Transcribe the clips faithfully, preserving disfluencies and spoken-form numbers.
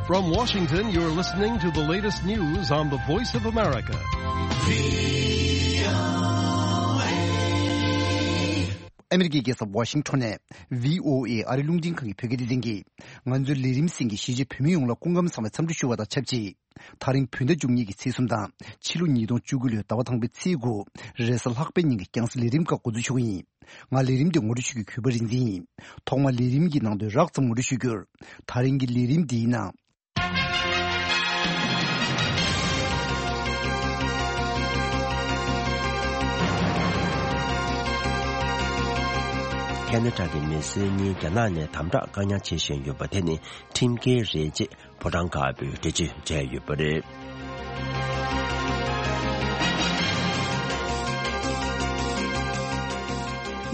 From Washington, you're listening to the latest news on the Voice of America. ཨ་མི་རི་ཀའི་རྒྱལ་ས་ཝ་ཤིང་ཊོན་ནས་བྷི་ཨོ་ཨེ་ཨ་རི་རླུང་འཕྲིན་ཁང་གི་བོད་སྐད་སྡེ་ཚན་གྱིས། ང་ཚོའི་ལས་རིམ་གསན་མཁན་གཞིས་བྱེས་བོད་མི་ཡོངས་ལ་སྐུ་ཁམས་བཟང་བའི་འཚམས་འདྲི་ཞུ་བ་དང་ཆབས་ཅིག་དེ་རིང་བོད་ཟླ་བཅུ་གཉིས་ཀྱི་ཚེས་གསུམ་དང་ཕྱི་ལོ་ཉིས་སྟོང་བཅུ་དགུ་ལོའི་ཟླ་བ་དང་པོའི་ཚེས་དགུ། རེས་གཟའ་ལྷག་པའི་ཉིན་གྱི་རྒྱང་སྲིང་ལས་རིམ་ཁག་འགོ་འཛུགས་ཞུ་གི་ཡིན། ང་ལས་རིམ་འདི་ངོ་སྤྲོད་ཞུ་རྒྱུའི་གུས་པ་རིག་འཛིན་ཡིན། ཐོག་མར་ལས་རིམ་གྱི་ནང་དོན་རགས་ཙམ་ངོ་སྤྲོད་ཞུ་རྒྱུར། དེ་རིང་གི་ལས་རིམ་འདིའི་ནང་། ཁེ་ན་ཌ་གི་མི་སེར་གཉིས་རྒྱ་ནག་ནས་དམ་དྲག་བཀག་ཉར་བྱེད་བཞིན་ཡོད་པ་དེ་ནི་ཁྲིམས་འགལ་རེད་ཅེས་ཕོ་བྲང་དཀར་པོས་འགྲེལ་བརྗོད་བྱས་ཡོད་པ་རེད།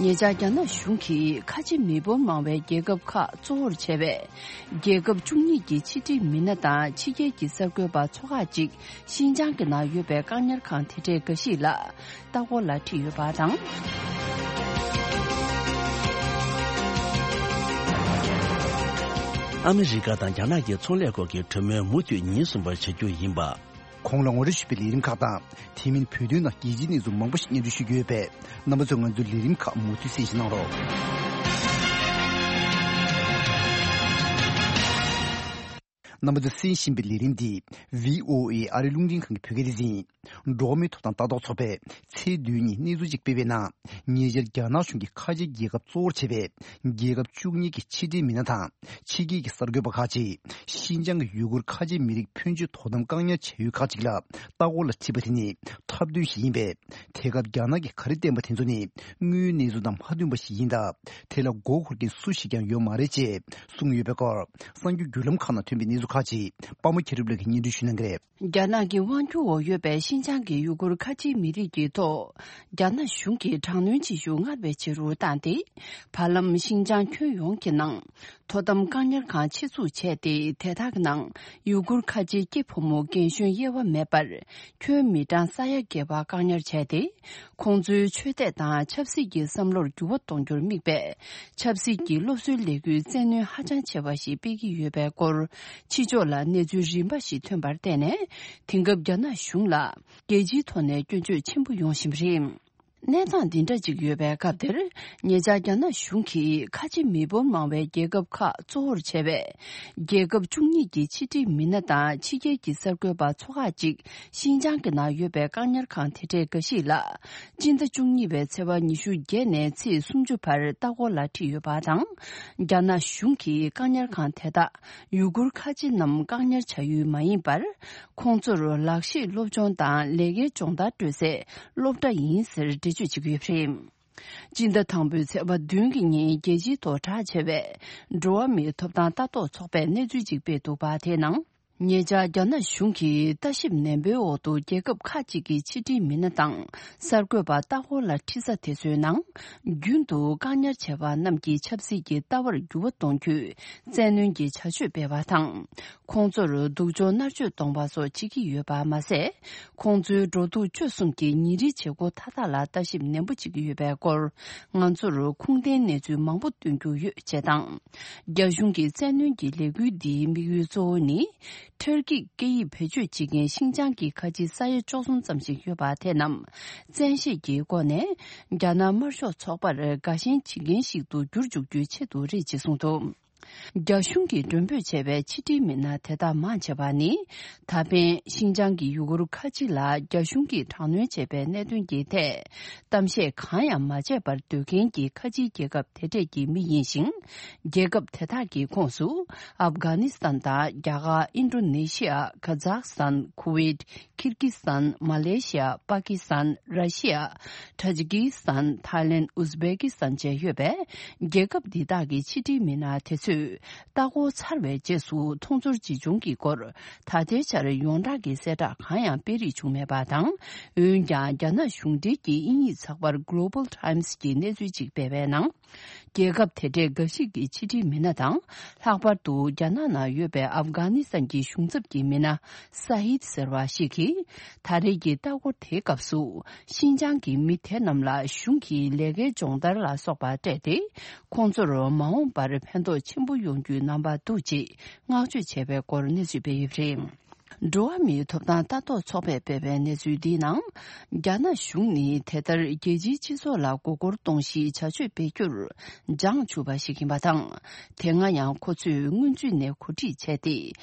ཉེ་ཆར་རྒྱ་ནག་གཞུང་གིས་ཁ་ཆེ་མི་འབོར་མང་བའི་རྒྱལ་ཁབ་ཁག་གཙོ་བོར་བྱས་པའི་རྒྱལ་ཁབ་བཅུ་གཉིས་ཀྱི་ཕྱི་འབྲེལ་མི་སྣ་དང་ཕྱི་རྒྱལ་གྱི་གསར་འགོད་པ་ཚོ་ཁག་ཅིག་ཤིན་ཅང་གི་ནང་ཡོད་པའི་བཀག་ཉར་ཁང་དེ་འདྲའི་འགའ་ཞིག་ལ་ལྟ་སྐོར་ལ་ཁྲིད་ཡོད་པ་དང་། ཨ་མི་རི་ཀ་དང་རྒྱ་ནག་གི་ཚོང་ལས་སྐོར་གྱི་གྲོས་མོལ་མུ་མཐུད་ཉིན་གསུམ་པར་བྱ་རྒྱུ་ཡིན་པ། གོང་ལ་ངོ་སྤྲོད་ཞུས་པའི་ལས་རིམ་ཁག་དང་། དེ་མིན་བོད་དོན་དང་རྒྱལ་སྤྱིའི་གནས་ཚུལ་མང་པོ་ཞིག་སྙན་སྒྲོན་ཞུ་རྒྱུ་ཡོད་པས། རྣམ་པ་ཚོས་ང་ཚོའི་ལས་རིམ་ཁག་མུ་མཐུད་གསན་བཞེས་གནང་རོགས། རྣམ་པ་ཚོས་གསན་བཞིན་པའི་ལས་རིམ་འདི་བྷི་ཨོ་ཨེ་ཨ་རི་རླུང་འཕྲིན་ཁང་གི་བོད་སྐད་སྡེ་ཚན་ཡིན། འགྲོ་བ་མིའི་ཐོབ་ཐང་ལྟ་རྟོག་ཚོགས་པས་ཚེས་བདུན་ཉིན་གནས་ཚུལ་ཅིག་སྤེལ་བའི་ནང་། ཉེ་ཆར་རྒྱ་ནག་གཞུང་གིས་ཁ་ཆེ་རྒྱལ་ཁབ་གཙོ་བོར་བྱས་པའི་རྒྱལ་ཁབ་བཅུ་གཉིས་ཀྱི་ཕྱི་འབྲེལ་མི་སྣ་དང་ཕྱི་རྒྱལ་གྱི་གསར་འགོད་པ་ཁག་ཅིག་ཤིན་ཅང་གི་ཡུ་གུར་ཁ་ཆེ་མི་རིགས་ཕོན་ཆེ་དོ་དམ་བཀག་ཉར་བྱ་ཡུལ་ཁག་ཅིག་ལ་ལྟ་སྐོར་ལ་ཁྲིད་པ་དེ་ནི་ཐབས་འདོན་ཞིག་ཡིན་པས། དེ་སྐབས་རྒྱ་ནག་གིས་ག་རེ་བསྟན་པ་དེ་ཚོ་ནི་དངོས་ཡོད་གནས་ཚུལ་དང་མ་མཐུན་པ་ཞིག་ཡིན་སྟབས། དེ་ལ་མགོ་འཁོར་མཁན་སུ་ཞིག་ཀྱང་ཡོད་མ་རེད་ཅེས་གསུངས་ཡོད་པའི་སྐོར། གསར་འགྱུར་བརྒྱུད་ལམ་ཁག་ནང་ཐོན་པའི་གནས་ཚུལ་ཁག་ཅིག་དཔའ་མོ་མཁྱེན་རབ་ལགས་ཀྱིས་སྙན་སྒྲོན་ཞུ་གནང་གི་རེད། རྒྱ་ནག་གི་དབང་སྒྱུར་འོག་ཡོད་པའི་ཤིན་ཅང་གི་ཡུ་གུར་ཁ་ཆེའི་མི་རིགས་ཀྱི་ཐོག་རྒྱ་ནག་གཞུང་གིས་དྲག་གནོན་བྱེད་ཤུགས་སྔར་བས་ཆེ་རུ་བཏང་སྟེ། བར་ལམ་ཤིན་ཅང་ཁྱོན་ཡོངས་ཀྱི་ནང་དོ་དམ་བཀག་ཉར་ཁང་ཆེད་འཛུགས་བྱས་ཏེ། དེ་དག་གི་ནང་ཡུ་གུར་ཁ་ཆེའི་སྐྱེས་ཕོ་མོ་རྒན་གཞོན་དབྱེ་བ་མེད་པར་ཁྱོན་མི་གྲངས་ས་ཡ་བརྒལ་བ་བཀག་ཉར་བྱས་ཏེ། ཁོང་ཚོའི་ཆོས་དད་དང་ཆབ་སྲིད་ཀྱི་བསམ་བློར་འགྱུར་བ་གཏོང་རྒྱུར་དམིགས་པའི་ཆབ་སྲིད་ཀྱི་སློབ་གསོའི་ལས་འགུལ་བཙན་གནོན་ཧ་ཅང་ཆེ་བ་ཞིག་སྤེལ་གྱི་ཡོད་པའི་སྐོར། ཕྱི་ཕྱོགས་ལ་གནས་ཚུལ་རིམ་པ་ཞིག་ཐོན་པར་བརྟེན་ནས། དེང་སྐབས་རྒྱ་ནག་གཞུང་ལ་རྒྱལ་སྤྱིའི་ཐོག་ནས་སྐྱོན་བརྗོད་ཆེན་པོ་ཡོང་བཞིན་པ་རེད། གནས་སྟངས་འདི་འདྲ་ཅིག་ཡོད་པའི་སྐབས་དེར། ཉེ་ཆར་རྒྱ་ནག་གཞུང་གིས་ཁ་ཆེ་མི་འབོར་མང་བའི་རྒྱལ་ཁབ་ཁག་གཙོ་བོར་བྱས་པའི་རྒྱལ་ཁབ་བཅུ་གཉིས་ཀྱི་ཕྱི་འབྲེལ་མི་སྣ་དང་ཕྱི་རྒྱལ་གྱི་གསར་འགོད་པ་ཚོ་ཁག་ཅིག་ཤིན་ཅང་གི་ནང་ཡོད་པའི་བཀག་ཉར་ཁང་དེ་འདྲའི་འགའ་ཞིག་ལ། སྤྱི་ཟླ་བཅུ་གཉིས་པའི་ཚེས་པ་ཉི་ཤུ་བརྒྱད་ནས་ཚེས་སུམ་ཅུ་བར་ལྟ་སྐོར་ལ་ཁྲིད་ཡོད་པ་དང་། རྒྱ་ནག་གཞུང་གིས་བཀག་ཉར་ཁང་དེ་དག་ཡུ་གུར་ཁ་ཆེ་རྣམས་བཀག་ཉར་བྱ་ཡུལ་མ་ཡིན་པར། ཁོང་ཚོར་ལག་ཤེས་སློབ་སྦྱོང་དང་ལས་ཀའི་སྦྱོང་བརྡར་སྤྲོད་སའི་སློབ་གྲྭ་ཡིན་ཟེར་འགྲེལ་བརྗོད་བྱེད་ཀྱི་ཡོད་པ་རེད། སྤྱི་ཟླ་དང་པོའི་ཚེས་པ་བདུན་གྱི་ཉིན་རྒྱལ་སྤྱིའི་ཐོག་གྲགས་ཆེ་བའི་འགྲོ་བ་མིའི་ཐོབ་ཐང་ལྟ་རྟོག་ཚོགས་པས་གནས་ཚུལ་ཅིག་སྤེལ་འདུག་པ། དེའི་ནང་། ཉེ་ཆར་རྒྱ་ནག་གཞུང་གིས་ལྟ་ཞིབ་ནན་པོའི་འོག་ཏུ་རྒྱལ་ཁབ་ཁག་ཅིག་གི་ཕྱི་འབྲེལ་མི་སྣ་དང་གསར་འགོད་པ་ལྟ་སྐོར་ལ་ཁྲིད་ས་དེ་ཚོའི་ནང་། རྒྱུན་དུ་བཀག་ཉར་བྱས་པ་རྣམས་ཀྱི་ཆབ་སྲིད་ཀྱི་ལྟ་བར་འགྱུར་བ་གཏོང་རྒྱུའི་བཙན་གནོན་གྱི་བྱ་སྤྱོད་སྤེལ་བ་དང་། ཁོང་ཚོར་སྡུག་སྦྱོང་མནར་གཅོད་གཏོང་བ་སོགས་བྱེད་ཀྱི་ཡོད་པ་མ་ཟད། ཁོང་ཚོའི་འགྲོ་འདུག་སྤྱོད་གསུམ་གྱི་ཉིན་རེའི་བྱེད་སྒོ་མཐའ་དག་ལ་ལྟ་ཞིབ་ནན་པོ་བྱེད་ཀྱི་ཡོད་པའི་སྐོར། ང་ཚོར་ཁུངས་ལྡན་གནས་ཚུལ་མང་པོ་སྟོན་རྒྱུ་ཡོད་ཅེས་དང་། རྒྱ་གཞུང་གི་བཙན་གནོན་གྱི་ལས་འགུལ་འདིའི་དམིགས་ཡུལ་གཙོ་བོ་ནི། ཊར་ཀིའི་སྐད་ཡིག་བེད་སྤྱོད་བྱེད་མཁན་ཤིན་ཅང་གི་ཁ་ཆེའི་ས་ཡ་བཅུ་གསུམ་ཙམ་ཞིག་ཡོད་པ་དེ་རྣམས་བཙན་ཤེད་ཀྱི་སྒོ་ནས་རྒྱ་ནག་དམར་ཤོག་ཚོགས་པར་དགའ་ཞེན་བྱེད་མཁན་ཞིག་ཏུ་འགྱུར་འཇུག་རྒྱུའི་ཆེད་དུ་རེད་ཅེས་གསུངས་འདུག། རྒྱ་གཞུང་གིས་མགྲོན་འབོད་བྱས་པའི་ཕྱི་འབྲེལ་མི་སྣ་དེ་དག་མང་ཆེ་བ་ནི། ད་ཕན་ཤིན་ཅང་གི་ཡུ་གུར་ཁ་ཆེ་ལ་རྒྱ་གཞུང་གིས་དྲག་གནོན་བྱས་པའི་གནད་དོན་གྱི་ཐད་གཏམ་བཤད་གང་ཡང་མ་བྱས་པར་སྡོད་མཁན་གྱི་ཁ་ཆེའི་རྒྱལ་ཁབ་དེ་གྲས་ཀྱི་མི་ཡིན་ཞིང་། རྒྱལ་ཁབ་དེ་དག་གི་ཁོངས་སུ་ཨབ་གྷ་ནི་སི་ཐན་དང་རྒྱ་གར། ཨིན་ཌོ་ནེ་ཤི་ཡ། ཁ་ཛག་སི་ཐན། ཁུ་ཝེད། ཁིར་ཀི་སི་ཐན། མ་ལེ་ཤི་ཡ། པ་ཀི་སི་ཐན། ར་ཤི་ཡ། ཏཱ་ཇི་ཀི་སི་ཐན། ཐའི་ལེན། ཨུ་ཛི་བེ་ཀི་སི་ཐན་བཅས་ཡོད་པས། རྒྱལ་ཁབ་འདི་དག་གི་ཕྱི་འབྲེལ་མི་སྣ་དེ་ཚོས་ལྟ་སྐོར་ཚར་བའི་རྗེས་སུ་མཐོང་ཚོར་ཇི་བྱུང་གི་སྐོར་ད་ལྟའི་ཆར་ཡོངས་གྲགས་ཀྱི་གསལ་བསྒྲགས་གང་ཡང་སྤེལ་རེས་བྱུང་མེད་པ་དང་། འོན་ཀྱང་། རྒྱ་ནག་གཞུང་འབྲེལ་གྱི་དབྱིན་ཡིག་ཚགས་པར་Global Times གྱིས་གནས་ཚུལ་ཅིག་སྤེལ་བའི་ནང་། རྒྱལ་ཁབ་དེ་འདྲའི་འགའ་ཞིག་གི་ཕྱི་འབྲེལ་མི་སྣ་དང་། ལྷག་པར་དུ་རྒྱ་ནག་ནང་ཡོད་པའི་ཨབ་གྷ་ནི་སི་ཐན་གྱི་གཞུང་ཚབ་ཀྱི་མི་སྣ་ས་ཧིད་ཟེར་བ་ཞིག་གིས། ད་རེས་ཀྱི་ལྟ་སྐོར་དེའི་སྐབས་སུ། ཤིན་ཅང་གི་མི་དེ་རྣམས་ལ་གཞུང་གིས་ལས་ཀའི་སྦྱོང་བརྡར་ལ་སོགས་པ་སྤྲད་དེ། ཁོང་ཚོར་མ་འོངས་པར་ཕན་ཐོགས་ཆེན་ ཆེན་པོ་ཡོང་རྒྱུའི་རྣམ་པ་འདུག་ཅེས་བསྔགས་བརྗོད་བྱས་པའི་སྐོར་གནས་ཚུལ་སྤེལ་ཡོད་པ་རེད། འགྲོ་བ་མིའི་ཐོབ་ཐང་ལྟ་རྟོག་ཚོགས་པས་སྤེལ་བའི་གནས་ཚུལ་འདིའི་ནང་། རྒྱ་ནག་གཞུང་ནི་དེ་ལྟར་རྒྱལ་སྤྱིའི་སྤྱི་ཚོགས་ལ་མགོ་སྐོར་གཏོང་གཞིའི་བྱ་སྤྱོད་སྤེལ་རྒྱུར་འཇང་ཆུག་པ་ཞིག་ཡིན་པ་དང་། དེ་སྔ་ཡང་ཁོ་ཚོས་སྔོན་ཚུད་ནས་གོ་སྒྲིག་བྱས་ཏེ།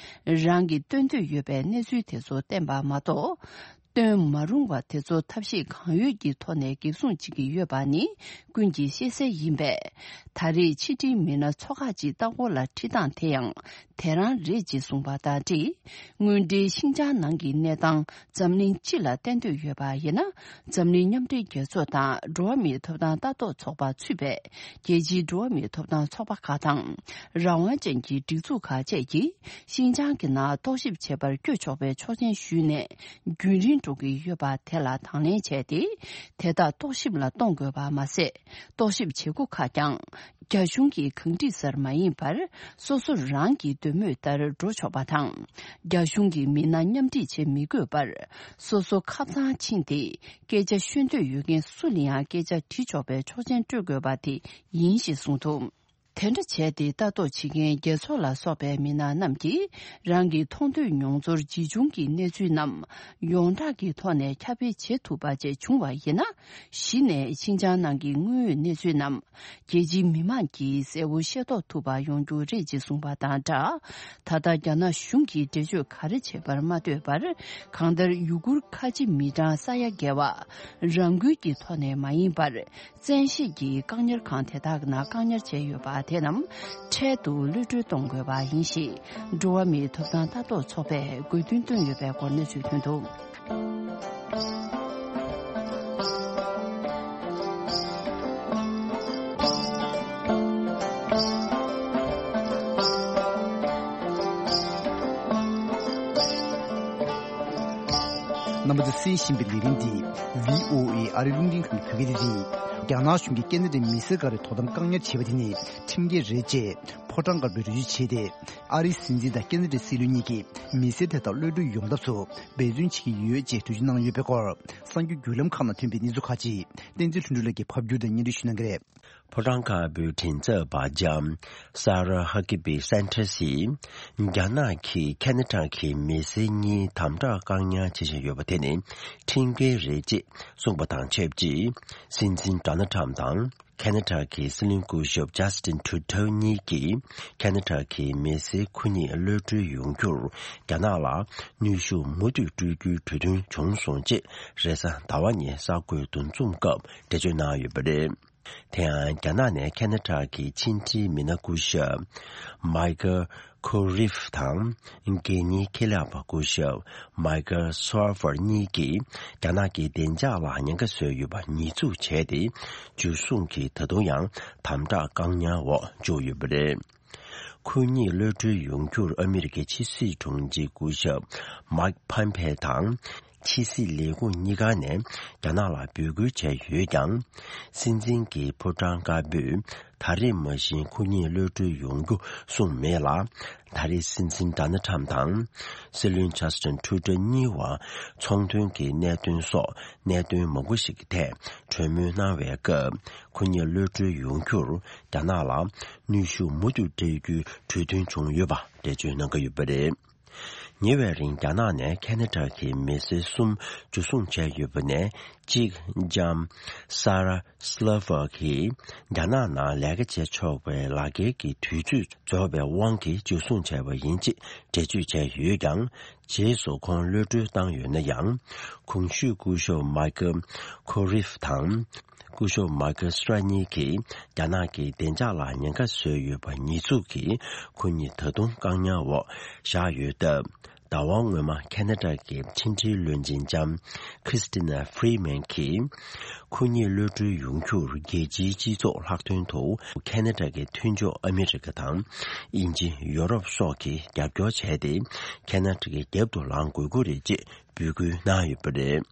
རང་གིས་སྟོན་འདོད་ཡོད་པའི་གནས་ཚུལ་དེ་ཚོ་བསྟན་པ་མ་གཏོགས། སྟོན་མ་རུང་བ་དེ་ཚོ་ཐབས་ཤེས་གང་ཡོད་ཀྱི་ཐོག་ནས་འགེབས་སྲུང་བྱེད་ཀྱི་ཡོད་པ་ནི་ཀུན་གྱིས་ཤེས་གསལ་ཡིན་པས། ད་རེས་ཕྱི་འབྲེལ་མི་སྣ་ཚོ་ཁག་ཅིག་ལྟ་སྐོར་ལ་ཁྲིད་སྟངས་དེ་ཡང་དེ་རང་རེད་ཅེས་གསུངས་པ་དང་འབྲེལ། དངོས་འབྲེལ་ཤིན་ཅང་ནང་གི་གནས་སྟངས་འཛམ་གླིང་སྤྱི་ལ་བསྟན་འདོད་ཡོད་པ་ཡིན་ན། འཛམ་གླིང་མཉམ་འབྲེལ་རྒྱལ་ཚོགས་དང་འགྲོ་བ་མིའི་ཐོབ་ཐང་ལྟ་རྟོག་ཚོགས་པ་ཚུད་པའི་རྒྱལ་སྤྱིའི་འགྲོ་བ་མིའི་ཐོབ་ཐང་ཚོགས་པ་ཁག་དང་། རང་དབང་ཅན་གྱི་སྒྲིག་འཛུགས་ཁག་བཅས་ཀྱིས་ཤིན་ཅང་གི་ནང་རྟོག་ཞིབ་བྱེད་པར་བསྐྱོད་ཆོག་པའི་ཆོག་མཆན་ཞུས་ནས་རྒྱུན་རིང་འགྲོ་གི་ཡོད་པ་དེ་ལ་དང་ལེན་བྱས་ཏེ། དེ་དག་རྟོག་ཞིབ་ལ་གཏོང་དགོས་པ་མ་ཟད། རྟོག་ཞིབ་བྱེད་སྒོ་ཁག་ཀྱང་རྒྱ་གཞུང་གིས་གང་སྒྲིག་སར་མ་ཡིན་པར། སོ་སོ་རང་གི་འདོད་མོས་ལྟར་འགྲོ་ཆོག་པ་དང་། རྒྱ་གཞུང་གི་མི་སྣ་མཉམ་ཁྲིད་བྱེད་མི་དགོས་པར། སོ་སོ་ཁབ་ཚང་ཕྱིན་ཏེ། སྐད་ཆ་ཤོད་འདོད་ཡོད་མཁན་སུ་ལ་ཡང་སྐད་ཆ་དྲི་ཆོག་པའི་ཆོག་མཆན་སྤྲོད་དགོས་པ་དེ་ཡིན་ཞེས་གསུངས་འདུག། དེ་འདྲ་བྱས་ཏེ་ལྟ་རྟོག་བྱེད་མཁན་རྒྱལ་ཚོགས་ལ་སོགས་པའི་མི་སྣ་རྣམས་ཀྱིས་རང་གི་མཐོང་ཐོས་མྱོང་ཚོར་ཇི་བྱུང་གི་གནས་ཚུལ་རྣམས་ཡོངས་གྲགས་ཀྱི་ཐོག་ནས་ཁྱབ་སྤེལ་བྱེད་ཐུབ་པ་བཅས་བྱུང་བ་ཡིན་ན། གཞི་ནས་ཤིན་ཅང་ནང་གི་དངོས་ཡོད་གནས་ཚུལ་རྣམས་རྒྱལ་སྤྱིའི་མི་མང་གིས་གསལ་བོ་ཤེས་རྟོགས་ཐུབ་པ་ཡོང་རྒྱུ་རེད་ཅེས་གསུངས་པ་དང་སྦྲགས། ད་ལྟ་རྒྱ་ནག་གཞུང་གིས་འགྲེལ་བརྗོད་ག་རེ་བྱེད་པར་མ་ལྟོས་པར། གང་ལྟར་ཡུ་གུར་ཁ་ཆེ་མི་གྲངས་ས་ཡ་བརྒལ་བ་རང་འགུལ་གྱི་ཐོག་ནས་མ་ཡིན་པར། བཙན་ཤེད་ཀྱིས་བཀག་ཉར་ཁང་དེ་དག་ནང་བཀག་ཉར་བྱས་ཡོད་པ་དེ་རྣམས་འཕྲལ་དུ་གློད་གྲོལ་གཏོང་དགོས་པ་ཡིན་ཞེས། འགྲོ་བ་མིའི་ཐོབ་ཐང་ལྟ་རྟོག་ཚོགས་པས་དགོས་འདུན་བཏོན་ཡོད་པའི་སྐོར་གནས་ཚུལ་ཐོན་འདུག། རྣམ་པ་ཚོས་གསན་བཞིན་པའི་ལས་རིམ་འདི་བྷི་ཨོ་ཨེ་ཨ་རི་རླུང་འཕྲིན་ཁང་གི་བོད་སྐད་སྡེ་ཚན་ཡིན། རྒྱ་ནག་གཞུང་གིས་ཁེ་ན་ཌའི་མི་སེར་འགའ་རེ་དོ་དམ་བཀག་ཉར་བྱས་པ་དེ་ནི་ཁྲིམས་འགལ་རེད་ཅེས་ཕོ་བྲང་དཀར་པོས་འགྲེལ་བརྗོད་བྱས་ཏེ། ཨ་རིའི་སྲིད་འཛིན་དང་ཁེ་ན་ཌའི་སྲིད་བློན་གཉིས་ཀྱིས་མི་སེར་དེ་དག་གློད་གྲོལ་ཡོང་ཐབས་སུ་འབད་བརྩོན་བྱེད་ཀྱི་ཡོད་ཅེས་འགྲེལ་བརྗོད་གནང་ཡོད་པའི་སྐོར། གསར་འགྱུར་བརྒྱུད་ལམ་ཁག་ནང་ཐོན་པའི་གནས་ཚུལ་ཁག་ཅིག་བསྟན་འཛིན་ལྷུན་གྲུབ་ལགས་ཀྱིས་ཕབ་བསྒྱུར་དང་སྙན་སྒྲོན་ཞུ་གནང་གི་རེད། ཕོ་བྲང་དཀར་པོའི་མགྲིན་ཚབ་པ་ལྕམ་Sarah Huckabee Sanders་ཡིས། རྒྱ་ནག་གིས་ཁེ་ན་ཌ་གི་མི་སེར་གཉིས་དམ་དྲག་བཀག་ཉར་བྱེད་བཞིན་ཡོད་པ་དེ་ནི་ཁྲིམས་འགལ་རེད་ཅེས་གསུངས་པ་དང་ཆབས་ཅིག། སྲིད་འཛིན་Donald Trump་དང་ཁེ་ན་ཌ་གི་སྲིད་བློན་སྐུ་ཞབས་Justin Trudeau་གཉིས་ཀྱིས་ཁེ་ན་ཌ་གི་མི་སེར་ཁོ་གཉིས་གློད་གྲོལ་ཡོང་རྒྱུར་རྒྱ་ནག་ལ་གནོན་ཤུགས་མུ་མཐུད་སྤྲོད་རྒྱུའི་གྲོས་མཐུན་བྱུང་སོང་ཅེས་རེས་གཟའ་ཟླ་བ་ཉིན་གསར་འགོད་འདུ་འཛོམས་སྐབས་འགྲེལ་བརྗོད་གནང་ཡོད་པ་རེད། དེ་ཡང་རྒྱ་ནག་ནས་ཁེ་ན་ཌ་གི་ཕྱི་འབྲེལ་མི་སྣ་སྐུ་ཞབས་Michael Koreff་དང་། དགེ་བསྙེན་ཁེ་ལས་པ་སྐུ་ཞབས་Michael Shriver་གཉིས་ཀྱིས་རྒྱ་ནག་གི་བདེ་འཇགས་ལ་ཉེན་ཁ་བཟོས་ཡོད་པ་ཉེས་འཛུགས་བྱས་ཏེ། འཇུ་བཟུང་གིས་ད་དུང་ཡང་དམ་དྲག་བཀག་ཉར་འོག་བཅུག་ཡོད་པ་རེད། ཁོ་གཉིས་གློད་གྲོལ་ཡོང་རྒྱུར་ཨ་མི་རི་ཀའི་ཕྱི་སྲིད་དྲུང་ཆེ་སྐུ་ཞབས་Mike Pompeo་དང་། ཕྱི་སྲིད་ལས་ཁུངས་གཉིས་ཀ་ནས་རྒྱ་ནག་ལ་འབོད་སྐུལ་བྱས་ཡོད་ཀྱང་། སྲིད་འཛིན་གྱི་ཕོ་བྲང་དཀར་པོས་ད་རེས་མ་བཞིན་ཁོ་གཉིས་གློད་གྲོལ་ཡོང་རྒྱུ་གསུངས་མེད་ལ། ད་རེས་སྲིད་འཛིན་Donald Trump་དང་། སྲིད་བློན་Justin Trudeau་གཉིས་བར་ཚོང་དོན་གྱི་གནད་དོན་སོགས་གནད་དོན་མང་པོ་ཞིག་གི་ཐད་གྲོས་མོལ་གནང་བའི་སྐབས། ཁོ་གཉིས་གློད་གྲོལ་ཡོང་རྒྱུར་རྒྱ་ནག་ལ་གནོན་ཤུགས་མུ་མཐུད་སྤྲད་རྒྱུའི་གྲོས་མཐུན་བྱུང་ཡོད་པ་འགྲེལ་བརྗོད་གནང་གི་ཡོད་པ་རེད། ཉེ་བའི་རིང་རྒྱ་ནག་ནས་ཁེ་ན་ཌ་གི་མི་སེར་གསུམ་འཇུ་བཟུང་བྱས་ཡོད་པ་ནས་གཅིག་ལྕམ་Sarah Shriver་གིས་རྒྱ་ནག་ནང་ལས་ཀ་བྱེད་ཆོག་པའི་ལག་འཁྱེར་གྱི་དུས་ཚོད་རྫོགས་པའི་དབང་གིས་འཇུ་བཟུང་བྱས་པ་ཡིན་ཅེས་འགྲེལ་བརྗོད་བྱས་ཡོད་ཀྱང་། རྗེས་སུ་ཁོང་གློད་གྲོལ་བཏང་ཡོད་ན་ཡང་། གོང་ཞུས་སྐུ་ཞབས་Michael Koreff་དང་། སྐུ་ཞབས་Michael Shriver་གཉིས་ཀྱིས་རྒྱ་ནག་གི་བདེ་འཇགས་ལ་ཉེན་ཁ་བཟོས་ཡོད་པ་ཉེས་འཛུགས་ཀྱིས་ཁོ་གཉིས་ད་དུང་བཀག་ཉར་འོག་བཞག་ཡོད་སྟབས། ཟླ་བ་སྔོན་མ་ཁེ་ན་ཌ་གི་ཕྱི་འབྲེལ་བློན་ཆེན་ལྕམ་Chrystia Freeland་གྱིས། ཁོ་གཉིས་གློད་གྲོལ་ཡོང་རྒྱུར་རྒྱལ་སྤྱིའི་སྤྱི་ཚོགས་ལྷག་དོན་དུ་ཁེ་ན་ཌ་གི་མཐུན་ཕྱོགས་ཨ་མི་རི་ཀ་དང་། དབྱིན་ཇི། ཡོ་རོབ་སོགས་ཀྱིས་རྒྱབ་སྐྱོར་བྱས་ཏེ། ཁེ་ན་ཌ་གི་རྒྱབ་ཏུ་ལངས་དགོས་ཀྱི་རེད་ཅེས་འབོད་སྐུལ་གནང་ཡོད་པ་རེད།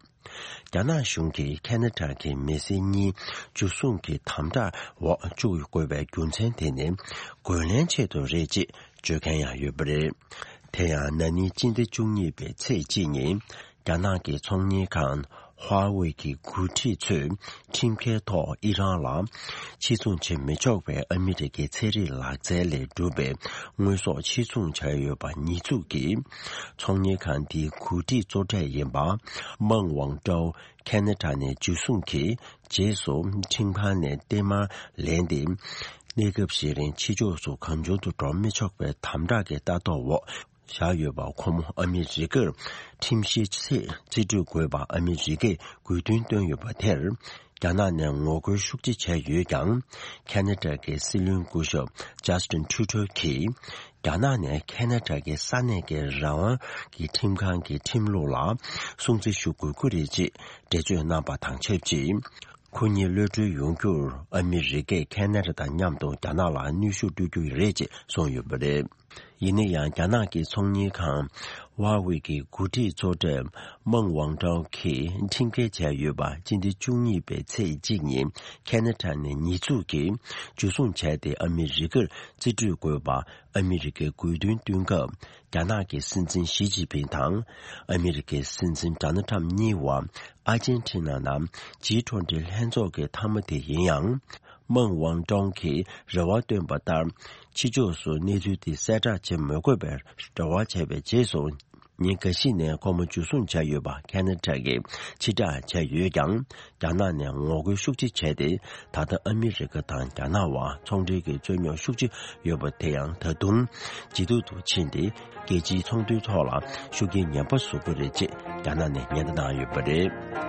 རྒྱ་ནག་གཞུང་གིས་ཁེ་ན་ཌ་གི་མི་སེར་གཉིས་འཇུ་བཟུང་གི་དམ་དྲག་འོག་བཅུག་དགོས་པའི་རྒྱུ་མཚན་དེ་ནི་རྒོལ་ལན་ཆེད་དུ་རེད་ཅེས་བརྗོད་མཁན་ཡང་ཡོད་པ་རེད། དེ་ཡང་ན་ནིང་སྤྱི་ཟླ་བཅུ་གཉིས་པའི་ཚེས་གཅིག་ཉིན་རྒྱ་ནག་གི་ཚོང་གཉེར་ཁང་ ཧྭ་ཝེ་གི་འགོ་ཁྲིད་ཚོས་ཁྲིམས་འགལ་ཐོག་ཨི་རན་ལ་ཕྱིར་ཚོང་བྱེད་མི་ཆོག་པའི་ཨ་མི་རི་ཀའི་ཚན་རིག་ལག་རྩལ་ལས་གྲུབ་པའི་དངོས་ཟོག་ཕྱིར་ཚོང་བྱས་ཡོད་པ་ཉེས་འཛུགས་ཀྱིས། ཚོང་གཉེར་ཁང་དེའི་འགོ་ཁྲིད་གཙོ་གྲས་ཡིན་པ་མང་ཝང་ཀྲའོ་ཁེ་ན་ཌ་ནས་འཇུ་བཟུང་གིས། རྗེས་སུ་ཁྲིམས་ཁང་ནས་བརྟན་མར་ལེན་ཏེ། གནས་སྐབས་ཤིག་རིང་ཕྱི་ཕྱོགས་སུ་གང་བྱུང་དུ་འགྲོ་མི་ཆོག་པའི་དམ་དྲག་གི་ལྟ་རྟོག་འོག་བཞག་ཡོད་པ། ཁོ་མོ་ཨ་མི་རི་ཀར་ཁྲིམས་བཤེར་ཆེད་རྩིས་སྤྲོད་དགོས་པ་ཨ་མི་རི་ཀས་དགོས་འདུན་བཏོན་ཡོད་པ་དེར། རྒྱ་ནག་ནས་ངོ་རྒོལ་ཤུགས་ཆེ་བྱས་ཡོད་ཀྱང་། ཁེ་ན་ཌ་གི་སྲིད་བློན་སྐུ་ཞབས་ཇ་སི་ཊིན་ཁྲུ་ཌོ་གིས། རྒྱ་ནག་ནས་ཁེ་ན་ཌ་གི་ས་གནས་ཀྱི་རང་དབང་གི་ཁྲིམས་ཁང་གི་ཁྲིམས་ལུགས་ལ་སྲུང་བརྩི་ཞུ་དགོས་ཀྱི་རེད་ཅེས་འགྲེལ་བརྗོད་གནང་པ་དང་ཆབས་ཅིག་ཁོ་གཉིས་གློད་གྲོལ་ཡོང་རྒྱུར་ཨ་མི་རི་ཀས་ཁེ་ན་ཌ་དང་མཉམ་དུ་རྒྱ་ནག་ལ་གནོན་ཤུགས་སྤྲོད་རྒྱུ་རེད་ཅེས་གསུངས་ཡོད་པ་རེད། ཡིན་ན་ཡང་རྒྱ་ནག་གི་ཚོང་གཉེར་ཁང་ཝ་ཝེ་གི་འགོ་ཁྲིད་གཙོ་གྲས་མང་ཝང་ཀྲའོ་གིས་ཁྲིམས་འགལ་བྱས་ཡོད་པ་སྤྱི་ཟླ་བཅུ་གཉིས་པའི་ཚེས་གཅིག་ཉིན་ཁེ་ན་ཌ་ནས་ཉེས་འཛུགས་ཀྱིས་འཇུ་བཟུང་བྱས་ཏེ་ཨ་མི་རི་ཀར་རྩིས་སྤྲོད་དགོས་པ་ཨ་མི་རི་ཀས་དགོས་འདུན་བཏོན་སྐབས། རྒྱ་ནག་གི་སྲིད་འཛིན་ཞི་ཅིན་ཕིང་དང་ཨ་མི་རི་ཀའི་སྲིད་འཛིན་ཌོ་ནལ་ཊམ་གཉིས་བར་ཨར་ཇན་ཊི་ན་ནང་ཇི་ཊུ་ཝེན་ཊི་ལྷན་ཚོགས་ཀྱི་མཐའ་མ་དེ་ཡིན་ཡང་། མང་ཝང་ཀྲོང་གིས་རེ་བ་བཏོན་པ་ལྟར། ཕྱི་ཕྱོགས་སུ་གནས་ཚུལ་དེ་གསལ་བསྒྲགས་བྱེད་མི་དགོས་པའི་རེ་བ་བྱས་པའི་རྗེས་སུ། ཉིན་འགའ་ཤས་ནས་ཁོ་མོ་འཇུ་བཟུང་བྱས་ཡོད་པ་ཁེ་ན་ཌ་གིས་ཕྱིར་བསྒྲགས་བྱས་ཡོད་ཀྱང་། རྒྱ་ནག་ནས་ངོ་རྒོལ་ཤུགས་ཆེ་བྱས་ཏེ། ད་ལྟ་ཨ་མི་རི་ཀ་དང་རྒྱ་ནག་བར་ཚོང་འབྲེལ་གྱི་རྩོད་རྙོག་ཤུགས་ཆེ་ཡོད་པ་དེ་ཡང་ད་དུང་ཇེ་སྡུག་ཏུ་ཕྱིན་ཏེ། རྒྱལ་སྤྱིའི་ཚོང་དོན་ཐོག་ལ་ཤུགས་རྐྱེན་ངན་པ་བཟོ་གི་རེད་ཅེས་རྒྱ་ནག་ནས་ཉེན་བརྡ་གནང་ཡོད་པ་རེད།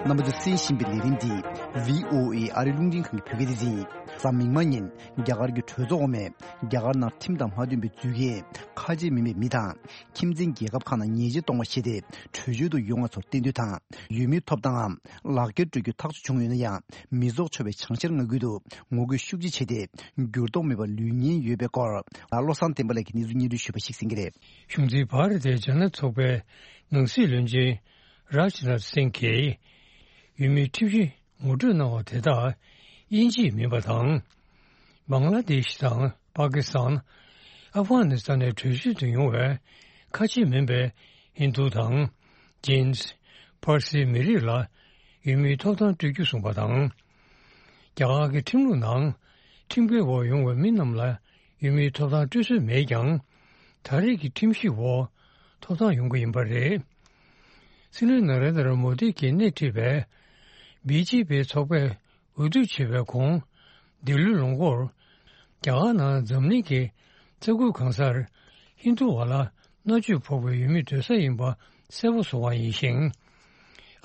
རྣམ་པ་ཚོས་གསན་བཞིན་པའི་ལས་རིམ་འདི་བྷི་ཨོ་ཨེ་ཨ་རིའི་རླུང་འཕྲིན་ཁང་གི་བོད་སྐད་སྡེ་ཚན་ཡིན། གཟའ་མིག་དམར་ཉིན་རྒྱ་གར་གྱི་གྲོས་ཚོགས་འོག་མས་རྒྱ་གར་ནང་ཁྲིམས་དང་མ་མཐུན་པའི་རྫུས་སྐྱེས་ཁ་ཆེ་མིན་པའི་མི་དང་། ཁྱིམ་མཚེས་རྒྱལ་ཁབ་ཁག་ནང་ཉེས་ཆད་གཏོང་བ་ཞེས་ཏེ་བྲོས་བྱོལ་དུ་ཡོང་བ་ཚོར་བསྟེན་གཏོང་དང་། ཡུལ་མིའི་ཐོབ་ཐང་ངམ་ལག་འཁྱེར་སྤྲོད་རྒྱུ་ཐག་གཅོད་བྱུང་ཡོད་ན་ཡང་། མི་རྫོགས་ཆོག་པའི་བྱང་ཤར་མངའ་ཁུལ་དུ་ངོ་རྒོལ་ཤུགས་ཆེ་བྱས་ཏེ། འགྱུར་ལྡོག་མེད་པར་ལུས་ཉེན་ཡོད་པའི་སྐོར། བློ་བཟང་བསྟན་པ་ལགས་ཀྱིས་གནས་ཚུལ་སྙན་སྒྲོན་ཞུས་པ་ཞིག་གསན་གྱི་རེད། གཞུང་འཛིན་བྷ་ར་ཏའི་ཇ་ན་ཚོགས་པའི་ནང་སྲིད་བློན་ཆེན་རཱཇ་ནཱཐ་སིང་གིས་ཡུལ་མིའི་ཁྲིམས་གཞི་ངོ་སྤྲོད་གནང་བ་དེ་དག་དབྱིན་ཇི་མིན་པ་དང་། བང་ལ་དེ་ཤི་དང་། པ་ཀི་སི་ཐན། ཨབ་གྷ་ནི་སི་ཐན་ནས་བྲོས་བྱོལ་དུ་ཡོང་བའི་ཁ་ཆེ་མིན་པའི་ཧིན་རྡུ་དང་། ཇིན། ཕར་སིའི་མི་རིགས་ལ་ཡུལ་མིའི་ཐོབ་ཐང་སྤྲོད་རྒྱུ་གསུངས་པ་དང་། རྒྱ་གར་གྱི་ཁྲིམས་ལུགས་ནང་ཁྲིམས་འགལ་འོག་ཡོང་བའི་མི་རྣམས་ལ་ཡུལ་མིའི་ཐོབ་ཐང་སྤྲོད་སྲོལ་མེད་ཀྱང་། ད་རེས་ཀྱི་ཁྲིམས་གཞི་འོག་ཐོབ་ཐང་ཡོང་གི་ཡིན་པ་རེད། སྲིད་བློན་ན་རེན་དྲ་མོ་དི་གིས་སྣེ་ཁྲིད་པའི་བི་ཇེ་པི་ཚོགས་པས་འོས་བསྡུ་བྱས་པའི་གོང་། འདི་ལོའི་ལོ་འགོར། རྒྱ་གར་ནང་འཛམ་གླིང་གི་ས་ཁུལ་གང་སར་ཧིན་རྡུ་བ་ལ་མནར་གཅོད་ཕོག་པའི་ཡུལ་མི་སྡོད་ས་ཡིན་པ་གསལ་པོ་བཟོ་བ་ཡིན་ཞིང་།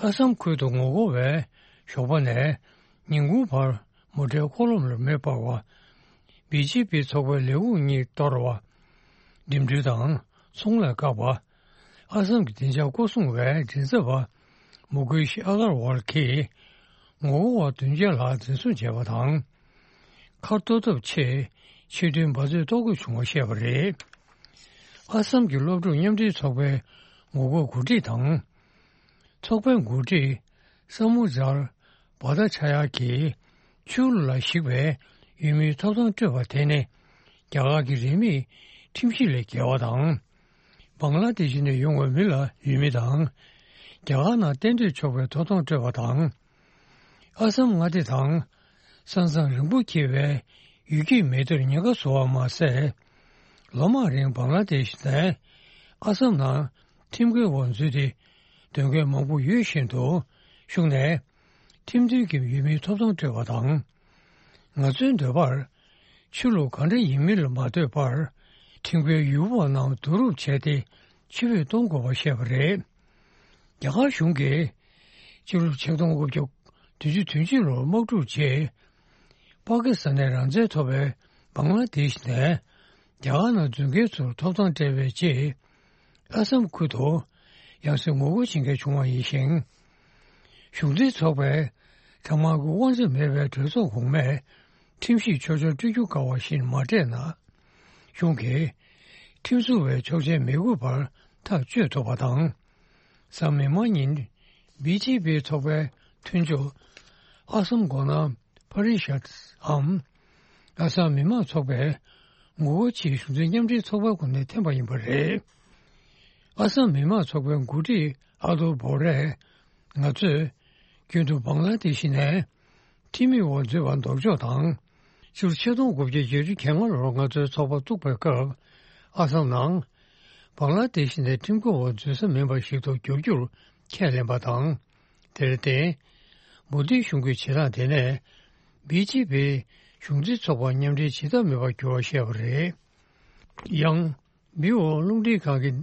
ཨ་སམ་ཁུལ་དུ་ངོ་རྒོལ་བས་ཞོགས་པ་ནས་ཉིན་གུང་བར་མོ་ཊའི་འཁོར་ལམ་ལ་མེ་སྤར་བ། བི་ཇེ་པི་ཚོགས་པའི་ལས་ཁུངས་གཉིས་གཏོར་བ། འགྲིམ་འགྲུལ་དང་ཚོང་ལས་བཀག་པ། ཨ་སམ་གྱི་བདེ་འཇགས་སྐོར་སྲུང་བའི་མགྲིན་ཚབ་པ་མུ་ཀེ་ཤི་ཨ་གར་ཝལ་གྱིས་ངོ་རྒོལ་བ་བདུན་བརྒྱ་ལྷག་འཛིན་བཟུང་བྱས་པ་དང་། མཁར་གཏོར་ཐབས་ཆེད་ཆེད་དོན་འབད་རྩོལ་གཏོང་དགོས་བྱུང་བ་བཤད་པ་རེད། ཨ་སམ་གྱི་སློབ་ཕྲུག་མཉམ་འབྲེལ་ཚོགས་པའི་ངོ་རྒོལ་འགོ་ཁྲིད་དང་། ཚོགས་པའི་འགོ་ཁྲིད་ས་མུ་ཛར་བྷ་ཏ་ཆ་ཡ་གིས་ཆོས་ལུགས་ལ་གཞིགས་པའི་ཡུལ་མིའི་ཐོབ་ཐང་སྤྲོད་པ་དེ་ནི་རྒྱ་གར་གྱི་རིས་མེད་ཁྲིམས་གཞི་ལས་བརྒལ་བ་དང་། བང་ལ་དེ་ཤི་ནས་ཡོང་བའི་མི་ལ་ཡུལ་མི་དང་། རྒྱ་གར་ནང་གཏན་སྡོད་ཆོག་པའི་ཐོབ་ཐང་སྤྲོད་པ་དང་། ཨ་སམ་མངའ་སྡེ་དང་། ས་མཚམས་རིང་པོ་འཁེལ་བའི་ཡུལ་སྐྱེས་མི་སྡེར་ཉེན་ཁ་བཟོ་བ་མ་ཟད། ལོ་མང་རིང་བང་ལ་དེ་ཤི་ནས་ཨ་སམ་ནང་ཁྲིམས་འགལ་འོག་འཛུལ་ཏེ་སྡོད་མཁན་མང་པོ་ཡོད་བཞིན་དུ། གཞུང་ནས་ཁྲིམས་མཐུན་གྱི་ཡུལ་མིའི་ཐོབ་ཐང་སྤྲོད་པ་དང་། ང་ཚོའི་འདོད་པར། ཆོས་ལུགས་གང་འདྲ་ཡིན་མིན་ལ་མ་ལྟོས་པར། ཁྲིམས་འགལ་ཡུལ་དབང་རྣམས་བསྡུ་རུབ་བྱས་ཏེ་ཕྱིར་འབུད་གཏོང་དགོས་པ་བཤད་པ་རེད། རྒྱ་གར་གཞུང་གིས་ཕྱི་ལོ་ཆིག་སྟོང་དགུ་བརྒྱ་བདུན་ཅུ་དོན་གཅིག་ལོར་དམག་འཁྲུག་རྗེས། པ་ཀི་སི་ཐན་ནས་རང་བཙན་ཐོབ་པའི་བང་ལ་དེ་ཤི་ནས་རྒྱ་གར་ནང་འཛུལ་མཁན་ཚོར་ཐོབ་ཐང་སྤྲད་པའི་རྗེས། ཨ་སམ་ཁུལ་དུ་ཡང་སེ་ངོ་རྒོལ་བྱེད་མཁན་བྱུང་བ་ཡིན་ཞིང་། གཞུང་འཛིན་ཚོགས་པའི་གྲངས་མང་གི་དབང་ཆ་མེད་པའི་གྲོས་ཚོགས་གོང་མས་ཁྲིམས་གཞི་ཆོག་ཆོག་སྤྲོད་རྒྱུ་དཀའ་བ་བཞིན་མ་སྤྲད་ན། གཞུང་གིས་ཁྲིམས་བཟོ་བའི་ཆོག་མཆན་མི་དགོས་པར་ཐག་གཅོད་ཐུབ་པ་དང་། གཟའ་མིག་དམར་ཉིན་བི་ཇེ་པི་ཚོགས་པའི་མཐུན་ཕྱོགས་ ཨ་སམ་མགོ་ནག་པ་རི་ཤད་འམ། ཨ་སམ་མི་དམངས་ཚོགས་པས་ངོ་རྒོལ་ཆེད་གཞུང་འཛིན་མཉམ་འབྲེལ་ཚོགས་པའི་ངོས་ནས་འཐེན་པ་ཡིན་པ་རེད། ཨ་སམ་མི་དམངས་ཚོགས་པའི་འགོ་ཁྲིད་ཨ་ཏོ་བོ་རས། ང་ཚོས་རྒྱུན་དུ་བང་ལ་དེ་ཤི་ནས་ཁྲིམས་མེད་འོག་འཛུལ་བ་ལྡོག་ཕྱོགས་དང་། ཕྱི་ལོ་ཆིག་སྟོང་དགུ་བརྒྱ་བརྒྱད་ཅུ་གྱ་ལྔ་ལོར་ང་ཚོའི་ཚོགས་པ་བཙུགས་པའི་སྐབས། ཨ་སམ་ནང་བང་ལ་དེ་ཤི་ནས་ཁྲིམས་འགལ་འོག་འཛུལ་ས་མིན་པ་ཞིག་ཏུ་འགྱུར་རྒྱུར་ཁས་ལེན་པ་དང་། དེར་བརྟེན། མོ་དིའི་གཞུང་གི་བྱེད་སྟངས་དེ་ནས། བི་ཇེ་པིའི་གཞུང་འཛིན་ཚོགས་པ་མཉམ་འབྲེལ་བྱེད་ཐབས་མེད་པར་གྱུར་བ་བཤད་པ་རེད། ཡང་། བི་ཨོ་རླུང་འཕྲིན་ཁང་གིས་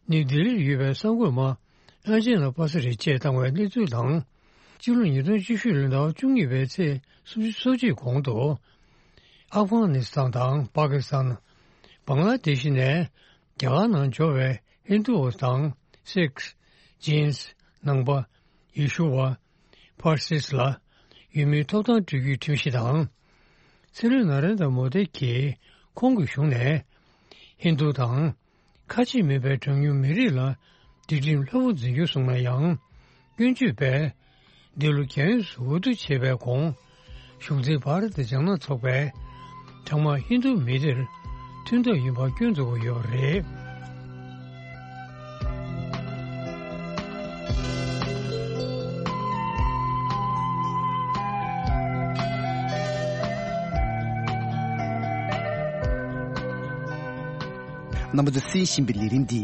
ནིའུ་ལྡི་ལིར་ཡོད་པའི་གསར་འགོད་པ་ཨན་ཇེ་ལ་པ་ས་རི་བཅས་བཏང་བའི་གནས་ཚུལ་དང་། སྤྱི་ལོ་ཉིས་སྟོང་བཅུ་བཞི་ལོའི་ཟླ་བ་བཅུ་གཉིས་པའི་ཚེས་སོ་གཅིག་གོང་དུ། ཨབ་གྷ་ནི་སི་ཐན་དང་པ་ཀི་སི་ཐན། བང་ལ་དེ་ཤི་ནས། རྒྱ་གར་ནང་འབྱོར་བའི་ཧིན་དུ་དང་སིག་ཇིན་ནང་པ། ཡེ་ཤུ་བ། ཕར་སིས་ལ། ཡུལ་མིའི་ཐོབ་ཐང་སྤྲོད་རྒྱུའི་ཁྲིམས་གཞི་དང་། སྲིད་བློན་ན་རེན་དྲ་མོ་དི་གིས་ཁོང་གི་གཞུང་ནས། ཧིན་དུ་དང་། ཁ་ཆེ་མིན་པའི་གྲངས་ཉུང་མི་རིགས་ལ་སྒྲིག་ཁྲིམས་ལྷོད་པོ་འཛིན་རྒྱུ་གསུངས་ན་ཡང་། སྐྱོན་བརྗོད་པས། འདི་ལོ་རྒྱ་ཡོངས་སུ་འོས་བསྡུ་བྱས་པའི་གོང་། གཞུང་འཛིན་བྷ་ར་ཏི་ལྗང་ནག་ཚོགས་པས། གྲངས་མང་ཧིན་རྡུ་མི་སྡེར་མཐུན་ཐབས་ཡིན་པ་སྐྱོན་འཛུགས་ཀྱི་ཡོད་པ་རེད། རྣམ་པ་ཚོས་གསན་བཞིན་པའི་ལས་རིམ་འདི་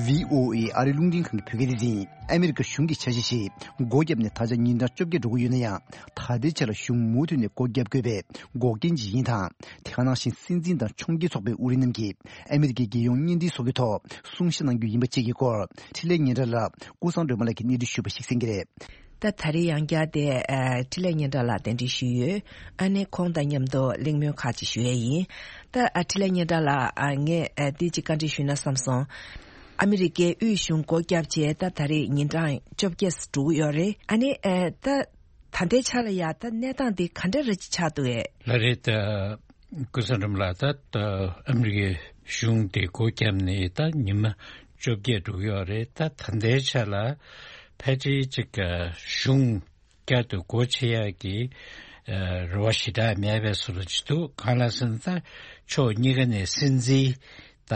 བྷི་ཨོ་ཨེ་ཨ་རིའི་རླུང་འཕྲིན་ཁང་གི་བོད་སྐད་སྡེ་ཚན་ཡིན། ཨ་མི་རི་ཀ་གཞུང་གི་འཆར་གཞི་ཞིག་སྒོ་བརྒྱབ་ནས་ད་ཆ་ཉིན་གྲངས་བཅོ་བརྒྱད་འགྲོ་གི་ཡོད་ན་ཡང་། ད་ལྟའི་ཆ་ལ་གཞུང་མུ་མཐུད་ནས་སྒོ་བརྒྱབ་དགོས་པའི་འགོག་རྐྱེན་ཅིག་ཡིན་དང་། དེ་ག་ནང་བཞིན་སྲིད་འཛིན་དང་ཁྲོམ་སྐྱིད་ཚོགས་པའི་དབུ་ཁྲིད་རྣམས་ཀྱིས་ཨ་མི་རི་ཀའི་རྒྱལ་ཡོངས་བརྙན་འཕྲིན་སོགས་ཀྱི་ཐོག་གསུང་བཤད་གནང་རྒྱུ་ཡིན་པ་བཅས་ཀྱི་སྐོར། འཕྲིན་ལས་སྙན་གྲགས་ལགས་ཀུན་བཟང་སྒྲོལ་མ་ལགས་ཀྱིས་གནས་འདྲི་ཞུས་པ་ཞིག་གསན་གྱི་རེད། ད་ད་རེས་ཡང་བསྐྱར་དེ་ཨ་འཕྲིན་ལས་སྙན་གྲགས་ལགས་གདན་འདྲེན་ཞུས་ཡོད། ཨ་ནི་ཁོང་དང་མཉམ་དུ་གླེང་མོལ་ཁག་ཅིག་ཞུ་ཡས་ཡིན། ད་ཨ་འཕྲིན་ལས་སྙན་གྲགས་ལགས། ཨ་ངས་ཨ་འདི་ཅིག་བཀའ་འདྲི་ཞུས་ན་བསམ་སོང་། ཨ་མི་རི་ཀའི་དབུས་གཞུང་སྒོ་བརྒྱབ་བྱས་ད་ད་རེས་ཉིན་གྲངས་བཅོ་བརྒྱད་འགྲོ་གི་ཡོད་རེད། ཨ་ནི་ཨ་ད་ད་ལྟའི་ཆ་ལ་ཡ་ད་གནས་སྟངས་འདི་ག་འདྲ་རེ་ཅིག་ཆགས་འདུག་ཨེ། ལགས་རེད། ད་ཀུན་བཟང་སྒྲོལ་མ་ལགས། ད་ཨ་མི་རི་ཀའི་གཞུང་དེ་སྒོ་བརྒྱབ་ནས་ད་ཉི་མ་བཅོ་བརྒྱད་འགྲོ་གི་ཡོད་རེད། ད་ད་ལྟའི་ཆ་ལ་ཕལ་ཆེར་ཅིག་གཞུང་བསྐྱར་དུ་སྒོ་ཕྱེ་ཡག་གི་ཨ་རེ་བ་ཞེ་དྲག་མེད་པའི་བཟོ་འདྲ་ཅིག་འདུག་གང་ལ་ཟེར་ན། ད་ཕྱོགས་གཉིས་ཀ་ནས་སྲིད་འཛིན་ད་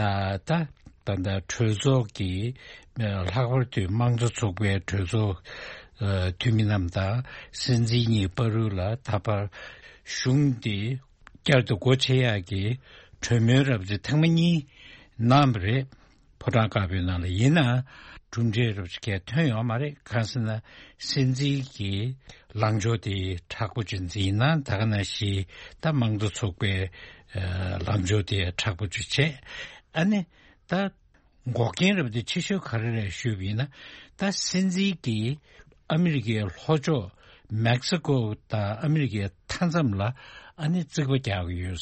ད་ད་ད་གྲོས་ཚོགས་ཀྱི་ལྷག་པར་དུ་དམངས་གཙོ་ཚོགས་པའི་གྲོས་ཚོགས་ཨ་འཐུས་མི་རྣམས་དང་སྲིད་འཛིན་གཉིས་བར་དུ་ལ་ད་བར་གཞུང་དེ་བསྐྱར་དུ་སྒོ་ཕྱེ་ཡག་གི་གྲོས་མོལ་རབ་ཅིག་ཐེངས་མ་གཉིས་གནང་བ་རེད། ཕོ་བྲང་དཀར་པོའི་ནང་ལ། ཡིན་ནའང་གྲུབ་འབྲས་རབ་ཅིག་གས་ཐོན་ཡོད་མ་རེད། གང་ཟེར་ན་སྲིད་འཛིན་གྱི་ལངས་ཕྱོགས་དེ་མཁྲེགས་པོ་ཅིག་འཛིན་ན། ད་ག་ནང་བཞིན་ད་དམངས་གཙོ་ཚོགས་པའི་ཨ་ལངས་ཕྱོགས་དེ་མཁྲེགས་པོ་ཅིག་བྱས། ཨ་ནི་ད་འགོག་རྐྱེན་རབ་དེ་ཆེ་ཤོས་ག་རེ་རེད་ཞུས་པ་ཡིན་ན། ད་སྲིད་འཛིན་གྱིས་ཨ་མི་རི་ཀའི་ལྷོ་ཕྱོགས་མེག་སི་ཀོ་དང་ཨ་མི་རི་ཀའི་མཐའ་མཚམས་ལ་ཨ་ནི་རྩིག་པ་རྒྱག་གི་ཡོད།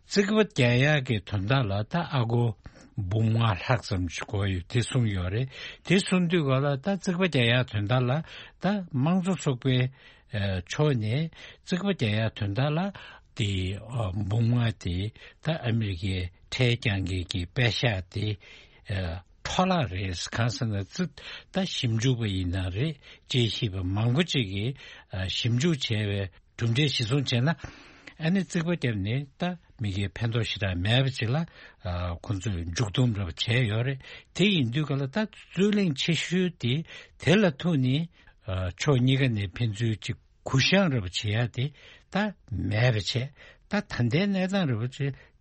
རྩིག་པ་རྒྱག་ཡག་གི་དོན་དག་ལ་ད་ཨ་སྒོར་འབུམ་ལྔ་ལྷག་ཙམ་ཞིག་དགོས་ཡོད་དེ་གསུངས་ཡོད་རེད། དེ་གསུངས་དུས་ག་ལ་ད་རྩིག་པ་རྒྱག་ཡག་དོན་དག་ལ་ད་དམངས་གཙོ་ཚོགས་པའི་ཨ་ཕྱོགས་ནས་རྩིག་པ་རྒྱག་ཡག་དོན་དག་ལ་དེ་ཨ་འབུམ་ལྔ་དེ་ད་ཨ་མི་རི་ཀའི་ཁྲལ་རྐྱང་གི་གི་པད་ཤག་དེ་ཨ་འཕྲོ་བརླག་རེད། གང་ཟེར་ན་རྩིག་ད་ཞིབ་འཇུག་པ་ཡིན་ན་རེད། དཔྱད་ཞིབ་པ་མང་པོ་ཅིག་གིས་ཨ་ཞིབ་འཇུག་བྱས་པའི་གྲུབ་འབྲས་གཞིར་བཟུང་བྱས་ན། ཨ་ནི་རྩིག་པ་བརྒྱབ་ནས་ད་མི་སྒེར་ཕན་ཐོགས་ཞེ་དྲག་མེད་པ་ཅིག་ལ་ཨ་ཁོང་ཚོས་མཇུག་སྡོམ་རབ་བྱས་ཡོད་རེད། དེ་ཡིན་དུས་ག་ལ་ད་རྩོད་གླེང་ཆེ་ཤོས་དེ་དེ་ལ་ཐུག་ནས་ཨ་ཕྱོགས་གཉིས་ཀ་ནས་ཕན་ཚུན་ཅིག་གུ་བཤང་རབ་བྱེད་ཡ་དེ་ད་མེད་པ་བྱས། ད་ད་ལྟའི་གནས་སྟངས་རབ་བྱས་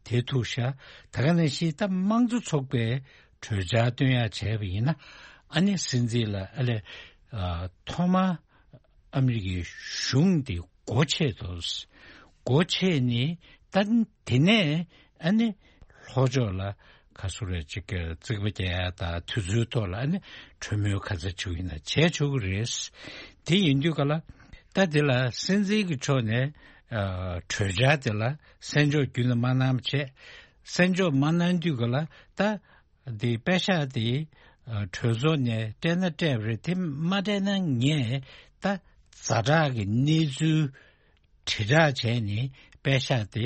དེ་ཐུག་ཤག་ད་ག་ནང་བཞིན་ད་དམངས་གཙོ་ཚོགས་པའི་གྲོས་འཆར་བཏོན་ཡ་བྱས་པ་ཡིན་ན། ཨ་ནི་སྲིད་འཛིན་ལ་ཨ་ལས་ཨ་ཐོག་མ་ཨ་མི་རི་ཀའི་གཞུང་དེ་སྒོ་ཕྱེ་དགོས། སྒོ་ཕྱེ་ནས་ད་དེ་ནས་ཨ་ནི་ལྷོ་ཕྱོགས་ལ་ག་ཚོད་རེད་ཅིག་གི་རྩིག་པ་རྒྱག་ཡ་དང་དུས་ཚོད་ཐོག་ལ་ཨ་ནི་གྲོས་མོལ་ག་ཚོད་བྱུང་ཡིན་ན་བྱས་ཆོག་གི་རེད། དེ་ཡིན་དུས་ག་ལ་ད་དེ་ལ་སྲིད་འཛིན་གྱི་ཕྱོགས་ནས་ཨ་གྲོས་འཆར་དེ་ལ་གསན་འཇོག་རྒྱུན་ལ་མ་གནང་བ་བྱས། གསན་འཇོག་མ་གནང་དུས་ག་ལ་ད་དེ་པད་ཤག་དེ་ཨ་གྲོས་ཚོགས་ནས་སྤྲད་ན་སྤྲད་པ་རེད། དེ་མ་སྤྲད་ན་ངས་ད་ཛ་དྲག་གི་གནས་ཚུལ་དྲིལ་བསྒྲགས་བྱས་ནས་པད་ཤག་དེ་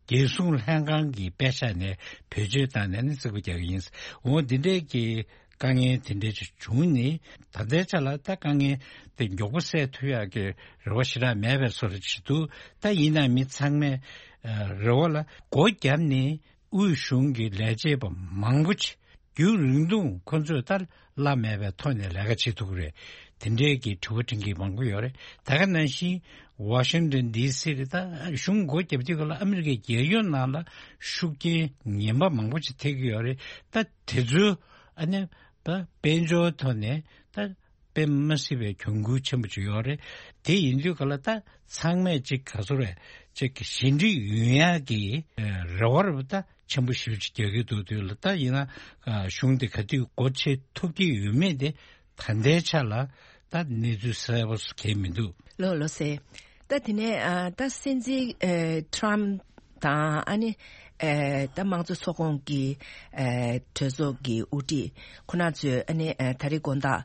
རྒྱལ་སྲུང་ལྷན་ཁང་གི་པད་ཤག་ནས་བེད་སྤྱོད་བཏང་ནས་ནི་རྩིག་པ་རྒྱག་གི་ཡིན། འོ་འདི་འདྲའི་གི་ དཀའ་ངལ་དེ་འདྲ་ཅིག་བྱུང་ནས། ད་ལྟའི་ཆ་ལ་ད་དཀའ་ངལ་དེ་མགྱོགས་པོ་སེལ་ཐུབ་ཡག་གི་རེ་བ་ཞེ་དྲག་མེད་པའི་བཟོ་འདྲ་ཅིག་འདུག་ད་ཡིན་ན་མི་ཚང་མས་ཨ་རེ་བ་ལ་སྒོ་བརྒྱབ་ནས། དབུས་གཞུང་གི་ལས་བྱེད་པ་མང་པོ་ཅིག་རྒྱུན་རིང་ཐུང་ཁོ་ཚོས་ལྟར་བླ་མེད་པའི་ཐོག་ནས་ལས་ཀ་བྱེད་ཐུབ་ཀྱི་རེད། དེ་འདྲའི་གི་དྲི་བ་དྲི་མཁན་མང་པོ་ཡོད་རེད། ད་ག་ནང་བཞིན་ཝ་ཤིང་ཏོན་ཌི་སི་རེད། ད་གཞུང་སྒོ་བརྒྱབ་དུས་སྐབས་ལ་ཨ་མི་རི་ཀའི་རྒྱལ་ཡོངས་ནང་ལ་ཤུགས་རྐྱེན་ངན་པ་མང་པོ་ཅིག་ཐེབས་ཀྱི་ཡོད་རེད། ད་དེ་ཚོའི་ཨ་ནི་ད་དཔལ་འབྱོར་ཐོག་ནས་ད་དཔེ་མ་སྲིད་པའི་གྱོང་གུན་ཆེན་པོ་ཅིག་ཡོད་རེད། དེ་ཡིན་དུས་ག་ལ་ད་ཚང་མས་ཅིག་ག་ཚོད་རེད། ཅིག་ཞི་འགྲིག་ཡོང་ཡག་གི་རེ་བ་རེ་བ་ད་ཆེན་པོ་ཞེ་པོ་ཅིག་རྒྱག་གི་འདུག་དུས་ལ། ད་ཡིན་ན་གཞུང་དེ་ག་དུས་སྒོ་ཕྱེ་ཐུབ་ཀྱི་ཡོད་མེད་དེ་ད་ལྟའི་ཆ་ལ་ད་གནས་ཚུལ་གསལ་པོ་གང་ཡང་མི་འདུག་ལགས་ལགས་སེ། ད་དེ་ནས་ཨ་ད་སྲིད་འཛིན་ཨ་ཊམ་དང་ཨ་ནི་ཨ་ད་དམངས་གཙོ་ཚོགས་ཁོངས་ཀྱི་ཨ་གྲོས་ཚོགས་ཀྱི་དབུ་ཁྲིད་ཁོ་ན་ཚོས་ཨ་ནི་ཨ་ད་རེས་དགོང་དག་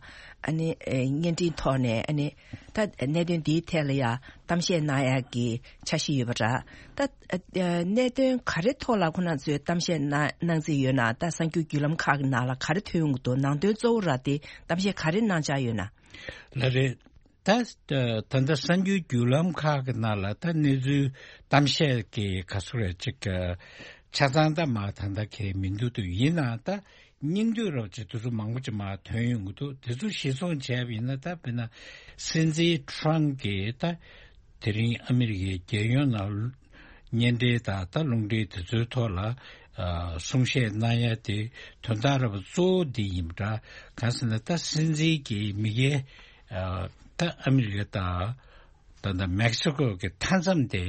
ཨ་ནི་ཨ་བརྙན་འཕྲིན་ཐོག་ནས་ཨ་ནི་ད་གནད་དོན་འདིའི་ཐད་ལ་ཡ་གཏམ་བཤད་གནང་ཡག་གི་འཆར་གཞི་ཡོད་པ་འདྲ། ད་ཨ་གནད་དོན་ག་རེ་ཐོག་ལ་ཁོ་ན་ཚོས་གཏམ་བཤད་གནང་གནང་རྩིས་ཡོད་ན། ད་གསར་འགྱུར་བརྒྱུད་ལམ་ཁག་གི་ནང་ལ་ག་རེ་ཐོན་ཡོང་གི་འདུག་ནང་དོན་གཙོ་བོ་ར་དེ་གཏམ་བཤད་ག་རེ་གནང་འཆར་ཡོད་ན། ལགས་རེད། ད་ད་ལྟ་གསར་འགྱུར་བརྒྱུད་ལམ་ཁག་གི་ནང་ལ་ད་གནས་ཚུལ་གཏམ་བཤད་ཀྱི་ག་ཚོད་རེད་ཅིག་ཆ་ཚང་ད་མ་ད་ལྟ་གང་ཡང་མི་འདུག་དུས་ཡིན་ནའང་ད་སྙིང་བསྡུས་རོབ་ཅིག་དེ་ཚོ་མང་པོ་ཅིག་མར་ཐོན་ཡོང་གི་འདུག་དེ་ཚོ་གཞིར་བཟུང་བྱས་པ་ཡིན་ན། ད་དཔེར་ན་སྲིད་འཛིན་ཊམ་གྱིས་ད་དེ་རིང་ཨ་མི་རི་ཀའི་རྒྱལ་ཡོངས་ནང་བརྙན་འཕྲིན་དང་ད་རླུང་འཕྲིན་དེ་ཚོའི་ཐོག་ལ་ཨ་གསུང་བཤད་གནང་ཡ་དེ་དོན་དག་ར་བ་གཙོ་བོ་འདི་ཡིན་པ་འདྲ། གང་ཟེར་ན་ད་སྲིད་འཛིན་གྱི་མི་སྒེར་ཨ་ད་ཨ་མི་རི་ཀ་དང་ད་ད་མེག་སི་ཀོ་གི་མཐའ་མཚམས་དེ་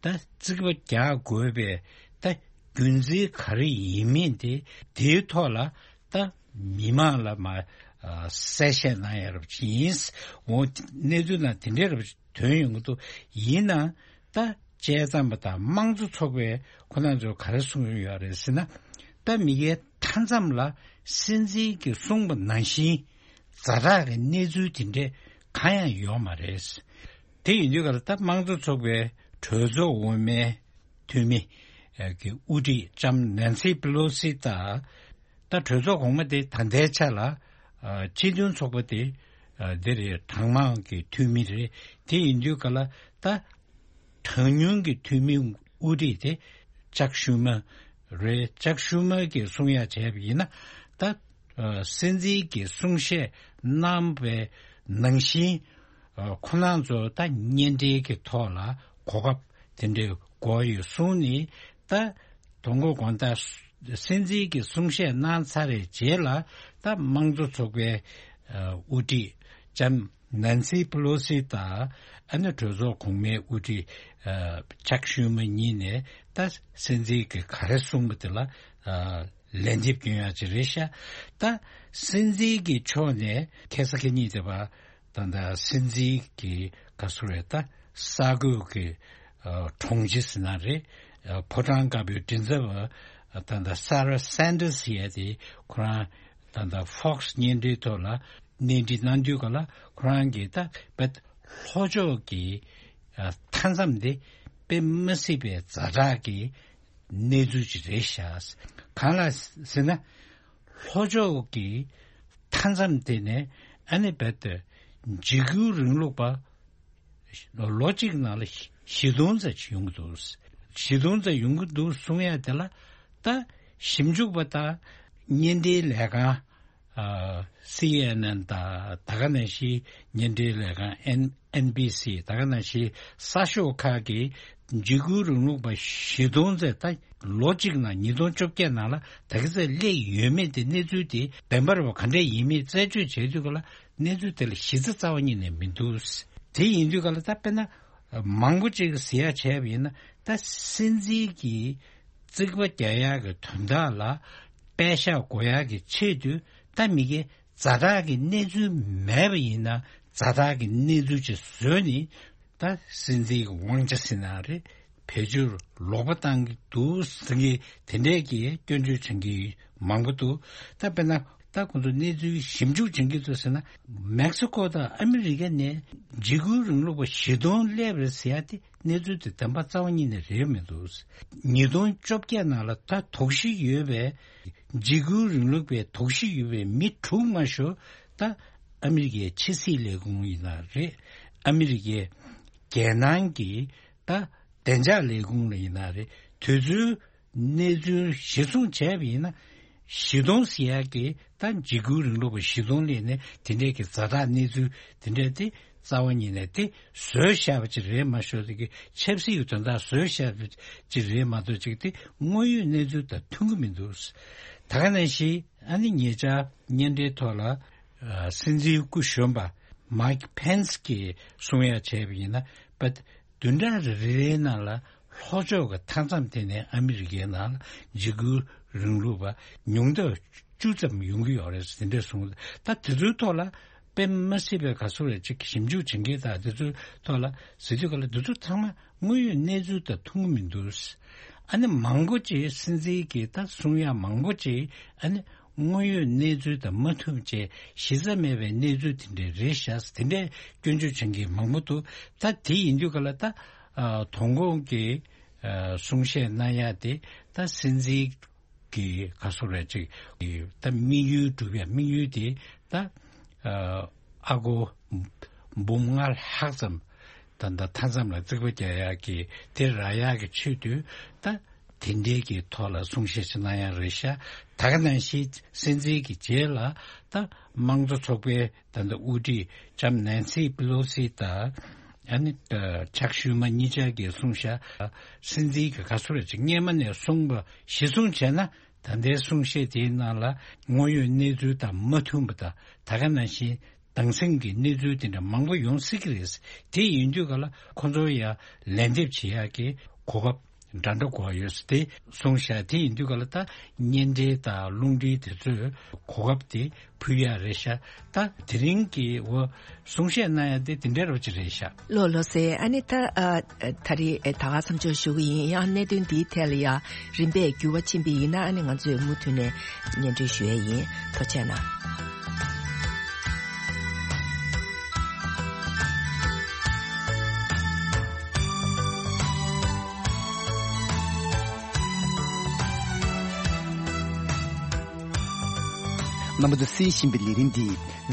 ད་རྩིག་པ་རྒྱག་དགོས་པའི་ད་རྒྱུ་མཚན་ག་རེ་ཡིན་མིན་དེ་དེའི་ཐོག་ལ་ད་མི་མང་ལ་མ་ཨ་གསལ་བཤད་གནང་ཡ་རབས་ཅིག་ཡིན། འོ་གནས་ཚུལ་ནང་དེ་འདྲའི་རབས་ཅིག་ཐོན་ཡོང་གི་འདུག་ཡིན་ནའང་ད་དཔྱད་མཚམས་པ་དང་དམངས་གཙོ་ཚོགས་པའི་ཁོ་ན་ཚོས་ག་རེ་གསུངས་ཡོད་རེད་ཟེར་ན། ད་མི་སྒེར་མཐའ་མཚམས་ལ་སྲིད་འཛིན་གྱིས་གསུངས་པ་ནང་བཞིན་ཛ་དྲག་གི་གནས་ཚུལ་དེ་འདྲས་གང་ཡང་ཡོད་མ་རེད། དེ་ཡིན་དུས་ག་ལ་ད་དམངས་གཙོ་ཚོགས་པའི་གྲོས་ཚོགས་འོག་མའི་འཐུས་མི་གི་དབུ་ཁྲིད་ལྕམ་ནན་སི་པི་ལོ་སི་དང་། ད་གྲོས་ཚོགས་གོང་མ་དེ་ད་ལྟའི་ཆ་ལ་ཨ་སྤྱི་མཐུན་ཚོགས་པ་དེ་ཨ་འདི་རེད། གྲངས་མང་གི་འཐུས་མི་རེད། དེ་ཡིན་དུས་ག་ལ་ད་གྲངས་ཉུང་གི་འཐུས་མི་དབུ་ཁྲིད་དེ་ཅག་ཤུ་མ་རེད། ཅག་ཤུ་མ་གིས་གསུང་ཡ་བྱས་པ་ཡིན་ན། ད་ཨ་སྲིད་འཛིན་གྱིས་གསུང་བཤད་གནང་བའི་ནང་བཞིན་ཨ་ཁོ་རང་ཚོ་ད་བརྙན་འཕྲིན་གྱི་ཐོག་ལ་གོ་སྐབས་དེ་འདྲའི་དགོས་ཡོད་གསུངས་ནས། ད་དོ་དགོང་དག་སྲིད་འཛིན་གྱིས་གསུང་བཤད་གནང་ཚར་བའི་རྗེས་ལ་ད་དམངས་གཙོ་ཚོགས་པའི་ཨ་དབུ་ཁྲིད་ལྕམ་ནན་སི་པི་ལོ་སི་དང་ཨ་ནི་གྲོས་ཚོགས་གོང་མའི་དབུ་ཁྲིད་ཨ་ཅག་ཤུ་མ་གཉིས་ནས་ད་སྲིད་འཛིན་གྱིས་ག་རེ་གསུངས་པ་དེ་ལ་ཨ་ལན་འདེབས་སྐྱོན་ཡག་ཅིག་རེད་ཤག་ད་སྲིད་འཛིན་གྱི་ཕྱོགས་ནས་ཁ་སང་ཁ་ཉིན་དེ་བ་ད་ལྟ་སྲིད་འཛིན་གྱི་ག་ཚོད་རེད། ད་ས་གོས་ཀྱི་ཨ་དྲུང་ཆེ་ཟེར་ན་རེད། ཨ་ཕོ་བྲང་དཀར་པོའི་མགྲིན་ཚབ་པ་ད་ལྟ་སཱ་ར་སན་ཏར་སི་ཟེར་ཡ་དེ་ཁོ་རང་ད་ལྟ་ཧྥོག་སི་བརྙན་འཕྲིན་ཐོག་ལ་གནས་འདྲི་གནང་དུས་ག་ལ་ཁོ་རང་གིས་ད་བེད་ལྷོ་ཕྱོགས་ཀྱི་ཨ་མཐའ་མཚམས་དེ་དཔེ་མི་སྲིད་པའི་ཛ་དྲག་གི་གནས་ཚུལ་ཅིག་རེད་ཤག་གང་ལ་ཟེར་ན། ལྷོ་ཕྱོགས་ཀྱི་མཐའ་མཚམས་དེ་ནས་ཨ་ནི་རྦད་དེ་འཇིགས་སྐུལ་རིང་ལུགས་པ་ལོ་གཅིག་ནང་ལ་བཞི་སྟོང་ཙམ་ཡོང་གི་འདུག་བཞི་སྟོང་ཙམ་ཡོང་གི་འདུག་གསུང་ཡ་དེ་ལ་ད་ཞིབ་འཇུག་པ་དང་བརྙན་འཕྲིན་ལས་ཁང་ཨ་སི་ཨེན་ཨེན་དང་ད་ག་ནང་བཞིན་བརྙན་འཕྲིན་ལས་ཁང་ཨེན་ཨེན་བི་སི་ད་ག་ནང་བཞིན་གསར་ཤོག་ཁག་གིས་འཇིགས་སྐུལ་རིང་ལུགས་པ་བཞི་སྟོང་ཙམ་ད་ལོ་གཅིག་ནང་ཉིས་སྟོང་བཅོ་བརྒྱད་ནང་ལ་ད་ག་ཚོད་སླེབས་ཡོད་མེད་དེ་གནས་ཚུལ་དེ་བདེན་པ་རེད་པ་ག་འདྲས་ཡིན་མིན་རྩད་གཅོད་བྱས་དུས་ག་ལ་གནས་ཚུལ་དེ་ལ་གཞི་རྩ་རྩ་བ་ཉིད་ནས་མི་འདུག་དེ་ཡིན་དུས་ག་ལ་ད་དཔེར་ན་མང་པོ་ཅིག་གིས་ཟེར་ཡ་བྱས་པ་ཡིན་ན། ད་སྲིད་འཛིན་གྱིས་རྩིག་པ་རྒྱག་ཡག་གི་དོན་དག་ལ་པད་ཤག་འགོ་ཡག་གི་ཆེད་དུ་ད་མི་སྒེར་ཛ་དྲག་གི་གནས་ཚུལ་མེད་པ་ཡིན་ན་ཛ་དྲག་གི་གནས་ཚུལ་ཅིག་བཟོས་ནས་ད་སྲིད་འཛིན་གྱི་དབང་ཆ་ཟེར་ན་རེད། བེད་སྤྱོད་ལོག་པ་བཏང་གི་འདུག་ཟེར་མཁན་དེ་འདྲས་ཀྱི་སྐྱོན་བརྗོད་བྱེད་མཁན་མང་པོ་འདུག་ད་དཔེར་ན་ད་ཁོང་ཚོ་གནས་ཚུལ་ཞིབ་འཇུག་བྱེད་མཁན་ཚོ་ཟེར་ན། མེག་སི་ཀོ་དང་ཨ་མི་རི་ཀ་ནས་འཇིགས་སྐུལ་རིང་ལུགས་པ་བཞི་སྟོང་སླེབས་རེད་ཟེར་ཡ་དེ་གནས་ཚུལ་དེ་བདེན་པ་རྩ་བ་ཉིད་ནས་རེད་མི་འདུག་ཉིས་སྟོང་བཅོ་བརྒྱད་ནང་ལ་ད་དོགས་གཞི་ཡོད་པའི་ འཇིགས་སྐུལ་རིང་ལུགས་པའི་དོགས་གཞི་ཡོད་པའི་མི་དྲུག་མ་ཞུ་ད་ཨ་མི་རི་ཀའི་ཕྱི་སྲིད་ལས་ཁུངས་ཡིན་ན་རེད། ཨ་མི་རི་ཀའི་རྒྱལ་ནང་གི་ད་བདེ་འཇགས་ལས་ཁུངས་ལ་ཡིན་ན་རེད། དུས་ཚོད་གནས་ཚུལ་གཞིར་བཟུང་བྱས་པ་ཡིན་ན། གཞི་སྟོང་ཟེར་ཡག་གི་ད་འཇིགས་སྐུལ་རིང་ལུགས་པ་གཞི་སྟོང་སླེབས་ནས་དེ་འདྲས་ཀྱི་ཛ་དྲག་གནས་ཚུལ་དེ་འདྲས་དེ་རྩ་བ་ཉིད་ནས་དེ་བཟོས་བཞག་པ་ཅིག་རེད་མ་ཤོད་དེ་གི་ཆབ་སྲིད་ཀྱི་དོན་དག་བཟོས་བཞག་པ་ཅིག་རེད་མ་གཏོགས་ཅིག་དེ་དངོས་ཡོད་གནས་ཚུལ་དང་མཐུན་གི་མི་འདུག། ད་ག་ནང་བཞིན་ཨ་ནི་ཉེ་ཆར་བརྙན་འཕྲིན་ཐོག་ལ་ཨ་སྲིད་འཛིན་སྐུ་གཞོན་པ་མའིག་ཕེན་སི་གིས་གསུང་ཡ་བྱས་པ་ཡིན་ན་པ། བདུན་ཕྲག་རེ་རེའི་ནང་ལ་ལྷོ་ཕྱོགས་ཀྱི་མཐའ་མཚམས་དེ་ནས་ཨ་མི་རི་ཀའི་ནང་ལ་འཇིགས་སྐུལ་རིང་ལུགས་པ་ཉུང་མཐའ་བཅུ་ཙམ་ཡོང་གི་ཡོད་རེད་ཟེར་འདྲ་གསུངས། ད་དེ་ཚོའི་ཐོག་ལ་དཔེ་མ་སྲིད་པའི་ག་ཚོད་རེད་ཅིག་ཞིབ་འཇུག་བྱེད་མཁན་དང་དེ་ཚོའི་ཐོག་ལ་ཟེར་དུས་ག་ལ་དེ་ཚོ་ཚང་མ་དངོས་ཡོད་གནས་ཚུལ་དང་མཐུན་གི་མི་འདུག། ཨ་ནི་མང་པོ་ཅིག་སྲིད་འཛིན་གྱིས་ད་གསུང་ཡ་མང་པོ་ཅིག་ཨ་ནི། དངོས་ཡོད་གནས་ཚུལ་དང་མ་མཐུན་བྱས་གཞི་རྩ་མེད་པའི་གནས་ཚུལ་དེ་འདྲས་རེད་ཤག་དེ་འདྲས་སྐྱོན་བརྗོད་བྱེད་མཁན་མང་པོ་འདུག། ད་དེ་ཡིན་དུས་ག་ལ་ད་ཨ་དོ་དགོང་གི་ཨ་གསུང་བཤད་གནང་ཡ་དེ་ད་སྲིད་འཛིན་གྱི་ག་སོ་ར་ཅིག་གི་ད་དམིགས་ཡུལ་སྒྲུབ་ཡ་དམིགས་ཡུལ་དེ་ད་ཨ་ཨ་སྒོར་འབུམ་ལྔ་ལྷག་ཙམ། ད་ལྟ་མཐའ་མཚམས་ལ་རྩིག་པ་རྒྱག་ཡག་གི་དེ་རག་ཡག་གི་ཆེད་དུ་ད་དེ་འདྲའི་གི་ཐོག་ལ་གསུང་བཤད་ཅིག་གནང་ཡག་རེད་ཤག། ད་ག་ནང་བཞིན་སྲིད་འཛིན་གྱི་རྗེས་ལ་ད་དམངས་གཙོ་ཚོགས་པའི་ད་ལྟ་དབུ་ཁྲིད་ལྕམ་ནན་སི་པི་ལོ་སི་དང་ཨ་ནི་ད་ཅག་ཤུ་མ་གཉིས་ཆར་གྱིས་གསུངས་ཤག། སྲིད་འཛིན་གྱི་ག་ཚོད་རེད་ཅིག་སྔས་མ་ནས་གསུངས་པ་གཞི་བཟུང་བྱས་ན། ད་ལྟའི་གསུང་བཤད་དེའི་ནང་ལ་དངོས་ཡོད་གནས་ཚུལ་དང་མ་མཐུན་པ་དང་ད་ག་ནང་བཞིན་དྭངས་སིང་གི་གནས་ཚུལ་དེ་འདྲ་མང་པོ་ཡོང་སྲིད་ཀྱི་རེད། དེ་ཡིན་དུས་ག་ལ་ཁོ་ཚོ་ཡ་ལན་འདེབས་བྱེད་ཡག་གི་གོ་སྐབས་འདྲ་འདྲ་དགོས་ཡོད་དེ་གསུངས་ཤག། དེ་ཡིན་དུས་ག་ལ་ད་བརྙན་འཕྲིན་དང་རླུང་འཕྲིན་དེ་ཚོས་གོ་སྐབས་དེ་ཕུལ་ཡག་རེད་ཤག། ད་དེ་རིང་གི་འོ་གསུང་བཤད་གནང་ཡ་དེ་དེ་འདྲའི་རོ་ཅིག་རེད་ཤག། ལོ་ལོ་སེ་ཨ་ནི་ད་ཨ་ད་རེས་ད་ག་མཚམས་འཇོག་ཞུ་གི་ཡིན། ཡང་གནད་དོན་འདིའི་ཐད་ལ་ཡ་རིམ་པས་འགྱུར་བ་ཕྱིན་པ་ཡིན་ན་ཨ་ནི་ང་ཚོས་མུ་མཐུད་ནས་སྙན་སྒྲོན་ཞུ་ཡ་ཡིན། ཐུགས་རྗེ་གནང་། རྣམ་པ་ཚོས་གསན་བཞིན་པའི་ལས་རིམ་འདི་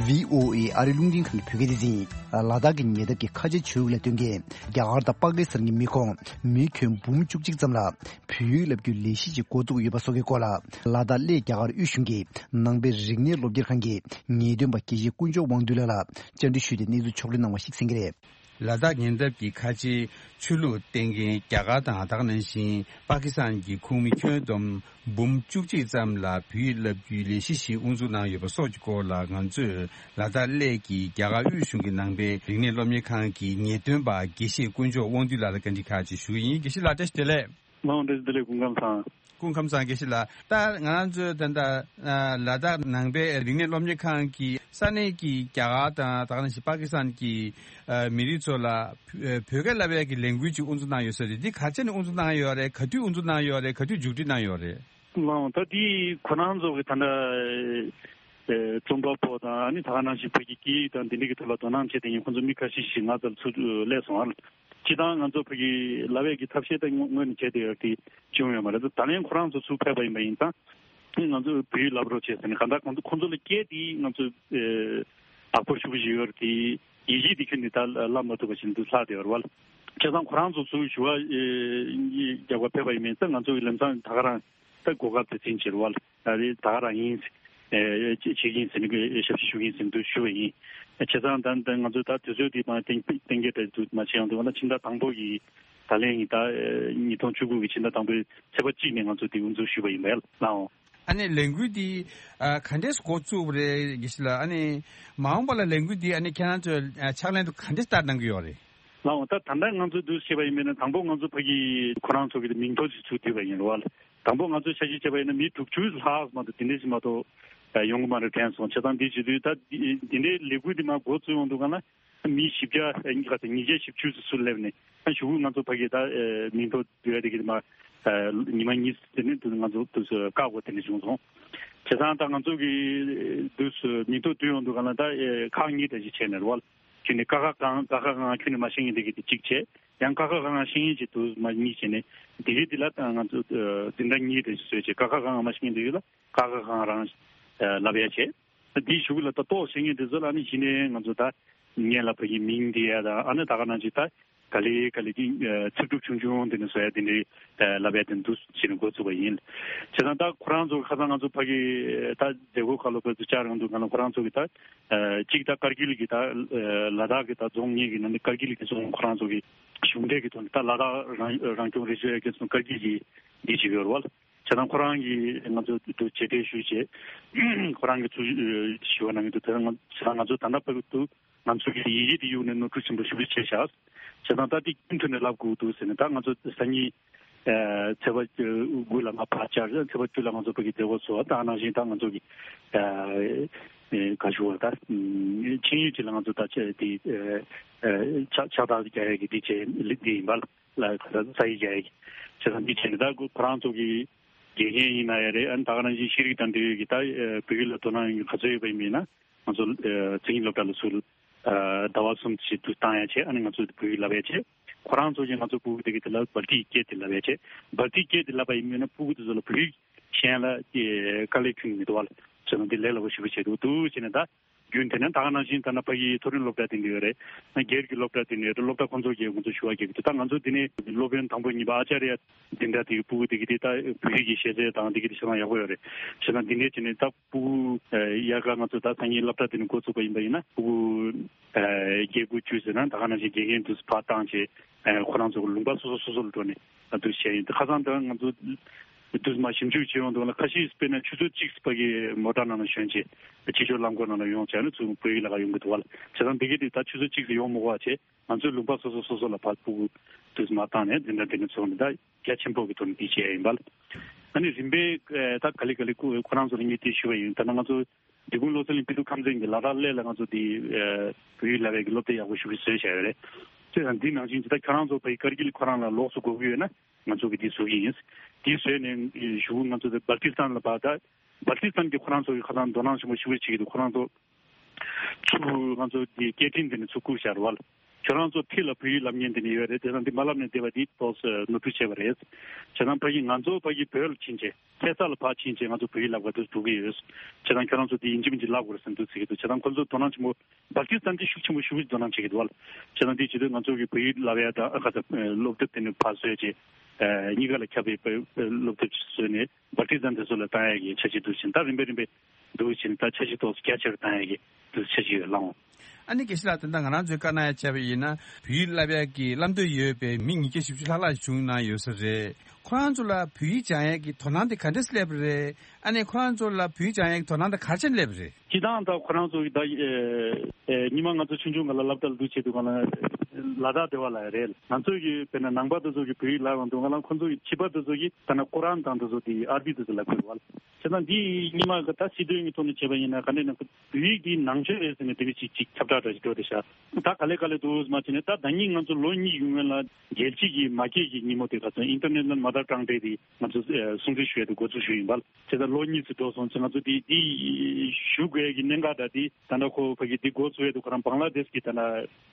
བྷི་ཨོ་ཨེ་ཨ་རིའི་རླུང་འཕྲིན་ཁང་གི་བོད་སྐད་སྡེ་ཚན་ཡིན། ལ་དྭགས་ཀྱི་ཉེ་འདབས་ཀྱི་ཁ་ཆེ་ཆོས་ལ་སྟོན་མཁན་རྒྱ་གར་དང་པ་ཀི་སི་ཐན་གྱི་མི་ཁོང་མི་ཁྱོན་འབུམ་བཅུ་གཅིག་ཙམ་ལ་བོད་ཡིག་བསླབ་རྒྱུའི་ལས་གཞི་ཅིག་འགོ་བཙུགས་ཡོད་པ་སོགས་ཀྱི་སྐོར་ལ་ལ་དྭགས་གླེ་རྒྱ་གར་དབུས་གཞུང་གི་ནང་པའི་རིག་གནས་སློབ་གཉེར་ཁང་གི་ངེས་སྟོན་པ་དགེ་བཤེས་དཀོན་མཆོག་དབང་འདུས་ལགས་ལ་བཅར་འདྲི་ཞུས་ཏེ་གནས་ཚུལ་ཕྱོགས་སྒྲིག་གནང་བ་ཞིག་གསན་གྱི་རེད། ལ་དྭགས་ཉེ་འདབས་ཀྱི་ཁ་ཆེའི་ཆོས་ལུགས་སྟོན་མཁན་རྒྱ་གར་དང་ད་ག་ནང་བཞིན་པ་ཀི་སི་ཐན་གྱི་ཁོངས་མི་ཁྱོན་བསྡོམས་འབུམ་བཅུ་གཅིག་ཙམ་ལ་བོད་ཡིག་བསླབ་རྒྱུའི་ལས་གཞི་ཞིག་དབུ་འཛུགས་གནང་ཡོད་པ་སོགས་ཀྱི་སྐོར་ལ་ང་ཚོས་ལ་དྭགས་གླེ་གི་རྒྱ་གར་དབུས་གཞུང་གི་ནང་པའི་རིག་གནས་སློབ་གཉེར་ཁང་གི་ངེས་སྟོན་པ་དགེ་བཤེས་དཀོན་མཆོག་དབང་འདུས་ལགས་ལ་བཀའ་འདྲི་ཁག་ཅིག་ཞུ་གི་ཡིན། དགེ་བཤེས་ལགས་བཀྲ་ཤིས་བདེ་ལེགས། ལགས་འོང་། བཀྲ་ཤིས་བདེ་ལེགས། སྐུ་ཁམས་བཟང་། སྐུ་ཁམས་བཟང་དགེ་བཤེས་ལགས། ད་ང་རང་ཚོའི་ད་ལྟ་ལ་དྭགས་ནང་པའི་རིག་གནས་སློབ་གཉེར་ཁང་གི་ས་གནས་ཀྱི་རྒྱ་གར་དང་ད་ག་ནང་བཞིན་པ་ཀི་སི་ཐན་གྱི་མི་རིགས་ཚོ་ལ་བོད་སྐད་བསླབ་ཡས་ཀྱི་ལས་འགུལ་ཅིག་དབུ་འཛུགས་གནང་ཡོད་ས་རེད། འདི་ག་ཚོད་ནས་དབུ་འཛུགས་གནང་ཡོད་རེད། ག་དུས་དབུ་འཛུགས་གནང་ཡོད་རེད། ག་དུས་མཇུག་སྒྲིལ་གནང་ཡོད་རེད། ལགས་འོང་། ད་འདི་ཁོ་རང་ཚོ་གི་ད་ལྟ་རྩོམ་པ་པོ་དང་ཨ་ནི་ད་ག་ནང་བཞིན་བོད་ཀྱི་སྐད་ཡིག་དང་འདི་འདྲ་གི་ཐོག་ལ་དོ་སྣང་བྱེད་མཁན་ཁོང་ཚོ་མི་ཁ་ཤས་ཤིག་ང་ཚོར་ཚུར་སླེབས་སོང་ཨ། སྤྱིར་བཏང་ང་ཚོ་ཕ་གི་ལབ་ཡས་ཀྱི་ཐབས་ཤེས་ད་སྔོན་ནས་བྱས་བསྡད་ཡོད་དེ་བྱུང་ཡོད་མ་རེད། ད་ད་ལན་ཁོ་རང་ཚོ་ཚུར་ཕེབས་པ་ཡིན་པ་ཡིན་ཙང་ང་ཚོས་བོད་ཡིག་ལབ་རོགས་བྱས་ཟེར་ནས་གང་ལྟར་ཁོང་ཚོ་ཁོང་ཚོ་ལ་སྐད་དེ་ང་ཚོས་ཨ་དག་པོ་ཞུ་གི་ཡོད་རེད་དེ་ཡིག་གཞི་དེ་ཁྱོན་ནས་ད་ལབ་མ་ཐུབ་པ་ཞིག་འདུག་ལྷག་བསྡད་ཡོད་རེད་བ། བྱས་ཙང་ཁོ་རང་ཚོ་ཚུར་ཞུ་བ་རྒྱག་པ་ཕེབས་པ་ཡིན་པ་ཡིན་ཙང་ང་ཚོ་གི་ལམ་སང་ད་ག་རང་ད་གོ་སྐབས་དེ་ཚིན་བྱེད་རེད་བ། ཨ་རེ་ད་ག་རང་ཡིན། ཨེ་བྱེད་ཀྱི་ཡིན་ཟེར་ནས་ཞབས་ཕྱི་ཞུ་གི་ཡིན་ཟེར་འདུག་ཞུ་བ་ཡིན། བྱས་ཙང་ད་ད་ང་ཚོས་ད་དུས་ཚོད་འདི་མ་གཏན་གཏན་འཁེལ་བྱས་འདུག་མ་བྱས་ཡོང་དུས་ང་ད་ཕྱི་ཟླ་དང་པོ་ཡི་ད་ལན་ཡིན་ད་ཉིས་སྟོང་བཅུ་དགུ་གི་ཕྱི་ཟླ་དང་པོའི་ཚེས་པ་གཅིག་ནས་ང་ཚོ་འདི་དབུ་འཛུགས་ཞུས་པ་ཡིན་པས་ལགས་འོང་། ཨ་ནི་ལས་འགུལ་འདི་ཨ་ག་འདྲས་འགོ་བཙུགས་པ་རེད་དགེ་བཤེས་ལགས། ཨ་ནི་མ་འོངས་པ་ལ་ལས་འགུལ་འདི་ཨ་ནི་ཁྱེད་རང་ཚོས་ཨ་ཕྱག་ལེན་དུ་ག་འདྲས་བསྟར་གནང་གི་ཡོད་རེད། ལགས་འོང་། ད་ད་ལྟ་ང་ཚོས་འདུག་བཤད་པ་ཡིན་པས་ན་དང་པོ་ང་ཚོ་ཕ་གི་ཁོ་རང་ཚོ་གི་མིང་ཐོ་ཞིག་ཚུར་བསྡུས་པ་ཡིན་རེད་བ། དང་པོ་ང་ཚོས་ཆ་ཤས་བྱས་པ་ཡིན་ན་མི་དྲུག་ཅུ་ལྷག་མ་གཏོགས་དེ་འདྲས་ཞིག་མ་གཏོགས་ཡོང་གི་མ་རེད་དྲན་སོང་། བྱས་ཙང་འདི་བྱེད་དུས་ད་འདི་འདི་འདྲའི་ལས་འགུལ་འདི་མར་འགོ་བཙུགས་ཡོང་དུས་ག་ན་མི་བཞི་བརྒྱ་ག་ཚོད་ཉིས་བརྒྱ་བཞི་བཅུ་ཙམ་ཚུར་སླེབས་ནས་ད་གཞུག་གུ་ང་ཚོ་ཕ་གི་ད་མིང་ཐོ་བསྡུ་ཡ་དེ་གི་མ་ཉི་མ་གཉིས་དེ་ནས་ང་ཚོ་དུས་སུ་བཀག་དགོས་དེ་འདྲས་བྱུང་སོང་། བྱས་ཙང་ད་ང་ཚོ་གི་དུས་སུ་མིང་ཐོ་བསྡུ་ཡོང་དུས་ག་ན་ད་ཁག་གཉིས་འདྲ་ཞིག་བྱས་ནས་རེད་བ། ཁྱོན་ནས་ཀ་ཁ་གང་ཀ་ཁ་གང་ཁྱོན་ནས་མ་ཤེས་མཁན་དེ་གི་དེ་གཅིག་བྱས། ཡང་ཀ་ཁ་ག་ང་ཤེས་མཁན་ཅིག་འདུག་མ་གཉིས་བྱས་ནས་དེ་གའི་དེ་ལ་ང་ཚོ་འཛིན་གྲྭ་གཉིས་དེ་བཟོས་བྱས་ཀ་ཁ་ག་ང་མ་ཤེས་མཁན་དེ་ཡོད་ལ་ཀ་ཁ་ག་ང་རང་ལབ་ཡ་བྱས། དེའི་གཞུག་ལ་ད་ཏོག་བཤད་མཁན་དེ་ཚོ་ལ་ནི་གཞི་ནས་ང་ཚོ་ད་སྔོན་ལ་ཕ་གི་མིང་དེ་ཡ་ད་ཨ་ནི་ད་ག་ནང་བཞིན་ད་ག་ལེ་ག་ལེ་གི་ཚིག་གྲུབ་ཆུང་ཆུང་དེ་ནས་བཟོ་ཡ་དེ་འདྲའི་ལབ་ཡ་དེ་འདུག་ཅེས་ནས་འགོ་བཙུགས་པ་ཡིན། བྱས་ཙང་ད་ཁོ་རང་ཚོ་ཁ་སང་ང་ཚོ་ཕ་གི་ད་མཛད་སྒོ་ཁག་ལ་བོད་དུ་བཅར་ཡོང་དུས་ང་ལ་ཁོ་རང་ཚོ་གི་ད་གཅིག་ད་ཀར་གིལ་གི་ད་ལ་དྭགས་གི་ད་རྫོང་གཉིས་ཀྱི་ནང་ནས་ཀར་གིལ་གི་རྫོང་ཁོ་རང་ཚོ་གི་གཞུང་འབྲེལ་གི་ཐོག་ནས་ད་ལ་དྭགས་རང་རང་སྐྱོང་རེ་ཞུ་ཡ་གི་སོང་ཀར་གིལ་གི་འདི་ཞིག་ཡོད་རེད་བ། བྱས་ཙང་ཁོ་རང་གིས་ང་ཚོ་དུ་མཇལ་འཕྲད་ཞུས་བྱས། ཁོ་རང་གིས་ཚུར་ཞུ་བ་གནང་གི་འདུག་དེ་ང་བྱས་ཙང་ང་ཚོ་ད་ལྟ་བར་དུ་ང་ཚོ་གི་ཡི་གེ་དེ་གཡུགས་ནས་ནོར་འཁྲུལ་ཆེན་པོ་ཞེ་པོ་ཅིག་བྱས་བཞག་བྱས་ཙང་ད་དེ་རྒྱུན་མཐུད་ནས་ལབ་དགོས་འདུག་ཟེར་ནས་ད་ང་ཚོ་སང་ཉིན་ཚེས་པ་དགུ་ལ་ང་ཕར་བཅར། ཚེས་པ་བཅུ་ལ་ང་ཚོ་ཕ་གི་མཛད་སྒོ་ཚོགས། ད་ནང་བཞིན་ད་ང་ཚོ་གི་ག་ཞུ་བ་ད་ཆིངས་ཡིག་ཅིག་ལ་ང་ཚོ་ད་ཆ་དེ་ཕྱག་ཕྱག་རྟགས་རྒྱག་ཡ་གི་དེ་བྱས་ལེགས་དེ་ཡིན་པ་ལ་ས་ཡིག་རྒྱག་ཡ་གི་བྱས་ཙང་འདི་བྱས་ནས་ད་ཁོ་རང་ཚོ་གི་དགེ་རྒན་ཡིན་ན་ཡང་རེད། ཨ་ནི་ད་ག་ནང་བཞིན་ཤེས་རིག་དང་འབྲེལ་ཡོད་ཀྱི་ད་བོད་ཡིག་ལ་དོ་སྣང་ཡོད་མཁན་ག་ཚོད་ཡོད་པ་ཡིན་པ་ཡིན་ན་ང་ཚོ་མཚན་ཉིད་སློབ་གྲྭ་ལ་ཚུར་ཟླ་བ་གསུམ་ཞིག་ཏུ་བཏང་ཡ་བྱས། ཨ་ནི་ང་ཚོ་བོད་ཡིག་བསླབ་ཡ་བྱས། ཁོ་རང་ཚོ་གིས་ང་ཚོ་ཕྲུ་གུ་དེ་གི་དེ་ལ་སྦལ་ཏིག་སྐད་དེ་བསླབ་ཡ་བྱས། སྦལ་ཏིག་སྐད་དེ་བསླབ་པ་ཡིན་མིན་ན་ཕྲུ་གུ་དེ་ཚོ་ལ་བོད་ཡིག་ཤེས་ཡ་ལ་དཀའ་ལས་ཁྱོན་ནས་མི་འདུག་བ། བྱས་ན་འདི་ལས་སླ་པོ་ཞེ་པོ་བྱས་འདུག་འདུག་བྱས་ནས་ད། རྒྱུན་དེ་ནས་ད་ག་ནང་བཞིན་ད་ནི་ཕ་གིའི་མཐོ་རིམ་སློབ་གྲྭ་དེ་འདྲ་ཡོད་རེད། སྒེར་གྱི་སློབ་གྲྭ་དེ་འདྲ་ཡོད་རེད། སློབ་གྲྭ་ཁོང་ཚོ་གིས་ང་ཚོ་ཞུ་བ་རྒྱག་གི་འདུག་ད་ང་ཚོ་འདི་ནས་སློབ་དཔོན་དང་པོ་གཉིས་པ་ཨ་ཅཱརྱ་འདི་འདྲ་དེ་གི་ཕྲུ་གུ་དེ་གི་དེ་ད་བོད་ཡིག་གི་ཤེས་ཚད་དང་དེ་གི་དེ་ཤེས་སྟངས་ཡག་པོ་ཡོད་རེད། བྱས་ཙང་འདི་འདྲ་བྱས་ནས་ད་ཕྲུ་གུ་ཡར་ཀ་ང་ཚོ་ད་སང་ཉིན་སློབ་གྲྭ་དེ་ནས་འགོ་ཚུགས་པ་ཡིན་པ་ཡིན་ན་ཕྲུ་གུ་བརྒྱད་དགུ་བཅུ་ཟེར་ན་ད་ག་ནང་བཞིན་དགེ་རྒན་དུ་ཕར་བཏང་བྱས་ཁོ་རང་ཚོ་ལུང་པ་སོ་སོ་སོ་སོ་ལ་འགྲོ་ནས་ད་དུ་བྱས་ཡིན། ད་ཁ་སང་ད་ང་ཚོ། དུས་མ་ཞིབ་འཇུག་བྱེད་ཡོང་དུས་ལ་ཁ་ཤས་དཔེར་ན་ཆུ་ཚོད་གཅིག་ཙམ་ཕ་གི་མོ་ཊ་ནང་ལ་ཞོན་བྱས་ཕྱི་ཕྱོགས་རླངས་འཁོར་ནང་ལ་ཡོང་བྱས་ནས་ཚུར་བོད་ཡིག་ལ་ཁ་ཡོང་གི་འདུག་བ་ལ། བྱས་ཙང་འདི་གི་དུས་ད་ཆུ་ཚོད་གཅིག་ཙམ་ཡོང་མི་དགོས་པ་བྱས་ང་ཚོའི་ལུང་པ་སོ་སོ་སོ་སོ་ལ་ཕར་ཕྲུ་གུ་དུས་མ་བཏང་ནས་འཛིན་གྲྭ་འདི་ནས་ཚོགས་ནས་ད་རྒྱ་ཆེན་པོ་གི་ཐོག་ནས་འདི་བྱས་ཡིན་པ་ལ། ཨ་ནི་རིམ་པས་ད་ག་ལེ་ག་ལེ་ཁོ་ཁོ་རང་ཚོ་ལ་ངས་དེ་ཞུ་བ་ཡིན། ད་ནང་ང་ཚོ་འབྲི་གུང་བློ་གསལ་གླིང་སྤེལ་གཏོང་ཁང་ཚན་གྱི་ལ་དྭགས་གླེ་ལ་ང་ཚོ་དེ་བོད་ཡིག་བསླབ་པའི་གི་སློབ་དེབ་ཡག་པོ་ཞིག་བཟོས་བཞག་ཡོད་རེད། བྱས་ཙང་འདི་ནང་བཞིན་ཇི་ལྟར་ཁྱོད་རང་ཚོ་ཕ་གི་ཀར་གིལ་ཁོ་རང་ལ་ལོགས་སུ་དགོས་ཀྱི་ཡོད་ན། ང་ཚོ་གིས་འདི་བཟོ་གི་ཡིན། འདི་བཟོས་ནས་གཞུག་ང་ཚོ་དེ་སྦལ་ཏི་སི་ཐན་ལ་ཕར་ད་སྦལ་ཏི་སི་ཐན་གྱི་ཁོ་རང་ཚོ་གི་ཁ་སང་དོ་སྣང་ཆེན་པོ་ཞེ་པོ་བྱེད་ཀྱི་འདུག་ཁོ་རང་ཚོ་ཚུར་ང་ཚོ་དེ་སྐད་འཕྲིན་དེ་ནས་ཚུར་བསྐུར་བཞག་རེད་བ། ཁྱོད་རང་ཚོ་ཕི་ལ་བོད་ཡིག་ལབ་མཁན་དེ་ནས་ཡོད་རེད། དེ་དང་འདི་མ་ལབ་ནས་བསྡད་པ་འདི་ཏོག་ཙམ་ནོར་འཁྲུལ་བྱས་པ་རེད། བྱས་ཙང་ཕ་གི་ང་ཚོ་ཕ་གི་བོད་ལ་ཕྱིན་བྱས་ཁ་སང་ལ་ཕར་ཕྱིན་བྱས་ང་ཚོ་བོད་ཡིག་ལབ་ག་འདུག་འགྲོ་གི་ཡོད། བྱས་ཙང་ཁྱོད་རང་ཚོ་འདི་ཡིན་གཅིག་མིན་གཅིག་ལབ་དགོས་རེད་བསམ་འདུག་ཟེར་གྱི་འདུག་བྱས་ཙང་ཁོ་ཚོ་དོ་སྣང་ཆེན་པོ་སྦལ་ཏི་སི་ཐན་གྱི་ཤུགས་ཆེན་པོ་ཤུགས་དོ་སྣང་བྱེད་ཀྱི་འདུག་བ། བྱས་ཙང་འདི་བྱེད་དུས་ང་ཚོ་གི་བོད་ཡིག་བསླབ་ཡ་དང་ཨ་ཁ་ཚ་སློབ་དེབ་དེ་ནི་ཕར་བཟོས་བྱས་གཉིས་ཀ་ལ་ཁྱབ་པའི་སློབ་དེབ་བཟོས་ནས་སྦལ་ཏི་སི་ཐན་དེ་ཚོ་ལ་བཏང་ཡ་གི་འཆར་གཞི་འདུག་བྱས་ད་རིམ་པས་རིམ་པས་འདུག་བྱས་ད་འཆར་གཞི་ཏོག་ཙམ་རྒྱ་ཆེར་བཏང་ཡ་གི་འདུག་འཆར་གཞི་ཡོད་ལགས། ཨ་ནི་དགེ་བཤེས་ལགས་ད་ལྟ་ང་རང་ཚོའི་བཀའ་གནང་ཡ་བྱས་པ་ཡིན་ན་བོད་ཡིག་བསླབ་ཡ་གི་བསླབ་འདོད་ཡོད་པའི་མི་ཉིས་བརྒྱ་བཞི་བཅུ་ལྷག་ལྷག་བྱུང་གནང་ཡོད་ས་རེད། ཁོ་རང་ཚོ་ལ་བོད་ཡིག་སྦྱང་ཡ་གི་དོ་སྣང་དེ་ག་འདྲས་སླེབས་པ་རེད། ཨ་ནི་ཁོ་རང་ཚོ་ལ་བོད་ཡིག་སྦྱང་ཡ་གི་དོ་སྣང་དེ་ག་རེ་བྱས་ནས་སླེབས་པ་རེད། སྤྱིར་བཏང་ད་ཁོ་རང་ཚོ་གི་ད་ཨེ་ཨེ་ཉི་མ་ང་ཚོ་ཆུང་ཆུང་སྒང་ལ་སློབ་གྲྭ་ལ་འདུག་བྱེད་དུས་སྒང་ལ་ལ་དྭགས་སྡེ་བ་ལ་རེད། ང་ཚོ་གི་དཔེར་ན་ནང་པ་དེ་ཚོ་གི་བོད་ཡིག་ལབ་ཡོང་དུས་སྒང་ལ་ཁོ་ཚོ་གི་བྱིས་པ་དེ་ཚོ་གི་ད་ན་ཀོ་རཱན་དང་དེ་ཚོ་དེ་ཨར་བི་དེ་ཚོ་ལབ་དགོས་བ། བྱས་ཙང་འདི་ཉི་མ་གི་ད་སྲིད་དོན་གྱི་ཐོག་ནས་བྱས་པ་ཡིན་ན་ག་འདྲས་ན་བོད་ཡིག་འདི་ནང་ཆོས་རེད་ཟེར་ནས་དེ་བས་ཅིག་ཅིག་ཁྱབ་བསྒྲགས་འདྲ་ཞིག་འགྲོ་བསྡད་ཤག་ད་ག་ལེ་ག་ལེ་འདུག་མ་བྱས་ནས་ད་ཟླ་ཉིན་ང་ཚོ་ལོ་གཉིས་ཀྱི་སྔོན་ལ་རྒྱལ་སྤྱི་གི་མ་སྐད་ཀྱི་ཉིན་མོ་དེ་ག་ཚོད་International Mother Tongue Day དེ་ང་ཚོ་ཨེ་སྲུང་བརྩི་ཞུ་ཡས་དེ་འགོ་འཛུགས་ཞུས་ཡིན་པ། བྱས་ཙང་ལོ་གཉིས་ཙམ་འགྲོ་སོང་ཙང་ང་ཚོ་དེ་དེ་ཞུ་དགོས་ཀྱི་གནད་འགག་འདྲ་དེ་ད་ལྟ་ཁོ་ཕ་གི་དེ་འགོ་བཙུགས་ཡས་དེ་ཁོ་རང་བང་ལ་དེཤ་གི་ད་ལྟ་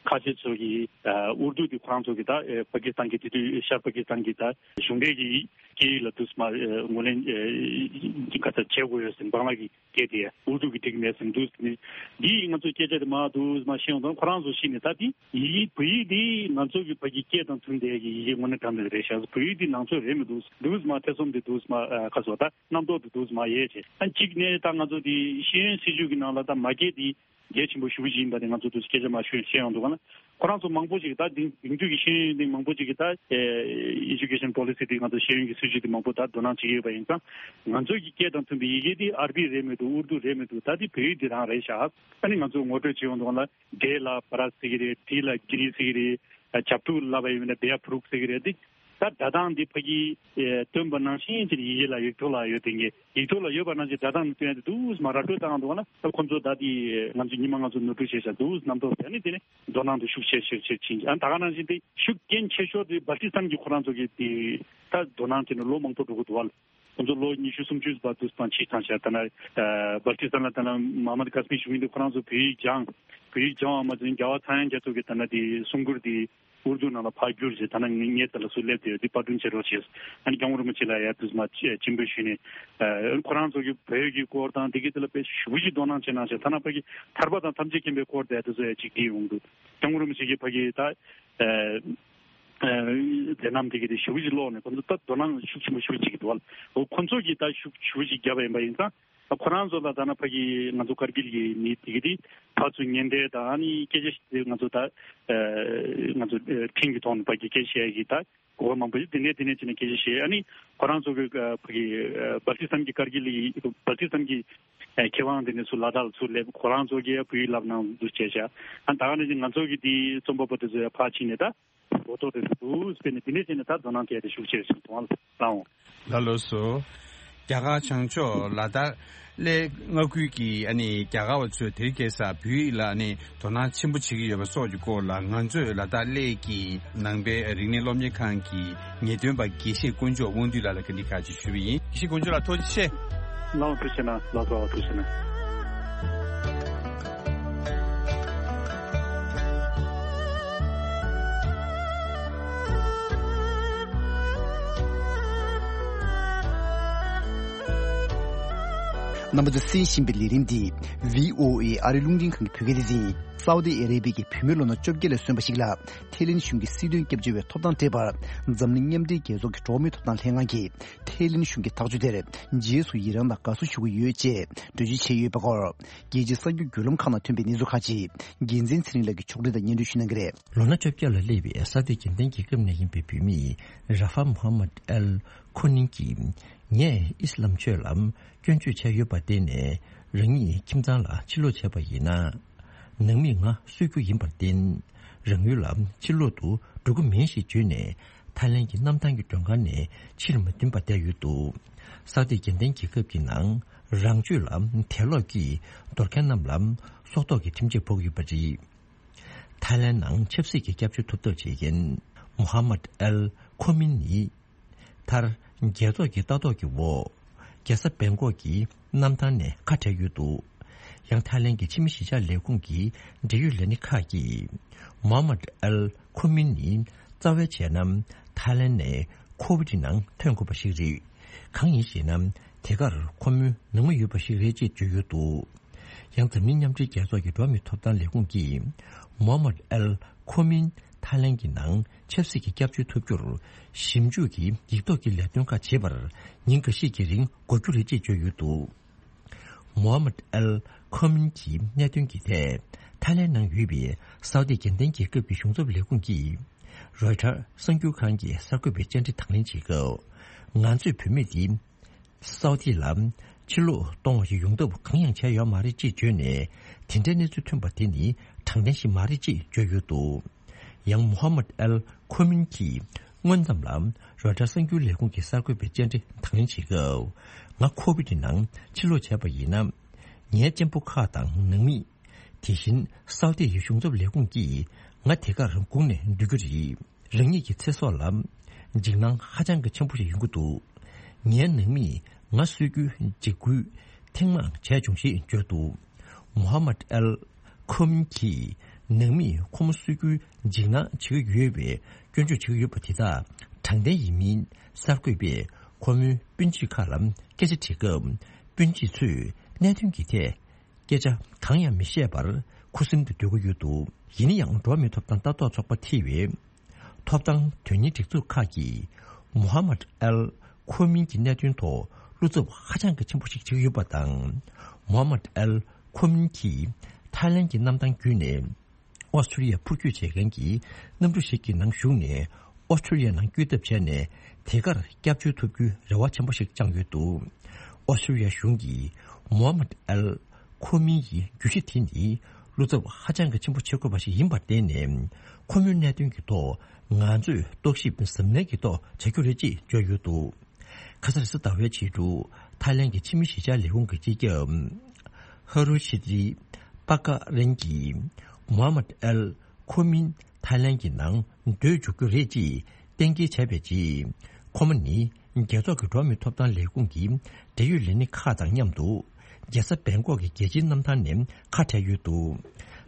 ཁ་ཆེ་ཚོ་གི་ཨ་ཨུར་དུ་དེ་ཁོ་རང་ཚོ་གི་ད་ཨེ་པ་ཀི་སི་ཐན་གི་དེ་དུས་ཤར་པ་ཀི་སི་ཐན་གི་ད་གཞུང་འབྲེལ་གྱི་སྐད་ཡིག་ལ་དུས་མ་ཨེ་ངོས་ལེན་ཨེ་ག་ཚོད་བྱེད་དགོས་ཡོད་ཟེར་བང་ལ་གི་སྐད་དེ་ཨུར་དུ་གི་འགྲིག་མེད་ཟེར་འདུག་ཟེར་ནས་འདི་ང་ཚོའི་སྐད་ཆ་དེ་མ་འདུག་མ་ཤེས་ཡོང་དང་ཁོ་རང་ཚོ་ཤེས་ནས་ད་དེ་ཡི་གེ་བོད་ཡིག་དེ་ང་ཚོ་གི་ཕ་གི་སྐད་དང་མཐུན་པའི་གི་ཡི་གེ་དངོས་གནས་དྲང་གནས་རེད་ཤག་བོད་ཡིག་དེ་ནང་ཆོས་རེད་མི་འདུག་འདུག་མ་ཐེ་ཚོམ་དེ་འདུག་མ་ཁ་སོ་ད་རྣམ་རྟོག་དེ་འདུག་མ་ཡས་བྱས་ཨ་གཅིག་ནས་ད་ང་ཚོ་དེ་ཤེས་ཡོན་སྲིད་བྱུས་ཀྱི་ནང་ལ་ད་མ་སྐད་དེ་གལ་ཆེན་པོ་ཞེ་པོ་ཅིག་ཡིན་པ་དེ་ང་ཚོ་དུ་སྐད་ཆ་མ་ཤོད་ཤེས་ཡོང་འདུག་ག་ན། ཁོ་རང་ཚོ་མང་པོ་ཞིག་ད་དེང་དེང་དུས་ཀྱི་ཤེས་ཡོན་དེ་མང་པོ་ཞིག་གི་ད་ཨེ་Education Policy དེ་ང་ཚོ་ཤེས་ཡོན་གྱི་སྲིད་བྱུས་དེ་མང་པོ་ད་དོ་སྣང་བྱེད་ཀྱི་ཡོད་པ་ཡིན་ཙང་ང་ཚོ་གི་སྐད་དང་མཐུན་པའི་ཡི་གེ་དེ་ཨར་བི་རེད་མི་འདུག་ཨུར་དུ་རེད་མི་འདུག་ད་དེ་བོད་ཡིག་དེ་རང་རེད་ཤག་ཨ་ནི་ང་ཚོ་ངོ་སྤྲོད་བྱེད་ཡོང་དུས་ལ་འབྲས་ལ་བ་ར་ཟེར་གི་རེད། དྲི་ལ་གི་རི་ཟེར་གི་རེད། ཇབ་ཕྲུག་ལབ་པ་ཡིན་ན་བེ་ཡ་ཕྲུག་ཟེར་གི་རེད། དེ་ད་སྒྲ་གདངས་འདི་ཕ་གི་ཨེ་སྟོན་པ་ནང་བཞིན་ཅིག་ཡི་གེ་ལ་ཡིག་ཐོག་ལ་ཡོད་དེ་ངས་ཡིག་ཐོག་ལ་ཡོད་པ་ནང་བཞིན་སྒྲ་གདངས་ནི་སྟོན་ཡ་དེ་འདུག་མ་ར་སྤྲོད་བཏང་འདུག་ན་ད་ཁོ་ཚོ་ད་དེ་ང་ཚོ་ཉི་མ་ང་ཚོ་ནོར་འཁྲུལ་བྱས་ཤག་འདུག་རྣམ་རྟོག་དེ་ནི་དེ་ནི་དོ་སྣང་དེ་ཤུགས་ཆེ་ཆེ་ཆེ་ཕྱིན་ཨ་ད་ག་ནང་བཞིན་དེ་ཤུགས་རྐྱེན་ཆེ་ཤོས་དེ་སྦལ་ཏི་སི་ཐན་གྱི་ཁོ་རང་ཚོ་གི་དེ་ད་དོ་སྣང་བྱས་ནས་ལོ་མང་པོ་འགྲོ་གི་འདུག་བ། ཁོ་ཚོ་ལོ་ཉི་ཤུ་སུམ་ཅུ་བར་དུ་སྤང་ཕྱིར་ཐང་ཤག་ད་ན་སྦལ་ཏི་སི་ཐན་ལ་ད་ན་མ་མ་དི་ཀ་སི་མི་ཞུ་མཁན་དེ་ཁོ་རང་ཚོ་བོད་ཡིག་སྦྱང་བོད་ཡིག་སྦྱང་བ་མ་ཟིན་རྒྱལ་བ་ཚངས་དབྱངས་རྒྱ་མཚོ་གི་ད་ན་དེ་གསུང་མགུར་དེ། ཨུར་དུ་ནང་ལ་ཕར་བསྒྱུར་བྱས། ད་ནང་ངའི་རྩ་ལ་སུ་སླེབས་བསྡད་ཡོད་དེ་པར་སྐྲུན་བྱེད་རོགས་བྱས། ཨ་ནི་སྐྱབས་མགོན་རིན་པོ་ཆེ་ལ་ཡ་དུས་མ་ཆེན་པོ་ཞུས་ནས། ཨ་ཁོ་རང་ཚོ་གི་བོད་ཀྱི་སྐོར་དང་དེ་གའི་དེ་ལ་དཔེ་ཞེ་པོ་ཅིག་དོ་སྣང་བྱེད་གནང་བྱས། ཐ་ན་ཕ་གི་ཐར་པ་དང་ཐམས་ཅད་མཁྱེན་པའི་སྐོར་དེ་དེ་ཚོ་ཡ་ཅིག་བྲིས་ཡོང་འདུག་སྐྱབས་མགོན་རིན་པོ་ཆེ་གི་ཕ་གི་ད་ཨ་མཛད་རྣམ་དེ་གའི་དེ་ཞེ་པོ་ཅིག་ཀློག་ནས་ཁོ་ཚོ་ད་དོ་སྣང་ཤུགས་ཆེན་པོ་ཞེ་པོ་ཅིག་གི་འདུག་བ། འོ་ཁོ་ཚོ་གིས་ད་ཤུགས་ཞེ་པོ་ཅིག་བརྒྱབ་པ་ཡིན་པ་ཡིན་ཙང་། ཁོ་རང་ཚོ་ལ་ད་ནང་ཕ་གི་ང་ཚོ་ཀར་གིལ་གྱི་མི་དེ་གི་དེ་ཕར་ཚུར་ཉེན་བརྡ་དང་ཨ་ནི་སྐད་ཆ་ཞིག་ང་ཚོ་ད་ཨ་ང་ཚོ་ཨ་འཕྲིན་གྱི་ཐོག་ནས་ཕ་གི་སྐད་ཆ་བཤད་ཀྱི་ད་གོ་བ་མང་པོ་ཞིག་དེ་ནས་དེ་ནས་ཅི་ནས་སྐད་ཆ་བཤད། ཨ་ནི་ཁོ་རང་ཚོ་གི་ཨ་ཕ་གི་ཨ་བལ་ཏི་སི་ཐན་གྱི་ཀར་གིལ་གྱི་བལ་ཏི་སི་ཐན་གྱི་ཨ་མཁས་དབང་དེ་ནས་ཚུར་ལ་དྭགས་ལ་ཚུར་སླེབས། ཁོ་རང་ཚོ་གིས་ཡ་བོད་ཡིག་བསླབ་གནང་འདུག་བྱས་བྱ། ཨ་ད་ག་ནས་ཅི་ང་ཚོ་གི་དེ་རྩོམ་པ་པོ་དེ་ཚོ་ཡ་ཕར་ཕྱིན་ནས་ད། གོ་རྟོགས་དེ་ཚོ་འདུག་སྤེལ་ནས་དེ་ནས་བྱས་ནས་ད་དོ་སྣང་སྐྱེས་ཏེ་ཤུགས་ཆེ་ཞིག་གཏོང་བ་ལ་བཏང་འོང་། ལགས་ལགས་སོ། རྒྱ་གར་བྱང་ཕྱོགས་ལ་དྭགས་གླེ་མངའ་ཁུལ་གྱི་ཨ་ནི་རྒྱ་གར་བ་ཚོས་དེ་རིང་ཁ་སང་བོད་ཡིག་ལ་ཨ་ནི་དོ་སྣང་ཆེན་པོ་བྱེད་ཀྱི་ཡོད་པ་སོགས་ཀྱི་སྐོར་ལ། ང་ཚོས་ལ་དྭགས་གླེ་གི་ནང་པའི་རིག་གནས་སློབ་གཉེར་ཁང་གི་ངེས་སྟོན་པ་དགེ་བཤེས་དཀོན་མཆོག་དབང་འདུས་ལགས་ལ་བཀའ་འདྲི་ཁག་ཅིག་ཞུས་པ་ཡིན། དགེ་བཤེས་དཀོན་མཆོག་ལགས་ཐུགས་རྗེ་ཆེ། ལགས་འོང་། ཐུགས་རྗེ་གནང་། ལགས་སོ། ཐུགས་རྗེ་གནང་། རྣམ་པ་ཚོས་གསན་བཞིན་པའི་ལས་རིམ་འདི་བྷི་ཨོ་ཨེ་ཨ་རིའི་རླུང་འཕྲིན་ཁང་གི་བོད་སྐད་སྡེ་ཚན་ཡིན། སའུ་ཏི་ཨ་རེ་བྷི་ཡའི་བུད་མེད་ལོ་ན་བཅོ་བརྒྱད་ལ་སོན་པ་ཞིག་ལ་ཐའི་ལེན་གཞུང་གིས་སྲིད་དོན་སྐྱབས་བཅོལ་བའི་ཐོབ་ཐང་སྤྲད་པར། འཛམ་གླིང་མཉམ་འབྲེལ་རྒྱལ་ཚོགས་ཀྱི་འགྲོ་བ་མིའི་ཐོབ་ཐང་ལྷན་ཁང་གིས་ཐའི་ལེན་གཞུང་གི་ཐག་གཅོད་དེར་རྗེས་སུ་ཡི་རང་དང་དགའ་བསུ་ཞུ་གི་ཡོད་ཅེས་འགྲེལ་བརྗོད་བྱས་ཡོད་པའི་སྐོར། རྒྱལ་སྤྱིའི་གསར་འགྱུར་བརྒྱུད་ལམ་ཁག་ནང་ཐོན་པའི་གནས་ཚུལ་ཁག་ཅིག་འགན་འཛིན་ཚེ་རིང་ལགས་ཀྱིས་ཕྱོགས་སྒྲིག་དང་སྙན་སྒྲོན་ཞུ་གནང་གི་རེད། ལོ་ན་བཅོ་བརྒྱད་ལ་སླེབས་པའི་སའུ་ཏི་རྒྱལ་བསྟན་རྒྱལ་ཁབ་ནས་ཡིན་པའི་བུད་མེད་ར་ཧྥ་མོ་ཧ་མད་ཨལ་ཁོ་ནིན་གྱིས། ངས་ཨི་སི་ལམ་ཆོས་ལ་སྐྱོན་བརྗོད་བྱས་ཡོད་པར་བརྟེན་ནས། རང་ཉིད་ཁྱིམ་ཚང་ལ་ཕྱིར་ལོག་བྱས་པ་ཡིན་ན། ནང་མིས་ང་གསོད་རྒྱུ་ཡིན་པར་བརྟེན། རང་ཡུལ་ལ་ཕྱིར་ལོག་ཏུ་འགྲོ་གི་མིན་ཞེས་བརྗོད་ནས། ཐའི་ལེན་གྱི་གནམ་ཐང་གི་མགྲོན་ཁང་ནས་ཕྱིར་མ་འདོན་པར་བསྡད་ཡོད་འདུག་སའུ་ཏི་རྒྱལ་བསྟན་རྒྱལ་ཁབ་ཀྱི་ནང་རང་སྤྱོད་ལ་དད་ལོག་གིས་འདོར་མཁན་རྣམས་ལ་སྲོག་ཐོག་གི་ཁྲིམས་ཆད་ཕོག་ཡོད་པ་རེད། ཐའི་ལེན་ནང་ཆབ་སྲིད་ཀྱི་སྐྱབས་བཅོལ་ཐོབ་ཐབས་བྱེད་མཁན་མོ་ཧ་མད་ཨལ་ཁོ་མིན་ནི། མཐར། རྒྱལ་ཚོགས་ཀྱི་ལྟ་རྟོག་གི་འོག་རྒྱལ་ས་བེང་ཀོག་གི་གནམ་ཐང་ནས་ཁ་བྲལ་ཡོད་འདུག་ཡང་ཐའི་ལེན་གྱི་ཕྱི་མི་གཞིས་ཆགས་ལས་ཁུངས་ཀྱི་འབྲེལ་ཡོད་ལས་སྣེ་ཁག་གིས། མོ་ཧ་མད་ཨལ་ཁོ་མིན་ནི་རྩ་བའི་བྱས་ན་ཐའི་ལེན་ནས་ཁོ་བིད་ནང་ཐོན་དགོས་པ་ཞིག་རེད། གང་ཡིན་ཞེ་ན། དེ་གར་ཁོ་མོའི་ནང་མི་ཡོད་པ་ཞིག་རེད་ཅེས་བརྗོད་ཡོད་འདུག་ཡང་འཛམ་གླིང་མཉམ་འབྲེལ་རྒྱལ་ཚོགས་ཀྱི་འགྲོ་བ་མིའི་ཐོབ་ཐང་ལས་ཁུངས་ཀྱིས། མོ་ཧ་མད་ཨལ་ཁོ་མིན་ཐའི་ལེན་གྱི་ནང་ཆབ་སྲིད་ཀྱི་སྐྱབས་བཅོལ་ཐོབ་རྒྱུར་ཞིབ་འཇུག་གི་ཡིག་ཐོག་གི་ལས་དོན་ཁག་བྱེད་པར་ཉིན་འགའ་ཤས་ཀྱི་རིང་འགོར་རྒྱུ་རེད་ཅེས་བརྗོད་ཡོད་འདུག་མོ་ཧ་མད་ཨལ་ཁོ་མིན་གྱི་གནད་དོན་གྱི་ཐད་ཐའི་ལེན་ནང་ཡོད་པའི་སའུ་ཏི་རྒྱལ་བསྟན་རྒྱལ་ཁབ་ཀྱི་གཞུང་ཚབ་ལས་ཁུངས་ཀྱིས་རོའི་ཊར་གསར་འགྱུར་ཁང་གི་གསར་འགོད་པའི་བཅར་འདྲི་དང་ལེན་བྱེད་སྐབས། ང་ཚོས་བུད་མེད་འདི། སའུ་ཏི་ལ་ཕྱིར་ལོག་གཏོང་བ་ཞིག་ཡོང་ཐབས་གང་ཡང་བྱས་ཡོད་མ་རེད་ཅེས་བརྗོད་ནས། དེ་འདྲའི་གནས་ཚུལ་ཐོན་པ་དེ་ནི་དྲང་བདེན་ཞིག་མ་རེད་ཅེས་བརྗོད་ཡོད་འདུག་ཡང་མོ་ཧ་མད་ཨལ་ཁོ་མིན་གྱིས་སྔོན་ཙམ་ལ་རོའི་ཊར་གསར་འགྱུར་ལས་ཁུངས་ཀྱི་གསར་འགོད་པའི་བཅར་འདྲི་དང་ལེན་བྱེད་སྐབས། ང་ཁོ་བིད་ནང་ཕྱིར་ལོག་བྱས་པ་ཡིན་ན། ངའི་གཅེན་པོ་ཁག་དང་ནང་མི། དེ་བཞིན་སའུ་ཏི་ཡི་གཞུང་ཚབ་ལས་ཁུངས་ཀྱིས་ང་དེ་གར་སྒུག་ནས་སྡོད་རྒྱུ་རེད། རང་ཉིད་ཀྱི་ཚེ་སྲོག་ལ་འཇིགས་སྣང་ཧ་ཅང་གི་ཆེན་པོ་ཞིག་ཡོང་གི་འདུག་ངའི་ནང་མིས་ང་གསོད་རྒྱུའི་འཇིགས་སྐུལ་ཐེངས་མང་བྱས་བྱུང་ཞེས་བརྗོད་འདུག་མོ་ཧ་མད་ཨལ་ཁོ་མིན་གྱིས་ནང་མིས་ཁོ་མོ་གསོད་རྒྱུའི་འཇིགས་སྣང་བྱེད་ཀྱི་ཡོད་པའི་སྐྱོན་བརྗོད་བྱེད་ཀྱི་ཡོད་པ་དེ་དག་དྲང་བདེན་ཡིན་མིན་གསར་འགོད་པས་ཁོ་མོའི་སྤུན་མཆེད་ཁག་ལ་སྐད་ཆ་དྲིས་སྐབས། སྤུན་མཆེད་ཚོས་གནད་དོན་གྱི་ཐད། སྐད་ཆ་གང་ཡང་མི་བཤད་པར་ཁུ་སིམ་དུ་སྡོད་ཀྱི་ཡོད་འདུག་ཡིན་ན་ཡང་འགྲོ་བ་མིའི་ཐོབ་ཐང་ལྟ་རྟོག་ཚོགས་པ་ཐེ་བའི་ཐོབ་ཐང་དོན་གཉེར་སྒྲིག་འཛུགས་ཁག་གིས་མོ་ཧ་མད་ཨལ་ཁོ་མིན་གྱི་གནད་དོན་ཐོག་བློ་འཚབ་ཧ་ཅང་གི་ཆེན་པོ་ཞིག་བྱེད་ཀྱི་ཡོད་པ་དང་། མོ་ཧ་མད་ཨལ་ཁོ་མིན་གྱིས་ཐའི་ལན་གྱི་གནམ་ཐང་བརྒྱུད་ནས། ཨོ་སི་ཁྲུ་ལི་ཡ་འཕུར་སྐྱོད་བྱེད་མཁན་གྱི་གནམ་གྲུ་ཞིག་གི་ནང་ཞུགས་ནས་ཨོ་སི་ཁྲུ་ལི་ཡ་ནང་བསྐྱོད་ཐབས་བྱས་ནས་དེ་གར་སྐྱབས་བཅོལ་ཐོབ་རྒྱུའི་རེ་བ་ཆེན་པོ་ཞིག་བཅངས་ཡོད་འདུག་ཨོ་སི་ཁྲུ་ལི་ཡ་གཞུང་གིས་མོ་ཧ་མད་ཨལ་ཁོ་མིན་ཡི་བརྗོད་གཞི་དེ་ནི་བློ་འཚབ་ཧ་ཅང་གི་ཆེན་པོ་བྱེད་དགོས་པ་ཞིག་ཡིན་པར་བརྟེན་ནས། ཁོ་མོའི་གནད་དོན་གྱི་ཐོག་ང་ཚོས་རྟོག་ཞིབ་གཟབ་ནན་གྱི་ཐོག་བྱ་རྒྱུ་རེད་ཅེས་བརྗོད་ཡོད་འདུག་ཁ་སང་རེས་གཟའ་ཟླ་བའི་ཕྱི་དྲོ་ཐའི་ལན་གྱི་ཕྱི་མི་གཞིས་ཆགས་ལས་ཁུངས་ཀྱི་སྤྱི་ཁྱབ་ཧ་རུ་ཤི་ཏི་པ་ཀ་རན་གྱིས་མོ་ཧ་མད་ཨལ་ཁོ་མིན་ཐའི་ལན་གྱི་ནང་སྡོད་འཇུག་རྒྱུ་རེད་ཅེས་གཏན་འཁེལ་བྱས་པའི་རྗེས། ཁོ་མོ་ནི་རྒྱལ་ཚོགས་ཀྱི་འགྲོ་བ་མིའི་ཐོབ་ཐང་ལས་ཁུངས་ཀྱི་འབྲེལ་ཡོད་ལས་སྣེ་ཁག་དང་མཉམ་དུ་རྒྱལ་ས་བེང་ཀོག་གི་རྒྱལ་སྤྱིའི་གནམ་ཐང་ནས་ཁ་བྲལ་ཡོད་འདུག་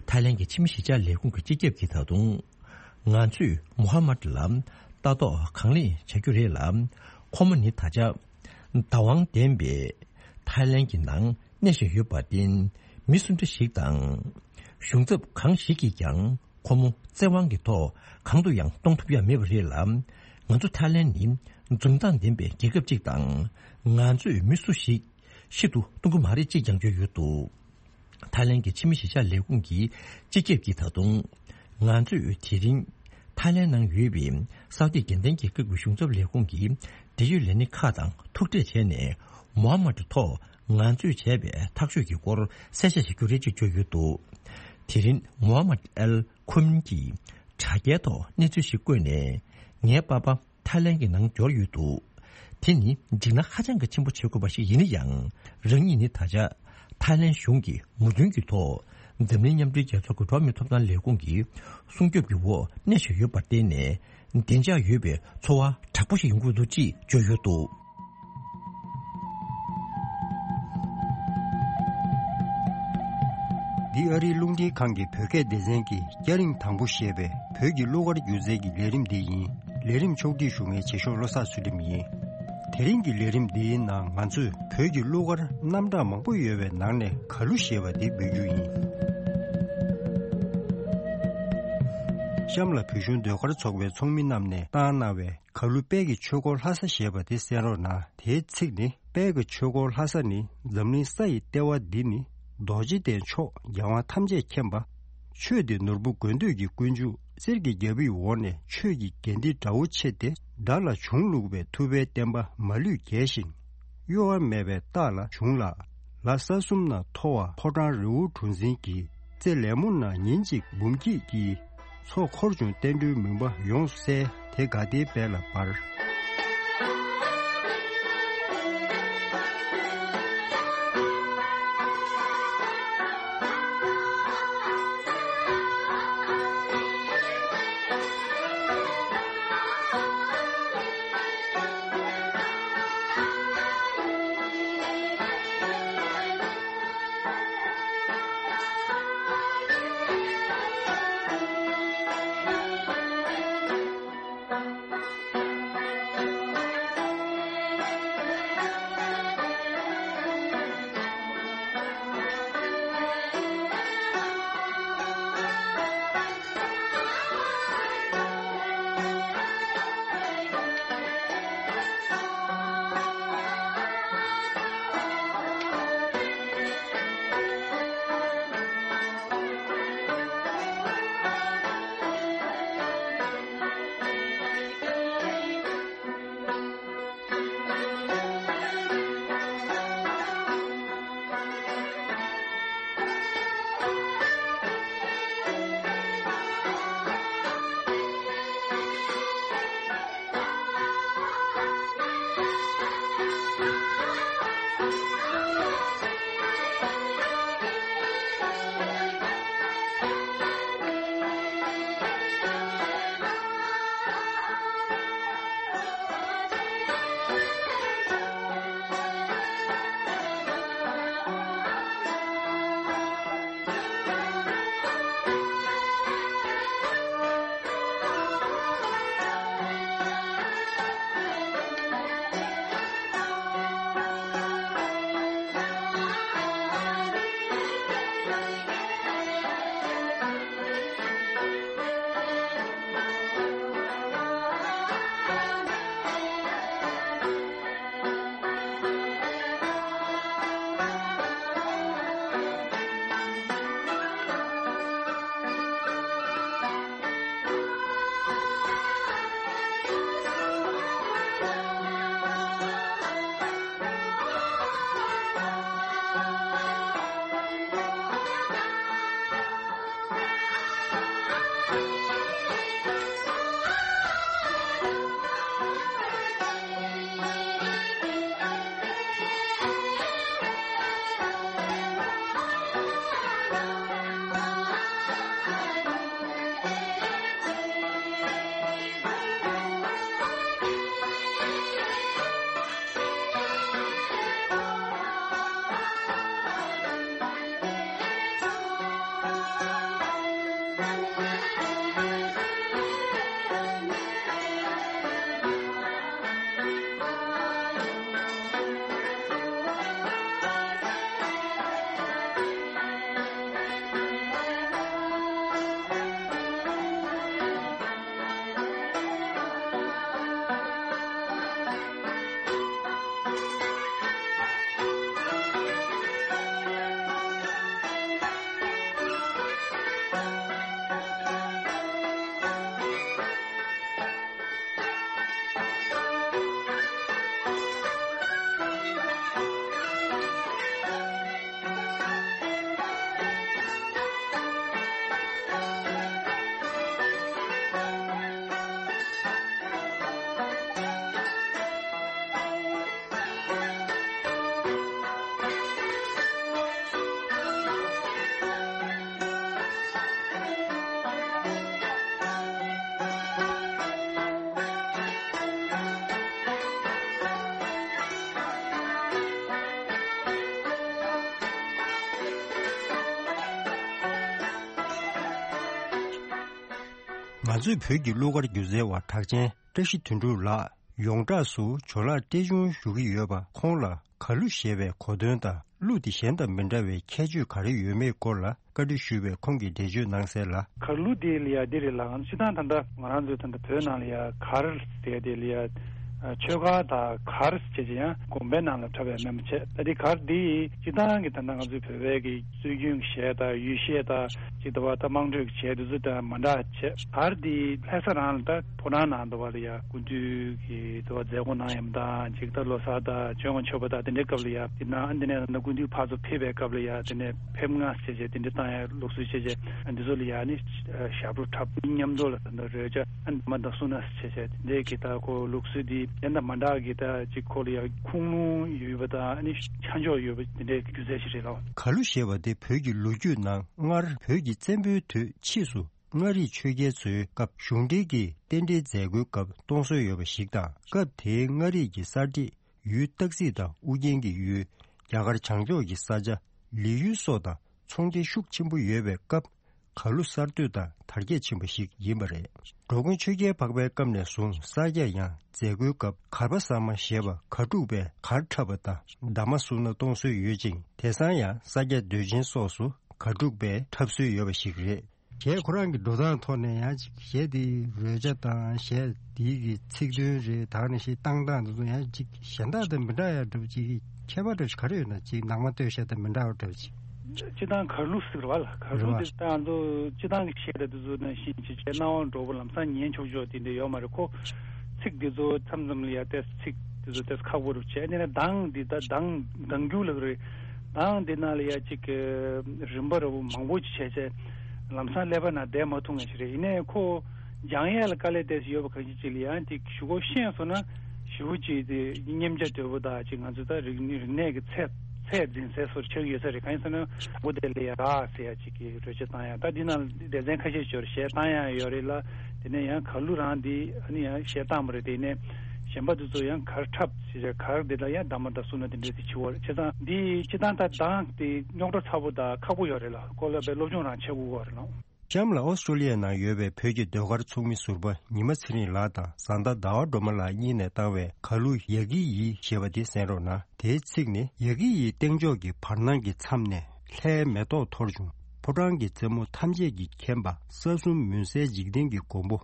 ཐའི་ལན་གྱི་ཕྱི་མི་གཞིས་ཆགས་ལས་ཁུངས་ཀྱི་སྤྱི་ཁྱབ་ཀྱིས་ད་དུང་ ང་ཚོས་མུ་ཧམ་མད་ལ་ལྟ་རྟོག་གང་ལེགས་བྱ་རྒྱུ་རེད་ལ། ཁོ་མོ་ནི་ད་ཆ་བདག་དབང་ལྡན་པའི་ཐའི་ལན་གྱི་ནང་གནས་བཞིན་ཡོད་པར་བརྟེན། མི་སུ་འདྲ་ཞིག་དང་གཞུང་ཚབ་གང་ཞིག་གིས་ཀྱང་ཁོ་མོ་བཙན་དབང་གི་ཐོག་གང་དུ་ཡང་གཏོང་ཐུབ་ཡ་མེད་པ་རེད་ལ། ང་ཚོ་ཐའི་ལན་ནི་འཛུམ་མདངས་ལྡན་པའི་རྒྱལ་ཁབ་ཅིག་དང་། ང་ཚོས་མི་སུ་ཞིག་ཤི་དུ་གཏོང་གི་མ་རེད་ཅེས་ཀྱང་བརྗོད་ཡོད་འདུག་ཐའི་ལན་གྱི་ཕྱི་མི་གཞིས་ཆགས་ལས་ཁུངས་ཀྱི་སྤྱི་ཁྱབ་ཀྱིས་ད་དུང་། ང་ཚོས་དེ་རིང་ཐའི་ལན་ནང་ཡོད་པའི་སའུ་ཏི་རྒྱལ་བསྟན་རྒྱལ་ཁབ་ཀྱི་གཞུང་ཚབ་ལས་ཁུངས་ཀྱི་འབྲེལ་ཡོད་ལས་སྣེ་ཁག་དང་ཐུག་འཕྲད་བྱས་ནས། མུ་ཧམ་མད་ཐོག་ང་ཚོས་བྱས་པའི་ཐག་གཅོད་ཀྱི་སྐོར་གསལ་བཤད་བྱ་རྒྱུ་རེད་ཅེས་བརྗོད་ཡོད་འདུག་དེ་རིང་མུ་ཧམ་མད་ཨལ་ཁོ་མིན་གྱིས་དྲ་རྒྱའི་ཐོག་གནས་ཚུལ་ཞིག་བཀོད་ནས། ངའི་པ་ཕ་ཐའི་ལན་གྱི་ནང་འབྱོར་ཡོད་འདུག་དེ་ནི་འཇིགས་སྣང་ཧ་ཅང་གི་ཆེན་པོ་བྱེད་དགོས་པ་ཞིག་ཡིན་ན་ཡང་། རང་ཉིད་ནི་ད་ཆ་ཐའི་ལན་གཞུང་གི་མོས་མཐུན་གྱི་ཐོག་འཛམ་གླིང་མཉམ་འབྲེལ་རྒྱལ་ཚོགས་ཀྱི་འགྲོ་བ་མིའི་ཐོབ་ཐང་ལས་ཁུངས་ཀྱི་སྲུང་སྐྱོབ་ཀྱི་འོག་གནས་བཞིན་ཡོད་པར་བརྟེན་ནས། བདེ་འཇགས་ཡོད་པའི་འཚོ་བ་དྲག་པོ་ཞིག་ཡོང་གི་འདུག་ཅེས་བརྗོད་ཡོད་འདུག་འདི་ཨ་རིའི་རླུང་འཕྲིན་ཁང་གི་བོད་སྐད་སྡེ་ཚན་གྱི་སྐྱ་རེངས་དང་པོ་ཞེས་པའི་བོད་ཀྱི་གླུ་གར་སྒྱུ་རྩལ་གྱི་ལས་རིམ་འདི་ཡིན། ལས་རིམ་ཕྱོགས་སྒྲིག་ཞུ་མཁན་རྗེ་ཤོག་བློ་བཟང་ཚུལ་ཁྲིམས་ཡིན། དེ་རིང་གི་ལས་རིམ་འདིའི་ནང་ང་ཚོས་བོད་ཀྱི་གླུ་གར་རྣམ་གྲངས་མང་པོ་ཡོད་པའི་ནང་ནས་གར་གླུ་ཞེས་པ་འདི་འབུལ་རྒྱུ་ཡིན། གཤམ་ལ་བོད་གཞུང་ཟློས་གར་ཚོགས་པའི་ཚོགས་མི་རྣམས་ནས་བཏང་གནང་བའི་གར་གླུ་དཔལ་གྱི་ཆོས་འཁོར་ལྷ་ས་ཞེས་པ་དེ་གསན་རོགས་གནང་། དེའི་ཚིག་ནི། དཔལ་གྱི་ཆོས་འཁོར་ལྷ་ས་ནི། འཛམ་གླིང་ས་ཡི་ལྟེ་བ་འདི་ནི། རྡོ་རྗེ་གདན་མཆོག་རྒྱལ་དབང་ཐམས་ཅད་མཁྱེན་པ། ཆོས་འདི་ནོར་བུ་དགོས་འདོད་ཀྱི་ཀུན་འབྱུང་། གསེར་གྱི་རྒྱལ་པོའི་འོག་ནས། ཆོས་ཀྱི་རྒྱན་འདི་དགྲ་བོ་ཆེ་སྟེ། དགྲ་ལ་གཞུང་བླུགས་པའི། ཐུབ་པའི་བསྟན་པ་མ་ལུས་རྒྱས་ཤིང་། གཡོ་བ་མེད་པའི་རྟགས་ལ་བྱུང་ལ། ལ་ས་གསུམ་ན་མཐོ་བ། ཕོ་བྲང་རི་བོ་གྲུ་འཛིན་གྱི། རྩེ་ལེབ་མོ་ན་ཉིན་གཅིག་འབུམ་སྐྱིད་ཀྱི། མཚོ་འཁོར་བྱུང་བསྟན་འགྲོའི་མུན་པ་ཡོངས་བསལ། དེ་དགའ་བདེའི་དཔལ་ལ་འབར། ང་ཚོའི་བོད་ཀྱི་གླུ་གར་སྒྱུ་རྩལ་བ་གྲགས་ཅན་བཀྲ་ཤིས་དོན་གྲུབ་ལགས་ཡོངས་གྲགས་སུ་ཇོ་ལགས་བཀྲས་ཆུང་ཞུ་གི་ཡོད་པ། ཁོང་ལ་གར་གླུ་ཞེས་པའི་གོ་དོན་དང་གླུ་དེ་གཞན་དང་མི་འདྲ་བའི་ཁྱད་ཆོས་ག་རེ་ཡོད་མེད་སྐོར་ལ་བཀའ་འདྲི་ཞུས་པས། ཁོང་གིས་འགྲེལ་བརྗོད་གནང་གསལ་ལ། གར་གླུ་དེ་ལ་ཡ་འདི་རེད་ལགས། སྤྱིར་བཏང་ད་ལྟ་ང་རང་ཚོའི་ད་ལྟ་བོད་ནང་ལ་ཡ་གར་ཟེར་དེ་ལ་ཡ་ཆོས་གར་དང་གར་ཟེར་བྱས་ཡང་དགོན་པའི་ནང་ལ་འཁྲབ་པའི་མེད་མ་བྱས། ད་དེ་གར་དེ་སྤྱིར་བཏང་གི་ད་ལྟ་ང་ཚོའི་བོད་པའི་གི་སྲོལ་རྒྱུན་གྱི་གཞས་དང་ཡུལ་གཞས་དང་ཅིག་ད་བ་ད་དམངས་ཁྲོད་ཀྱི་གཞས་དེ་ཚོ་དང་མ་འདྲ་བྱས། གར་དེ་ལྷ་ས་རང་ལ་ད་ཕོ་བྲང་ནང་ད་བ་ལ་ཡ་སྐུ་མདུན་གྱི་ད་བ་མཛད་སྒོ་གནང་ཡམ་དང་ཅིག་ད་ལོ་གསར་དང་བྱོན་དགོང་མཆོད་པ་དང་དེ་འདྲའི་སྐབས་ལ་ཡ་དེ་ནང་ཨ་འདི་ནས་ད་སྐུ་མདུན་ཕར་ཚུར་ཕེབས་པའི་སྐབས་ལ་ཡ་དེ་ནས་ཕེབས་ང་བྱས་བྱས་དེ་འདྲ་བཏང་ཡ་ལུགས་སྲོལ་བྱས་བྱས་འདི་ཚོ་ལ་ཡ་ནི་ཞབས་བྲོ་འཁྲབ་མཉམ་དུ་ལ་ད་རོལ་ཆ་ཨ་མ་ད་སུ་ན་བྱས་བྱས་དེ་འདྲའི་གི་ད་ཁོ་ལུགས་སྲོལ་དེ་གཞན་དང་མ་འདྲ་གི་ད་ཅིག་ཁོ་ལ་ཡ་ཁུངས་ལུང་ཡོད་པ་དང་ཨ་ནི་ཆ་འཇོག་ཡོད་པ་དེ་འདྲའི་སྒྱུ་རྩལ་ཞིག་རེད་ལགས། གར་གླུ་ཞེས་པ་དེ་བོད་ཀྱི་ལོ་རྒྱུས་ནང་སྔར་བོད་ཀྱི་བཙན་པོའི་དུས་ཕྱིས་སུ་མངའ་རིས་ཆོས་རྒྱལ་ཚོའི་སྐབས་གཞུང་འབྲེལ་གྱི་རྟེན་འབྲེལ་མཛད་སྒོའི་སྐབས་གཏོང་སྲོལ་ཡོད་པ་ཞིག་དང་། སྐབས་དེའི་མངའ་རིས་ཀྱི་གསར་བསྒྲིགས་ཡུལ་སྟག་རྩེ་དང་ཨུ་རྒྱན་གྱི་ཡུལ། རྒྱ་གར་བྱང་ཕྱོགས་ཀྱི་ས་ཆ་ལི་ཡུལ་སོགས་དང་ཚོང་འབྲེལ་ཤུགས་ཆེན་པོ་ཡོད་པའི་སྐབས། གར་གླུ་གསར་གཏོད་དང་དར་རྒྱས་ཕྱིན་པ་ཞིག་ཡིན་པ་རེད། འགྲོ་མགོན་ཆོས་རྒྱལ་འཕགས་པའི་སྐབས་ནས་བཟུང་ས་སྐྱ་ཡང་མཛད་སྒོའི་སྐབས་གར་པ་གསར་མ་ཞེས་པ་གར་འཁྲུག་པས་གར་འཁྲབ་པ་དང་གདམས་པ་གསུང་ན་གཏོང་སྲོལ་ཡོད་ཅིང་། དེང་སང་ཡང་ས་སྐྱ་མདོས་ཆེན་སོགས་སུ་གར་འཁྲུག་པས་འཁྲབ་སྲོལ་ཡོད་པ་ཞིག་རེད། གཞས་ཁོ་རང་གི་འགྲོ་སྟངས་ཐོག་ནས་ཡང་ཅིག་གཞས་དེའི་རོལ་ཆ་དང་གཞས་དེའི་གི་ཚིག་དོན་རེད། ད་ནི་གཞས་བཏང་སྟངས་དེ་ཚོ་ཡང་ཅིག་གཞན་དག་དང་མི་འདྲ་ཡ་འདྲ་པོ་ཅིག་ཁྱད་པར་འདྲ་པོ་ཞིག་ག་རེ་ཡོད་ན། ཅིག་ནང་མ་སྟོད་གཞས་དང་མི་འདྲ་བ་འདྲ་པོ་ཅིག་སྤྱིར་བཏང་གར་གླུ་ཟེར་བ་ལ་གར་གླུ་རེད་བ། དེ་ད་ང་ཚོ་སྤྱིར་བཏང་གི་གཞས་དང་དེ་ཚོ་ནང་བཞིན་ཅིག་བྱས་སྣང་བ་འགྲོ་པོ་ལམ་སང་ཉན་ཆོག་ཆོག་དེ་འདྲ་ཡོད་མ་རེད་ཁོ། ཚིག་དེ་ཚོ་མཚམས་མཚམས་ལ་ཡ་ཏེ་ཚིག་དེ་ཚོ་ཏེ་ཁག་པོ་རུ་བྱས་ནས་གདངས་འདི་ད་གདངས་གདངས་རྒྱུག་ལ་རེད། གདངས་འདི་ནང་ལ་ཡ་ཅིག་གི་རིམ་པ་རུ་མང་པོ་ཅིག་བྱས་བྱས་ལམ་སང་ཀླད་པ་ནང་བསྡད་མ་ཐུབ་ངེས་ཤིག་རེད། ཡིན་ནའི་ཁོ་སྦྱང་ཡས་ལ་དཀའ་ལས་ཏེ་ཡོད་པ་གང་ཅི་ཅིག་ལ་ཡང་དེ་ཞུ་གོ་ཤེས་སོང་ན་ཞུ་ཅིག་དེ་སྙེམས་བྱ་དོད་པོ་དང་ཅིག་ང་ཚོ་ད་རིག་རིག་གནས་ཀྱི་ཚད་ཚད་འཛིན་ཚད་སོར་ཆགས་ཡོད་ས་རེད། གང་ཡིན་ཟེར་ན་བོ་དེ་ལས་ར་ཟེར་ཡ་ཅིག་གི་རོལ་ཆ་བཏང་ཡ་ད་འདི་ནང་སྡེ་ཚན་ཁ་ཤས་ཤོར་གཞས་བཏང་ཡ་ཡོད་རེད་ལ། དེ་ནས་ཡང་གར་གླུ་རང་འདི་ཨ་ནི་ཡང་གཞས་བཏང་བ་རེད། དེ་ནས་གཞན་པ་དེ་ཚོ་ཡང་གར་འཁྲབ་ཟེར་གར་འདི་ལ་ཡང་གདམས་པ་དང་གསུང་ན་དེ་འདྲས་དེ་བྱི་བ་རེད། བྱས་ཙང་འདི་སྤྱི་བཏང་ད་གདངས་དེ་རྙོག་དྲ་ཚ་པོ་དང་ཁག་པོ་ཡོད་རེད་ལ། ཁོ་ལ་བའི་སློབ་སྦྱོང་རང་བྱེད་དགོས་པ་རེད་ལ། གཤམ་ལ་ཨོ་སི་ཀྲོ་ལི་ཡའི་ནང་ཡོད་པའི་བོད་ཀྱི་ཟློས་གར་ཚོགས་མི་ཟུར་པ་ཉི་མ་ཚེ་རིང་ལགས་དང་བཟའ་ཟླ་ཟླ་བ་སྒྲོལ་མ་ལགས་གཉིས་ནས་བཏང་བའི་གར་གླུ་ཡ་གི་ཡི་ཞེས་པ་དེ་གསན་རོགས་གནང་། དེའི་ཚིག་ནི། ཡ་གི་ཡི་སྟེང་ཕྱོགས་ཀྱི་བར་སྣང་གི་མཚམས་ནས། ལྷའི་མེ་ཏོག་འཐོར་བྱུང་། ཕོ་བྲང་གི་རྩེ་མོ་ཐམས་ཅད་ཀྱིས་ཁེངས་པ། ས་གསུམ་མུན་སེལ་འཇིག་རྟེན་གྱི་མགོན་པོ།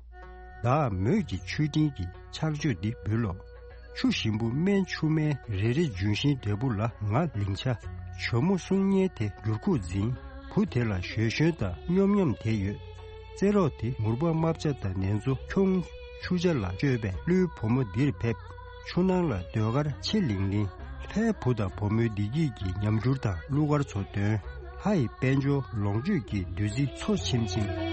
བདག་མོས་ཀྱི་མཆོད་སྤྲིན་གྱི་ཕྱག་མཆོད་འདི་འབུལ་ལོ། ཆུ་ཞིམ་པོ་སྨན་ཆུ་སྨན་རེ་རེ་ལྗོན་ཤིང་འབྲས་བུ་ལ་ང་ལིང་ཆ། ཇོ་མོ་གསུང་སྙན་དེ་འགྱུར་ཁུག་འཛིན། བུ་དེ་ལ་ཞོལ་ཞོན་དང་སྙོམ་སྙོམ་དེ་ཡོད། རྩེད་རོགས་དེ་མུར་པ་རྨ་བྱ་དང་ནེ་ཙོ་ཁྱུང་། ཆུ་བྱ་ལ་སྤྱོད་པའི་ཀླུའི་བུ་མོ་འདིར་ཕེབས། ཆུ་ནང་ལ་ཟློས་གར་ཆེ་ལིང་ལིང་། ལྷའི་བུ་དང་བུ་མོའི་བདེ་སྐྱིད་ཀྱི་ཉམས་འགྱུར་དང་གླུ་གར་ཚོ་འདོན། ལྷ་ཡི་དཔལ་འབྱོར་ལོངས་སྤྱོད་ཀྱི་བདུད་རྩི་འཚོ་ཆེམ་ཆེམ།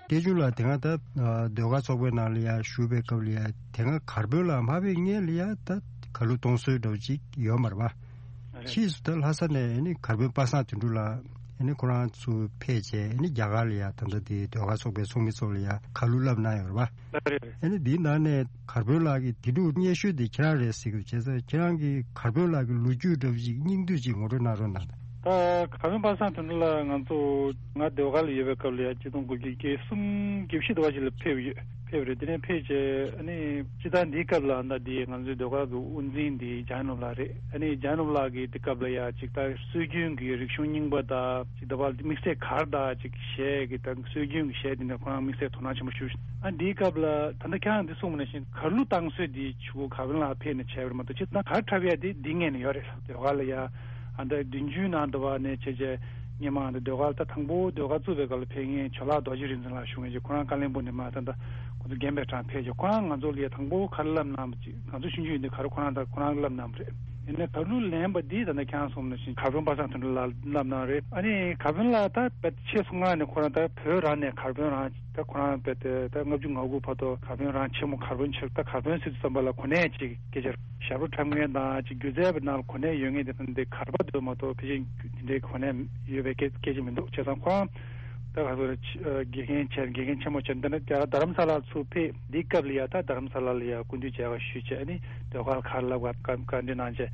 སྐད་ཆུང་ལགས་དེ་སྔ་ད་ཨ་ཟློས་གར་ཚོགས་པའི་ནང་ལ་ཡ་ཞུགས་པའི་སྐབས་ལ་ཡ་དེ་སྔ་གར་དཔོན་ལ་མ་ཕེབས་སྔོན་ལ་ཡ་ད་ཁ་ལོ་གཏོང་སྲོལ་འདྲ་བོ་ཅིག་ཡོད་མ་རེད་པ། རེད། ཕྱིས་སུ་ད་ལྷ་ས་ནས་ཨ་ནི་གར་དཔོན་པ་སངས་དོན་གྲུབ་ལགས་ཨ་ནི་ཁོ་རང་ཚོ་ཕེབས་བྱས་ཨ་ནི་རྒྱ་གར་ལ་ཡ་ད་ལྟ་དེ་ཟློས་གར་ཚོགས་པའི་ཚོགས་མི་ཚོ་ལ་ཡ་ཁ་ལོ་བསླབ་གནང་ཡོད་རེད་པ། རེད་རེད། ཨ་ནི་འདིའི་ནང་ནས་གར་དཔོན་ལགས་ཀྱིས་དེ་འདྲ་སྙན་ཞུ་དེ་ཁྱེད་རང་རེད་ཟེར་གི་འདུག་བྱས་ཙང་ཁྱེད་རང་གིས་གར་དཔོན་ལགས་ཀྱི་ལོ་རྒྱུས་འདྲ་བོ་ཅིག་སྙིང་བསྡུས་ཅིག་ངོ་སྤྲོད་གནང་རོགས་གནང་། ད་གར་དཔོན་པ་སངས་དོན་གྲུབ་ལགས་ང་ཚོ་ང་ཟློས་གར་ལ་ཡོད་པའི་སྐབས་ལ་ཡ་གཅིག་སྟོང་དགུ་བརྒྱ་བརྒྱད་ཅུ་གྱ་བཞི་དུ་བ་ཞིག་ལ་ཕེབས་ཡོད་ཕེབས་རེད། དེ་ནས་ཕེབས་བྱས་ཨ་ནི་སྤྱིར་བཏང་འདིའི་སྐབས་ལ་ད་འདི་ང་ཚོའི་ཟློས་གར་གྱི་དབུ་འཛིན་འདི་འཇམ་དབྱངས་ནོར་བུ་ལགས་རེད། ཨ་ནི་འཇམ་དབྱངས་ནོར་བུ་ལགས་ཀྱིས་དེ་སྐབས་ལ་ཡ་ཅིག་ད་སྲོལ་རྒྱུན་གྱི་རིག་གཞུང་རྙིང་པ་དང་ཅིག་ད་བར་དམིགས་བསལ་གར་དང་ཅིག་གཞས་ཀྱི་ད་སྲོལ་རྒྱུན་གྱི་གཞས་དེ་འདྲ་ཁོ་རང་དམིགས་བསལ་དོ་སྣང་ཆེན་པོ་ཞུ། ཨ་འདིའི་སྐབས་ལ་ད་ལྟ་ཁྱེད་རང་འདི་གསུངས་པ་ནང་བཞིན་གར་གླུ་བཏང་སྲོལ་འདི་ཆུ་བོ་གར་དཔོན་ལགས་ཕེབས་ནས་བྱས་པ་རེད་མ་གཏོགས་སྤྱིར་བཏང་གར་འཁྲབ་ཡ་དེ་འདི་སྔོན་ནས་ཡོད་རེད། ཟློས་གར་ལ་ཡ་ཨ་ད་བདུན་ཅུའི་ནང་དུ་བ་ནས་བྱས་བྱས་སྔོན་མ་ཨ་ད་ཟློས་གར་ད་དང་པོ་ཟློས་གར་བཙུགས་པའི་སྐབས་ལ་ཕེབས་མཁན་ཇོ་ལགས་རྡོ་རྗེ་རིག་འཛིན་ལགས་བཞུགས་མཁན་ཅིག་ཁོ་རང་ཀ་ལོན་སྦུག་ནས་མ་ད་ད་ཁོ་ཚོ་རྒན་པའི་གྲས་ཕེབས་བྱས་ཁོ་རང་ང་ཚོ་ལ་ཡ་དང་པོ་གར་བསླབ་གནང་བ་ཅིག་ང་ཚོ་ཆུང་ཆུང་ཡིན་དུས་གར་ཁོ་རང་ད་ཁོ་རང་བསླབ་གནང་བ་རེད། ཡིན་ནའི་གར་གླུ་ལེན་པ་འདི་ད་ལྟ་ཁྱེད་རང་གསུངས་ནང་བཞིན་གར་དཔོན་པ་སངས་དོན་གྲུབ་ལགས་བསླབ་གནང་རེད། ཨ་ནི་གར་དཔོན་ལགས་ད་དཔེ་ཆེས་སུ་མངགས་ནས་ཁོ་རང་ད་བོད་རང་ནས་གར་དཔོན་རང་ད་ཁོ་རང་དཔེ་དེ་ད་ལྔ་བཅུ་ང་དགུ་བར་དུ་གར་དཔོན་རང་ཆེན་མོ་གར་དཔོན་ཆེ་ད་གར་དཔོན་ཟེར་དུས་ཙམ་པ་ལ་གོ་གནས་ཅིག་སྐད་ཆ་ཞབས་བྲོ་འཁྲབ་མཁན་དང་ཅིག་སྒྱུ་རྩལ་པའི་ནང་ལ་གོ་གནས་ཡོད་མཁན་དེ་ད་འདི་གར་པ་དེ་མ་གཏོགས་ཕལ་ཆེར་དེ་འདྲའི་གོ་གནས་ཡོད་པའི་སྐད་སྐད་ཆ་མི་འདུག་བྱས་ཙང་ཁོ་རང་ད་ག་ཚོད་རེད། དགེ་རྒན་ཆེ་དགེ་རྒན་ཆེན་མོ་བྱས་འདི་ནས་རྡ་རམ་ས་ལར་ཚུར་ཕེབས། འདིའི་སྐབས་ལ་ཡ་ད་རྡ་རམ་ས་ལ་ལ་ཡ་སྐུ་མདུན་མཇལ་ཁ་ཞུས་བྱས་ཨ་ནི་ཟློས་གར་གར་བསླབ་ག་བཀའ་བཀའ་འདྲི་གནང་བྱས་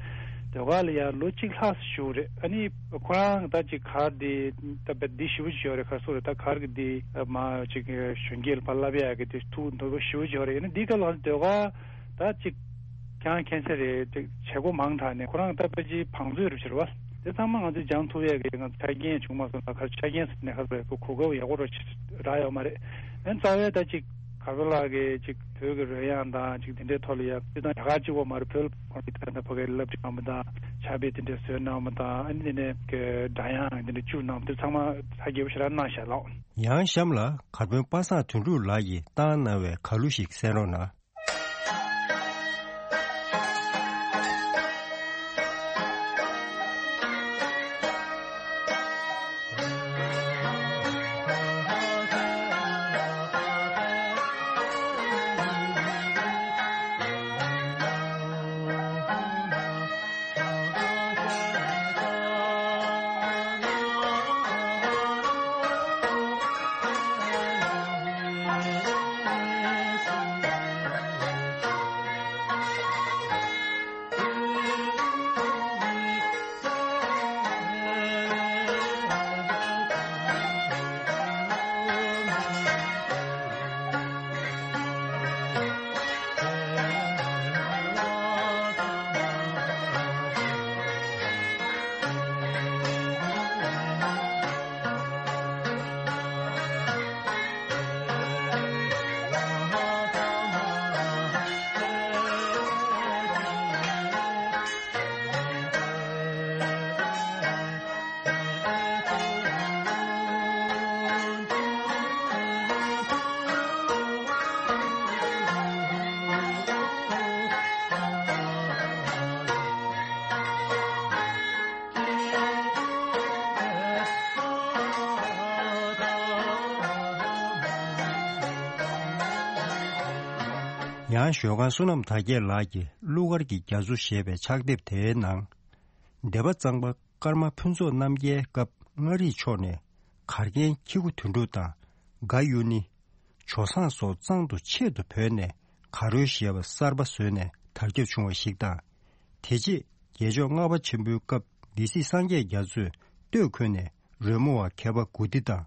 ཟློས་གར་ལ་ཡ་ལོ་གཅིག་ལྷག་བཞུགས་རེད། ཨ་ནི་ཁོ་རང་ད་ཅིག་གར་འདི་ད་བེད་འདི་ཞེ་པོ་ཅིག་ཡོད་རེད། ག་སོ་རེད། ད་གར་གི་འདི་མ་ཅིག་གཞོན་སྐྱེས་ལ་ཕར་བསླབ་ཡ་གི་འདི་ཐུགས་འདོད་པ་ཞེ་པོ་ཅིག་ཡོད་རེད། ཨ་ནི་འདིའི་སྐབས་ལ་ཟློས་གར་ད་ཅིག་ཀྱང་མཁྱེན་གསལ་རེད། ཅིག་བྱེད་སྒོ་མང་དྲགས་ནས་ཁོ་རང་ད་ཕལ་ཆེར་བང་མཛོད་རུ་ཕྱིར་བ། དེ་ཚང་མ་ང་ཚོས་སྦྱང་ཐུབ་ཡས་ཀྱི་ང་ཚོ་ཆ་རྐྱེན་བྱུང་མ་སོང་ན་ག་རེ་ཆ་རྐྱེན་ཟེར་ནས་ག་རེ་གོ་སྐབས་ཡག་པོ་ར་རག་ཡོད་མ་རེད། ཨན་རྩ་བའི་ད་ཅིག་གར་པ་ལགས་ཀྱིས་ཅིག་བོད་ཀྱི་རོལ་དབྱངས་དང་ཅིག་དེ་འདྲའི་ཐོག་ལ་ཡ་སྤྱིར་བཏང་རྒྱ་གར་གཅིག་པོ་མ་རེད། བོད་ལ་ཁོང་གིས་ད་ལྟ་ཕ་གིར་སློབ་ཁྲིད་གནང་བ་དང་ཕྱག་དཔེ་དེ་འདྲ་བཟོས་གནང་བ་དང་ཨ་ནི་དེ་ནས་ཀྱི་སྒྲ་དབྱངས་དེ་འདྲ་བཅུག་གནང་བ་དེ་ཚང་མ་ཧ་རྒྱས་པོ་ཞེ་དྲག་གནང་ཤག་ལགས། ཡང་གཤམ་ལ་གར་དཔོན་པ་སངས་དོན་གྲུབ་ལགས་ཀྱིས་བཏང་གནང་བའི་གར་གླུ་ཞིག་གསན་རོགས་གནང་། ཡང་ཞོལ་ཁང་བསོད་ནམས་དར་རྒྱས་ལགས་ཀྱིས་གླུ་གར་གྱི་རྒྱ་མཚོ་ཞེས་པའི་ཕྱག་དེབ་དེའི་ནང་། སྡེ་པ་གཙང་པ་ཀརྨ་ཕུན་ཚོགས་རྣམ་རྒྱལ་སྐབས་མངའ་རིས་ཕྱོགས་ནས་གར་མཁན་ཁྱི་གུ་དོན་གྲུབ་དང་དགའ་གཡུ་ནི། ཇོ་བཟང་སོགས་གཙང་དུ་ཆེད་དུ་བོས་ནས་གར་རོལ་ཞེས་པ་གསར་པ་བཟོས་ནས་དར་ཁྱབ་བྱུང་བ་ཞིག་དང་། དེ་རྗེས་རྒྱལ་མཆོག་ལྔ་པ་ཆེན་པོའི་སྐབས་སྡེ་སྲིད་སངས་རྒྱས་རྒྱ་མཚོས་སྟོད་འཁོད་ནས་རོལ་མོ་བ་མཁས་པ་དགུ་སྡེ་དང་།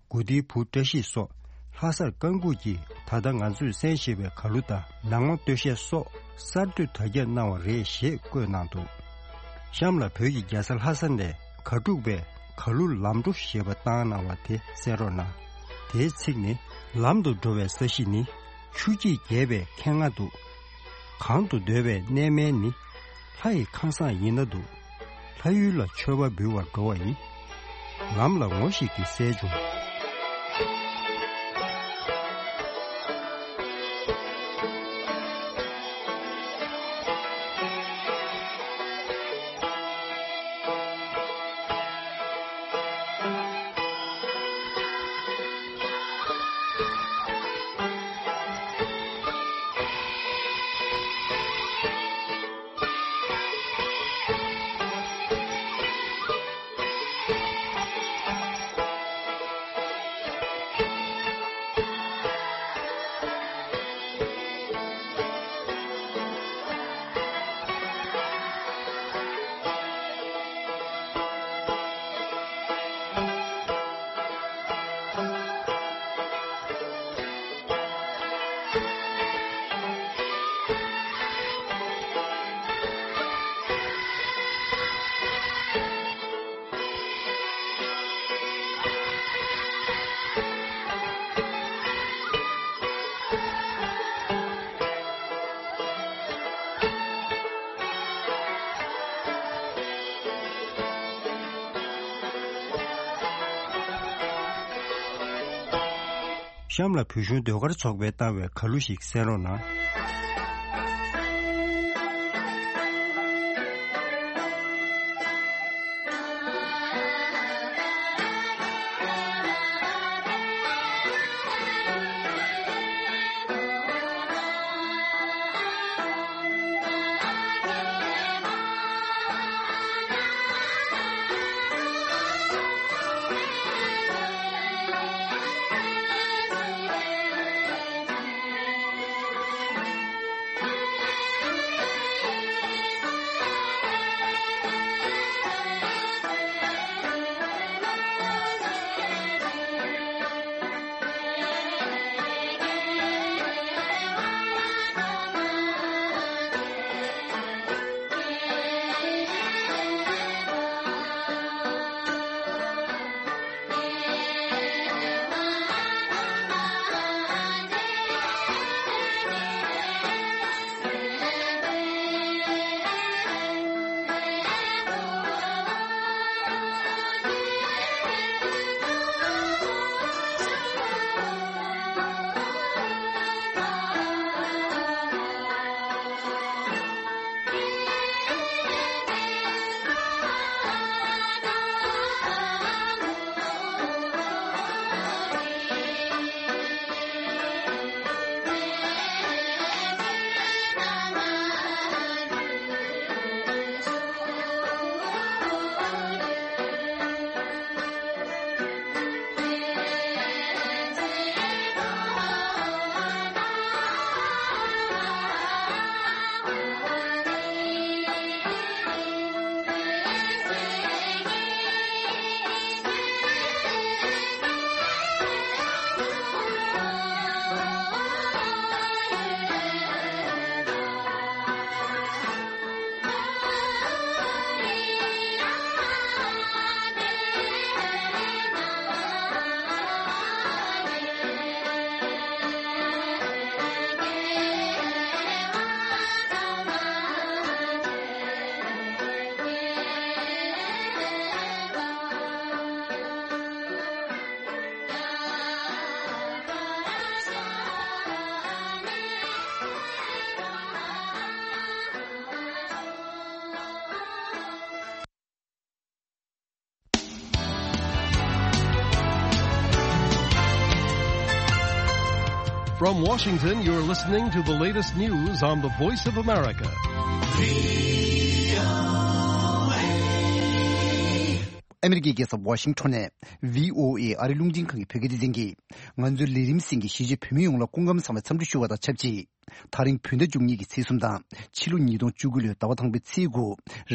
དགུ་སྡེའི་བུ་བཀྲ་ཤིས་སོགས་ལྷ་སར་བཀའ་འགུགས་ཀྱིས་ད་ལྟ་ང་ཚོས་གསན་བཞིན་པའི་གར་གླུ་དང་ནང་མ་སྟོད་གཞས་སོགས་གསར་གཏོད་དར་ཁྱབ་གནང་བ་རེད་ཞེས་བཀོད་གནང་འདུག་གཤམ་ལ་བོད་ཀྱི་རྒྱལ་ས་ལྷ་ས་ནས་གར་འབྲུག་པས་གར་གླུ་ལམ་འགྲོ་ཞེས་པ་བཏང་གནང་བ་དེ་གསན་རོགས་གནང་། དེའི་ཚིག་ནི། ལམ་དུ་འགྲོ་བའི་ས་གཞི་ནི། ཆུ་སྐྱེས་རྒྱས་པའི་ཁེངས་ང་འདུག་གང་དུ་སྡོད་པའི་གནས་མལ་ནི། ལྷ་ཡི་ཁང་བཟང་ཡིན་ན་འདུག་ལྷ་ཡུལ་ལ་མཆོད་པ་འབུལ་བར་འགྲོ་བ་ཡིན། ལམ་ལ་ངོ་ཞིག་གིས་གསལ་བྱུང་། གཤམ་ལ་བོད་གཞུང་ཟློས་གར་ཚོགས་པས་བཏང་བའི་ཁ་ལོ་ཞིག་གསན་རོགས་གནང་། From Washington, you're listening to the latest news on the Voice of America. ཨ་མི་རི་ཀའི་རྒྱལ་ས་ཝ་ཤིང་ཊོན་ནས་བྷི་ཨོ་ཨེ་ཨ་རི་རླུང་འཕྲིན་ཁང་གི་བོད་སྐད་སྡེ་ཚན་གྱིས། ང་ཚོའི་ལས་རིམ་གསན་མཁན་གཞིས་བྱེས་བོད་མི་ཡོངས་ལ་སྐུ་ཁམས་བཟང་བའི་འཚམས་འདྲི་ཞུ་བ་དང་ཆབས་ཅིག། ད་རིང་བོད་ཟླ་བཅུ་གཉིས་ཀྱི་ཚེས་གསུམ་དང་ཕྱི་ལོ་ཉིས་སྟོང་བཅུ་དགུ་ལོའི་ཟླ་བ་དང་པོའི་ཚེས་དགུ།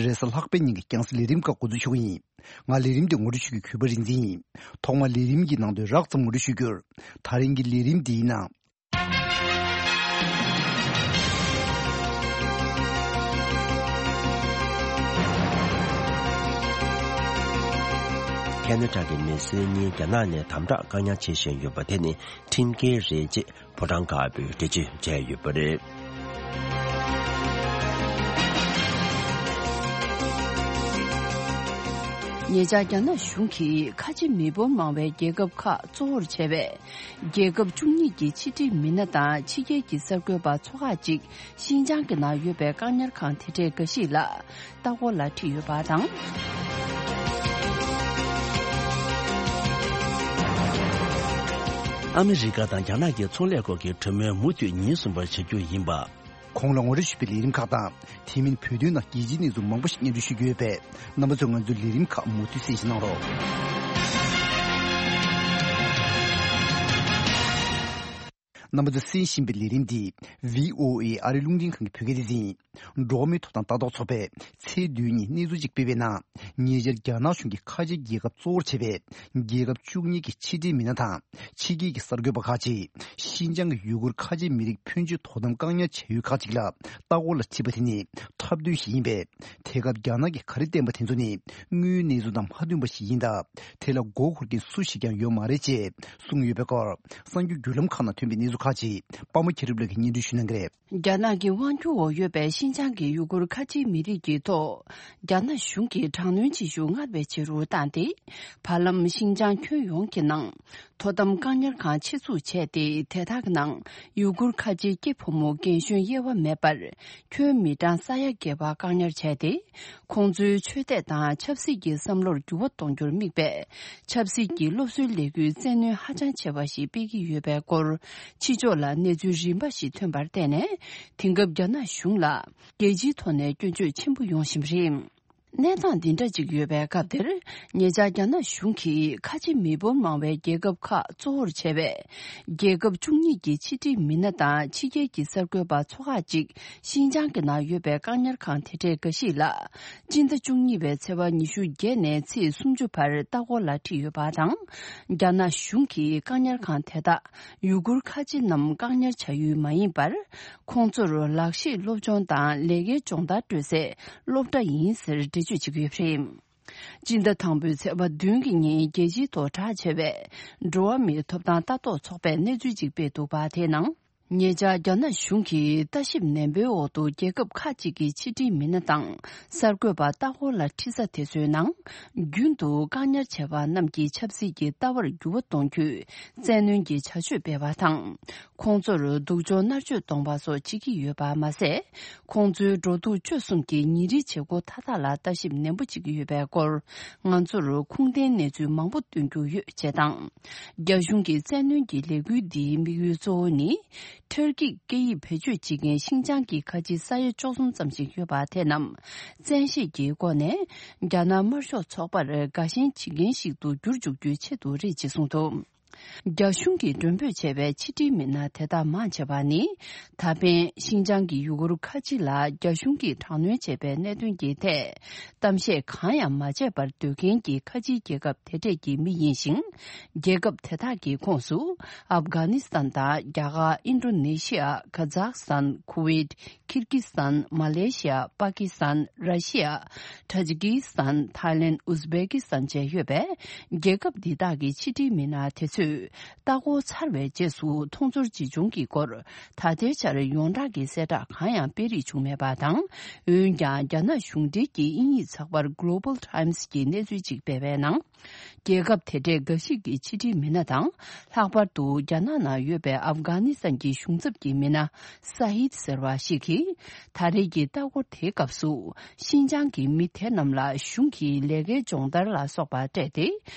རེས་གཟའ་ལྷག་པའི་ཉིན་གྱི་རྒྱང་སྲིང་ལས་རིམ་ཁག་འགོ་འཛུགས་ཞུ་གི་ཡིན། ང་ལས་རིམ་འདི་ངོ་སྤྲོད་ཞུ་རྒྱུའི་གུས་པ་རིག་འཛིན་ཡིན། ཐོག་མར་ལས་རིམ་གྱི་ནང་དོན་རགས་ཙམ་ངོ་སྤྲོད་ཞུ་རྒྱུར། ད་རིང་གི་ལས་རིམ་འདིའི་ནང་། ཁེ་ན་ཌ་གི་མི་སེར་གཉིས་རྒྱ་ནག་ནས་དམ་དྲག་བཀག་ཉར་བྱེད་བཞིན་ཡོད་པ་དེ་ནི་ཁྲིམས་འགལ་རེད་ཅེས་ཕོ་བྲང་དཀར་པོས་འགྲེལ་བརྗོད་བྱས་ཡོད་པ་རེད། ཉེ་ཆར་རྒྱ་ནག་གཞུང་གིས་ཁ་ཆེ་མི་འབོར་མང་བའི་རྒྱལ་ཁབ་ཁག་གཙོ་བོར་བྱས་པའི་རྒྱལ་ཁབ་བཅུ་གཉིས་ཀྱི་ཕྱི་འབྲེལ་མི་སྣ་དང་ཕྱི་རྒྱལ་གྱི་གསར་འགོད་པ་ཚོ་ཁག་ཅིག་ཤིན་ཅང་གི་ནང་ཡོད་པའི་བཀག་ཉར་ཁང་དེ་འདྲའི་འགའ་ཞིག་ལ་ལྟ་སྐོར་ལ་ཁྲིད་ཡོད་པ་དང་། ཨ་མི་རི་ཀ་དང་རྒྱ་ནག་གི་ཚོང་ལས་སྐོར་གྱི་གྲོས་མོལ་མུ་མཐུད་ཉིན་གསུམ་པར་བྱ་རྒྱུ་ཡིན་པ། གོང་ལ་ངོ་སྤྲོད་ཞུས་པའི་ལས་རིམ་ཁག་དང་། དེ་མིན་བོད་དོན་ནང་རྒྱལ་སྤྱིའི་གནས་ཚུལ་མང་པོ་ཞིག་སྙན་སྒྲོན་ཞུ་རྒྱུ་ཡོད་པས། རྣམ་པ་ཚོས་ང་ཚོའི་ལས་རིམ་ཁག་མུ་མཐུད་གསན་གཟིགས་གནང་རོགས། རྣམ་པ་ཚོས་གསན་བཞིན་པའི་ལས་རིམ་འདི་བྷི་ཨོ་ཨེ་ཨ་རི་རླུང་འཕྲིན་ཁང་གི་བོད་སྐད་སྡེ་ཚན་ཡིན། འགྲོ་བ་མིའི་ཐོབ་ཐང་ལྟ་རྟོག་ཚོགས་པས་ཚེས་བདུན་ཉིན་གནས་ཚུལ་ཅིག་སྤེལ་བའི་ནང་། ཉེ་ཆར་རྒྱ་ནག་གཞུང་གིས་ཁ་ཆེ་རྒྱལ་ཁབ་གཙོ་བོར་བྱས་པའི་རྒྱལ་ཁབ་བཅུ་གཉིས་ཀྱི་ཕྱི་འབྲེལ་མི་སྣ་དང་། ཕྱི་རྒྱལ་གྱི་གསར་འགོད་པ་ཁག་ཅིག་ཤིན་ཅང་གི་ཡུ་གུར་ཁ་ཆེ་མི་རིགས་ཕོན་ཆེ་དོ་དམ་བཀག་ཉར་བྱ་ཡུལ་ཁག་ཅིག་ལ་ལྟ་སྐོར་ལ་ཁྲིད་པ་དེ་ནི་འཁྲབ་སྟོན་ཞིག་ཡིན་པས། དེ་སྐབས་རྒྱ་ནག་གིས་ག་རེ་བསྟན་པ་དེ་ཚོ་ནི་དངོས་ཡོད་གནས་ཚུལ་དང་མ་མཐུན་པ་ཞིག་ཡིན་སྟབས། དེ་ལ་མགོ་འཁོར་མཁན་སུ་ཞིག་ཀྱང་ཡོད་མ་རེད་ཅེས་གསུངས་ཡོད་པའི་སྐོར། གསར་འགྱུར་བརྒྱུད་ལམ་ཁག་ནང་ཐོན་པའི་གནས་ཚུལ་ཁག་ཅིག་པདྨ་མཁྱེན་རབ་ལགས་ཀྱིས་སྙན་སྒྲོན་ཞུ་གནང་གི་རེད། རྒྱ་ནག་གི་དབང་སྒྱུར་འོག་ཡོད་པའི་ཤིན་ཅང་གི་ཡུ་གུར་ཁ་ཆེའི་མི་རིགས་ཀྱི་ཐོག་རྒྱ་ནག་གཞུང་གིས་དྲག་གནོན་བྱེད་ཤུགས་སྔར་བས་ཆེ་རུ་བཏང་སྟེ། བར་ལམ་ཤིན་ཅང་ཁྱོན་ཡོངས་ཀྱི་ནང་ དོ་དམ་བཀག་ཉར་ཁང་ཆེད་འཛུགས་བྱས་ཏེ། དེ་དག་ནང་ཡུ་གུར་ཁ་ཆེའི་སྐྱེས་ཕོ་མོ་རྒན་གཞོན་དབྱེ་བ་མེད་པར་ཁྱོན་མི་གྲངས་ས་ཡ་བརྒལ་བ་བཀག་ཉར་བྱས་ཏེ། ཁོང་ཚོའི་ཆོས་དད་དང་ཆབ་སྲིད་ཀྱི་བསམ་བློར་འགྱུར་བ་གཏོང་རྒྱུར་དམིགས་པའི་ཆབ་སྲིད་ཀྱི་སློབ་གསོའི་ལས་འགུལ་བཙན་གནོན་ཧ་ཅང་ཆེ་བ་ཞིག་སྤེལ་གྱི་ཡོད་པའི་སྐོར། ཕྱི་ཕྱོགས་ལ་གནས་ཚུལ་རིམ་པ་ཞིག་ཐོན་པར་བརྟེན་ནས། དེང་སྐབས་རྒྱ་ནག་གཞུང་ལ་རྒྱལ་སྤྱིའི་ཐོག་ནས་སྐྱོན་བརྗོད་ཆེན་པོ་ཡོང་བཞིན་པ་རེད། གནས་སྟངས་འདི་འདྲ་ཅིག་ཡོད་པའི་སྐབས་དེར། ཉེ་ཆར་རྒྱ་ནག་གཞུང་གིས་ཁ་ཆེ་མི་འབོར་མང་བའི་རྒྱལ་ཁབ་ཁག་གཙོ་བོར་བྱས་པའི་རྒྱལ་ཁབ་བཅུ་གཉིས་ཀྱི་ཕྱི་འབྲེལ་མི་སྣ་དང་ཕྱི་རྒྱལ་གྱི་གསར་འགོད་པ་ཚོ་ཁག་ཅིག་ཤིན་ཅང་གི་ནང་ཡོད་པའི་བཀག་ཉར་ཁང་དེ་འདྲའི་འགའ་ཞིག་ལ། སྤྱི་ཟླ་བཅུ་གཉིས་པའི་ཚེས་པ་ཉི་ཤུ་བརྒྱད་ནས་ཚེས་སུམ་ཅུ་བར་ལྟ་སྐོར་ལ་ཁྲིད་ཡོད་པ་དང་། རྒྱ་ནག་གཞུང་གིས་བཀག་ཉར་ཁང་དེ་དག་ཡུ་གུར་ཁ་ཆེ་རྣམས་བཀག་ཉར་བྱ་ཡུལ་མ་ཡིན་པར། ཁོང་ཚོར་ལག་ཤེས་སློབ་སྦྱོང་དང་ལས་ཀའི་སྦྱོང་བརྡར་སྤྲོད་སའི་སློབ་གྲྭ་ཡིན་ཟེར་འགྲེལ་བརྗོད་བྱེད་ཀྱི་ཡོད་པ་རེད། སྤྱི་ཟླ་དང་པོའི་ཚེས་པ་བདུན་གྱི་ཉིན་རྒྱལ་སྤྱིའི་ཐོག་གྲགས་ཆེ་བའི་འགྲོ་བ་མིའི་ཐོབ་ཐང་ལྟ་རྟོག་ཚོགས་པས་གནས་ཚུལ་ཅིག་སྤེལ་འདུག་པ། དེའི་ནང་། ཉེ་ཆར་རྒྱ་ནག་གཞུང་གིས་ལྟ་ཞིབ་ནན་པོའི་འོག་ཏུ་རྒྱལ་ཁབ་ཁག་ཅིག་གི་ཕྱི་འབྲེལ་མི་སྣ་དང་གསར་འགོད་པ་ལྟ་སྐོར་ལ་ཁྲིད་ས་དེ་ཚོའི་ནང་། རྒྱུན་དུ་བཀག་ཉར་བྱས་པ་རྣམས་ཀྱི་ཆབ་སྲིད་ཀྱི་ལྟ་བར་འགྱུར་བ་གཏོང་རྒྱུའི་བཙན་གནོན་གྱི་བྱ་སྤྱོད་སྤེལ་བ་དང་། ཁོང་ཚོར་སྡུག་སྦྱོང་མནར་གཅོད་གཏོང་བ་སོགས་བྱེད་ཀྱི་ཡོད་པ་མ་ཟད། ཁོང་ཚོའི་འགྲོ་འདུག་སྤྱོད་གསུམ་གྱི་ཉིན་རེའི་བྱེད་སྒོ་མཐའ་དག་ལ་ལྟ་ཞིབ་ནན་པོ་བྱེད་ཀྱི་ཡོད་པའི་སྐོར། ང་ཚོར་ཁུངས་ལྡན་གནས་ཚུལ་མང་པོ་སྟོན་རྒྱུ་ཡོད་ཅེས་དང་། རྒྱ་གཞུང་གི་བཙན་གནོན་གྱི་ལས་འགུལ་འདིའི་དམིགས་ཡུལ་གཙོ་བོ་ནི། ཏུར་ཀིས་སྐད་ཡིག་བེད་སྤྱོད་བྱེད་མཁན་ཤིན་ཅང་གི་ཁ་ཆེའི་ས་ཡ་བཅུ་གསུམ་ཙམ་ཞིག་ཡོད་པ་དེ་རྣམས་བཙན་ཤེད་ཀྱི་སྒོ་ནས་རྒྱ་ནག་དམར་ཤོག་ཚོགས་པར་དགའ་ཞེན་བྱེད་མཁན་ཞིག་ཏུ་བསྒྱུར་འཇུག་རྒྱུའི་ཆེད་དུ་རེད་ཅེས་གསུངས་འདུག་རྒྱ་གཞུང་གིས་མགྲོན་འབོད་བྱས་པའི་ཕྱི་འབྲེལ་མི་སྣ་དེ་དག་མང་ཆེ་བ་ནི། ད་ཕན་ཤིན་ཅང་གི་ཡུ་གུར་ཁ་ཆེ་ལ་རྒྱ་གཞུང་གིས་དྲག་གནོན་བྱས་པའི་གནད་དོན་གྱི་ཐད་གཏམ་བཤད་གང་ཡང་མ་བྱས་པར་སྡོད་མཁན་གྱི་ཁ་ཆེའི་རྒྱལ་ཁབ་དེ་གྲས་ཀྱི་མི་ཡིན་ཞིང་། རྒྱལ་ཁབ་དེ་དག་གི་ཁོངས་སུ་ཨབ་གྷ་ནི་སི་ཐན་དང་རྒྱ་གར། ཨིན་ཌོ་ནེ་ཤི་ཡ། ཁ་ཛག་སི་ཐན། ཁུ་ཝེད། ཁིར་ཀི་སི་ཐན། མ་ལེ་ཤི་ཡ། པ་ཀི་སི་ཐན། ར་ཤི་ཡ། ཊ་ཇི་ཀི་སི་ཐན། ཐའི་ལེན། ཨུ་ཛི་བེ་ཀི་སི་ཐན་བཅས་ཡོད་པའི་རྒྱལ་ཁབ་འདི་དག་གི་ཕྱི་འབྲེལ་མི་སྣ་དེ་ཚོས་ལྟ་སྐོར་ཚར་བའི་རྗེས་སུ་མཐོང་ཚོར་ཇི་བྱུང་གི་སྐོར་ད་ལྟའི་ཆར་ཡོངས་གྲགས་ཀྱི་གསལ་བསྒྲགས་གང་ཡང་སྤེལ་རེས་བྱུང་མེད་པ་དང་། འོན་ཀྱང་རྒྱ་ནག་གཞུང་འབྲེལ་གྱི་དབྱིན་ཡིག་ཚགས་པར་Global Times་གྱིས་གནས་ཚུལ་ཅིག་སྤེལ་བའི་ནང་། རྒྱལ་ཁབ་དེ་གྲས་འགའ་ཞིག་གི་ཕྱི་འབྲེལ་མི་སྣ་དང་། ལྷག་པར་དུ་རྒྱ་ནག་ནང་ཡོད་པའི་ཨབ་གྷ་ནི་སི་ཐན་གྱི་གཞུང་ཚབ་ཀྱི་མི་སྣ་ས་ཧིད་ཟེར་བ་ཞིག་གིས། ད་རེས་ཀྱི་ལྟ་སྐོར་དེའི་སྐབས་སུ། ཤིན་ཅང་གི་མི་དེ་རྣམས་ལ་གཞུང་གིས་ལས་ཀའི་སྦྱོང་བརྡར་ལ་སོགས་པ་སྤྲད་དེ།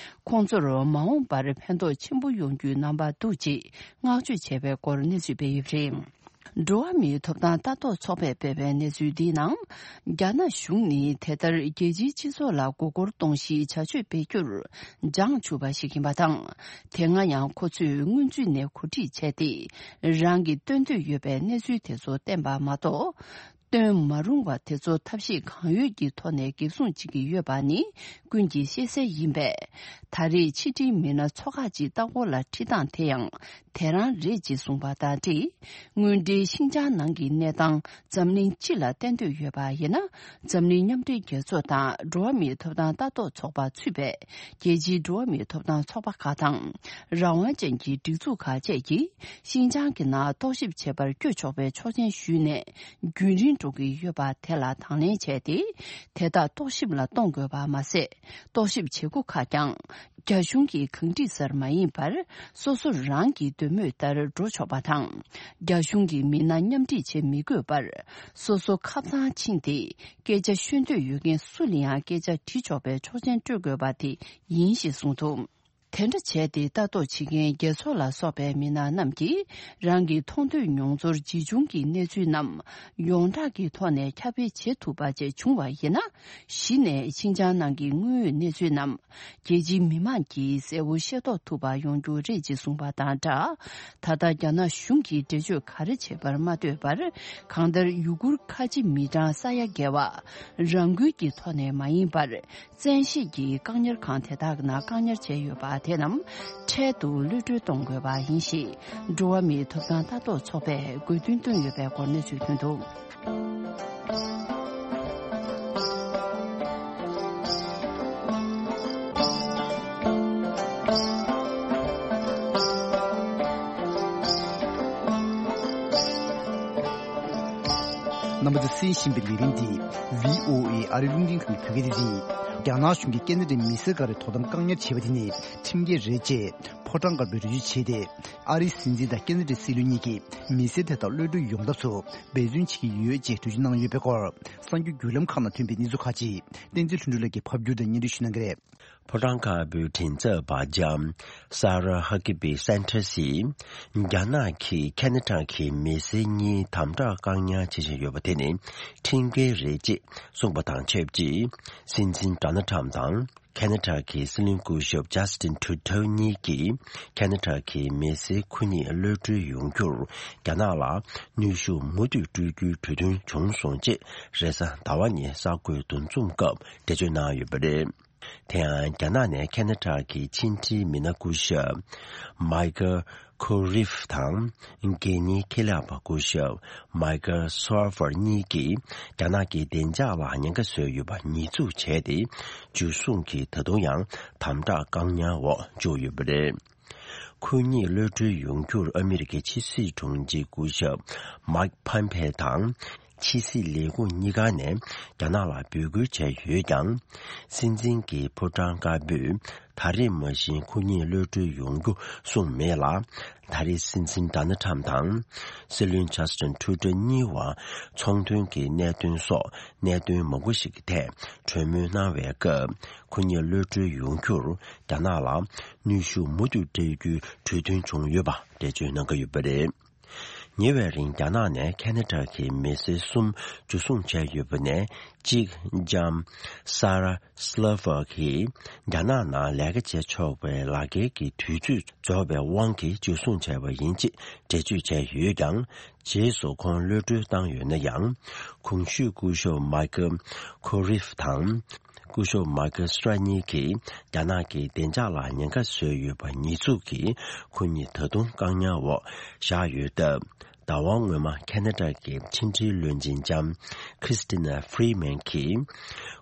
ཁོང་ཚོར་མ་འོངས་པར་ཕན་ཐོགས་ཆེན་པོ་ཡོང་རྒྱུའི་རྣམ་པ་འདུག་ཅེས་བསྔགས་བརྗོད་བྱས་པའི་སྐོར་གནས་ཚུལ་སྤེལ་ཡོད་པ་རེད། འགྲོ་བ་མིའི་ཐོབ་ཐང་ལྟ་རྟོག་ཚོགས་པས་སྤེལ་བའི་གནས་ཚུལ་འདིའི་ནང་། རྒྱ་ནག་གཞུང་ནི་དེ་ལྟར་རྒྱལ་སྤྱིའི་སྤྱི་ཚོགས་ལ་མགོ་སྐོར་གཏོང་གཞིའི་བྱ་སྤྱོད་སྤེལ་རྒྱུར་འཇང་ཆུག་པ་ཞིག་ཡིན་པ་དང་། དེ་སྔ་ཡང་ཁོ་ཚོས་སྔོན་ཚུད་ནས་གོ་སྒྲིག་བྱས་ཏེ། རང་གིས་སྟོན་འདོད་ཡོད་པའི་གནས་ཚུལ་དེ་ཚོ་བསྟན་པ་མ་གཏོགས། སྟོན་མ་རུང་བ་དེ་ཚོ་ཐབས་ཤེས་གང་ཡོད་ཀྱི་ཐོག་ནས་འགེབས་སྲུང་བྱེད་ཀྱི་ཡོད་པ་ནི་ཀུན་གྱིས་ཤེས་གསལ་ཡིན་པས། ད་རེས་ཕྱི་འབྲེལ་མི་སྣ་ཚོ་ཁག་ཅིག་ལྟ་སྐོར་ལ་ཁྲིད་སྟངས་དེ་ཡང་དེ་རང་རེད་ཅེས་གསུངས་པ་དང་འབྲེལ། དངོས་འབྲེལ་ཤིན་ཅང་ནང་གི་གནས་སྟངས་འཛམ་གླིང་སྤྱི་ལ་བསྟན་འདོད་ཡོད་པ་ཡིན་ན། འཛམ་གླིང་མཉམ་འབྲེལ་རྒྱལ་ཚོགས་དང་འགྲོ་བ་མིའི་ཐོབ་ཐང་ལྟ་རྟོག་ཚོགས་པ་ཚུད་པའི་རྒྱལ་སྤྱིའི་འགྲོ་བ་མིའི་ཐོབ་ཐང་ཚོགས་པ་ཁག་དང་། རང་དབང་ཅན་གྱི་སྒྲིག་འཛུགས་ཁག་བཅས་ཀྱིས་ཤིན་ཅང་གི་ནང་རྟོག་ཞིབ་བྱེད་པར་བསྐྱོད་ཆོག་པའི་ཆོག་མཆན་ཞུས་ནས། རྒྱུན་རིང་འགྲོ་གི་ཡོད་པ་དེ་ལ་དང་ལེན་བྱས་ཏེ། དེ་དག་རྟོག་ཞིབ་ལ་གཏོང་དགོས་པ་མ་ཟད། རྟོག་ཞིབ་བྱེད་སྒོ་ཁག་ཀྱང་རྒྱ་གཞུང་གི་གང་སྒྲིག་ལྟར་མ་ཡིན་པར། སོ་སོ་རང་གི་འདོད་མོས་ལྟར་འགྲོ་ཆོག་པ་དང་། རྒྱ་གཞུང་གི་མི་སྣ་མཉམ་འཁྲིད་བྱེད་མི་དགོས་པར། སོ་སོ་ཁབ་ཚང་ཕྱིན་ཏེ། སྐད་ཆ་ཤོད་འདོད་ཡོད་མཁན་སུ་ལ་ཡང་སྐད་ཆ་དྲི་ཆོག་པའི་ཆོག་མཆན་སྤྲོད་དགོས་པ་དེ་ཡིན་ཞེས་གསུངས་འདུག་དེ་འདྲ་བྱས་ཏེ། ལྟ་རྟོག་བྱེད་མཁན་རྒྱལ་ཚོགས་ལ་སོགས་པའི་མི་སྣ་རྣམས་ཀྱིས། རང་གི་མཐོང་ཐོས་མྱོང་ཚོར་ཇི་བྱུང་གི་གནས་ཚུལ་རྣམས་ཡོངས་གྲགས་ཀྱི་ཐོག་ནས་ཁྱབ་སྤེལ་བྱེད་ཐུབ་པ་བཅས་བྱུང་བ་ཡིན་ན། གཞི་ནས་ཤིན་ཅང་ནང་གི་དངོས་ཡོད་གནས་ཚུལ་རྣམས་རྒྱལ་སྤྱིའི་མི་མང་གིས་གསལ་བོ་ཤེས་རྟོགས་ཐུབ་པ་ཡོང་རྒྱུ་རེད་ཅེས་གསུངས་པ་དང་སྦྲགས། ད་ལྟ་རྒྱ་ནག་གཞུང་གིས་འགྲེལ་བརྗོད་ག་རེ་བྱས་པར་མ་ལྟོས་པར། གང་ལྟར་ཡུ་གུར་ཁ་ཆེ་མི་གྲངས་ས་ཡ་བརྒལ་བ་རང་འགུལ་གྱི་ཐོག་ནས་མ་ཡིན་པར། བཙན་ཤེད་ཀྱིས་བཀག་ཉར་ཁང་དེ་དག་ནང་བཀག་ཉར་བྱས་ཡོད་པ་དེ་རྣམས་འཕྲལ་དུ་གློད་གྲོལ་གཏོང་དགོས་པ་ཡིན་ཞེས། འགྲོ་བ་མིའི་ཐོབ་ཐང་ལྟ་རྟོག་ཚོགས་པས་དགོས་འདུན་བཏོན་ཡོད་པའི་སྐོར་གནས་ཚུལ་ཐོན་འདུག་རྣམ་པ་ཚོས་གསན་བཞིན་པའི་ལས་རིམ་འདི་བྷི་ཨོ་ཨེ་ཨ་རིའི་རླུང་འཕྲིན་ཁང་གི་བོད་སྐད་སྡེ་ཚན་ཡིན། རྒྱ་ནག་གཞུང་གིས་ཁེ་ན་ཌའི་མི་སེར་འགའ་རེ་དོ་དམ་བཀག་ཉར་བྱས་པ་དེ་ནི་ཁྲིམས་འགལ་རེད་ཅེས་ཕོ་བྲང་དཀར་པོས་འགྲེལ་བརྗོད་བྱས་ཏེ། ཨ་རིའི་སྲིད་འཛིན་དང་ཁེ་ན་ཌའི་སྲིད་བློན་གཉིས་ཀྱིས་མི་སེར་དེ་དག་གློད་གྲོལ་ཡོང་ཐབས་སུ་འབད་བརྩོན་བྱེད་ཀྱི་ཡོད་ཅེས་འགྲེལ་བརྗོད་གནང་ཡོད་པའི་སྐོར། གསར་འགྱུར་བརྒྱུད་ལམ་ཁག་ནང་ཐོན་པའི་གནས་ཚུལ་ཁག་ཅིག་བསྟན་འཛིན་ལྷུན་གྲུབ་ལགས་ཀྱིས་ཕབ་བསྒྱུར་དང་སྙན་སྒྲོན་ཞུ་གནང་གི་རེད། ཕོ་བྲང་དཀར་པོའི་མགྲིན་ཚབ་པ་ལྕམ་Sarah Huckabee Sanders་ཡིས། རྒྱ་ནག་གིས་ཁེ་ན་ཌ་གི་མི་སེར་གཉིས་དམ་དྲག་བཀག་ཉར་བྱེད་བཞིན་ཡོད་པ་དེ་ནི་ཁྲིམས་འགལ་རེད་ཅེས་གསུངས་པ་དང་ཆབས་ཅིག་སྲིད་འཛིན་Donald Trump་དང་ཁེ་ན་ཌ་གི་སྲིད་བློན་སྐུ་ཞབས་Justin Trudeau་གཉིས་ཀྱིས་ཁེ་ན་ཌ་གི་མི་སེར་ཁོ་གཉིས་གློད་གྲོལ་ཡོང་རྒྱུར་རྒྱ་ནག་ལ་གནོན་ཤུགས་མུ་མཐུད་སྤྲོད་རྒྱུའི་གྲོས་མཐུན་བྱུང་སོང་ཅེས་རེས་གཟའ་ཟླ་བ་ཉིན་གསར་འགོད་འདུ་འཛོམས་སྐབས་འགྲེལ་བརྗོད་གནང་ཡོད་པ་རེད། དེ་ཡང་རྒྱ་ནག་ནས་ཁེ་ན་ཌ་གི་ཕྱི་འབྲེལ་མི་སྣ་སྐུ་ཞབས་Michael Koreff་དང་། སྒེར་གཉེར་ཁེ་ལས་པ་སྐུ་ཞབས་Michael Swartz་གཉིས་ཀྱིས་རྒྱ་ནག་གི་བདེ་འཇགས་ལ་ཉེན་ཁ་བཟོས་ཡོད་པ་ཉེས་འཛུགས་བྱས་ཏེ། འཇུ་བཟུང་གིས་ད་དུང་ཡང་དམ་དྲག་བཀག་ཉར་འོག་བཅུག་ཡོད་པ་རེད། ཁོ་གཉིས་གློད་གྲོལ་ཡོང་རྒྱུར་ཨ་མི་རི་ཀའི་ཕྱི་སྲིད་དྲུང་ཆེ་སྐུ་ཞབས་Mike Pompeo་དང་། ཕྱི་སྲིད་ལས་ཁུངས་གཉིས་ཀ་ནས་རྒྱ་ནག་ལ་འབོད་སྐུལ་བྱས་ཡོད་ཀྱང་། སྲིད་འཛིན་གྱི་ཕོ་བྲང་དཀར་པོས་ད་རེས་མ་གཞི་ཁོ་གཉིས་གློད་གྲོལ་ཡོང་རྒྱུ་གསུངས་མེད་ལ། ད་རེས་སྲིད་འཛིན་Donald Trump་དང་། སྲིད་བློན་Justin Trudeau་གཉིས་བར་ཚོང་དོན་གྱི་གནད་དོན་སོགས་གནད་དོན་མང་པོ་ཞིག་གི་ཐད་གྲོས་མོལ་གནང་བའི་སྐབས། ཁོ་གཉིས་གློད་གྲོལ་ཡོང་རྒྱུར་རྒྱ་ནག་ལ་གནོན་ཤུགས་མུ་མཐུད་སྤྲད་རྒྱུའི་གྲོས་མཐུན་བྱུང་ཡོད་པ་འགྲེལ་བརྗོད་གནང་གི་ཡོད་པ་རེད། ཉེ་བའི་རིང་རྒྱ་ནག་ནས་ཁེ་ན་ཌ་གི་མི་སེར་གསུམ་འཇུ་བཟུང་བྱས་ཡོད་པ་ནས་གཅིག་ལྕམ་Sarah Silver་གིས་རྒྱ་ནག་ནང་ལས་ཀ་བྱེད་ཆོག་པའི་ལག་འཁྱེར་གྱི་དུས་ཚོད་རྫོགས་པའི་དབང་གིས་འཇུ་བཟུང་བྱས་པ་ཡིན་ཅེས་འགྲེལ་བརྗོད་བྱས་ཡོད་ཀྱང་། རྗེས་སུ་ཁོང་གློད་གྲོལ་བཏང་ཡོད་ན་ཡང་། གོང་ཞུས་སྐུ་ཞབས་Michael Koreff་དང་། སྐུ་ཞབས་Michael Swartz་གཉིས་ཀྱིས་རྒྱ་ནག་གི་བདེ་འཇགས་ལ་ཉེན་ཁ་བཟོས་ཡོད་པ་ཉེས་འཛུགས་ཀྱིས་ཁོ་གཉིས་ད་དུང་བཀག་ཉར་འོག་བཞག་ཡོད་སྟབས། ཟླ་བ་སྔོན་མ་ཁེ་ན་ཌ་གི་ཕྱི་འབྲེལ་བློན་ཆེན་ལྕམ་Chrystia Freeland་གྱིས།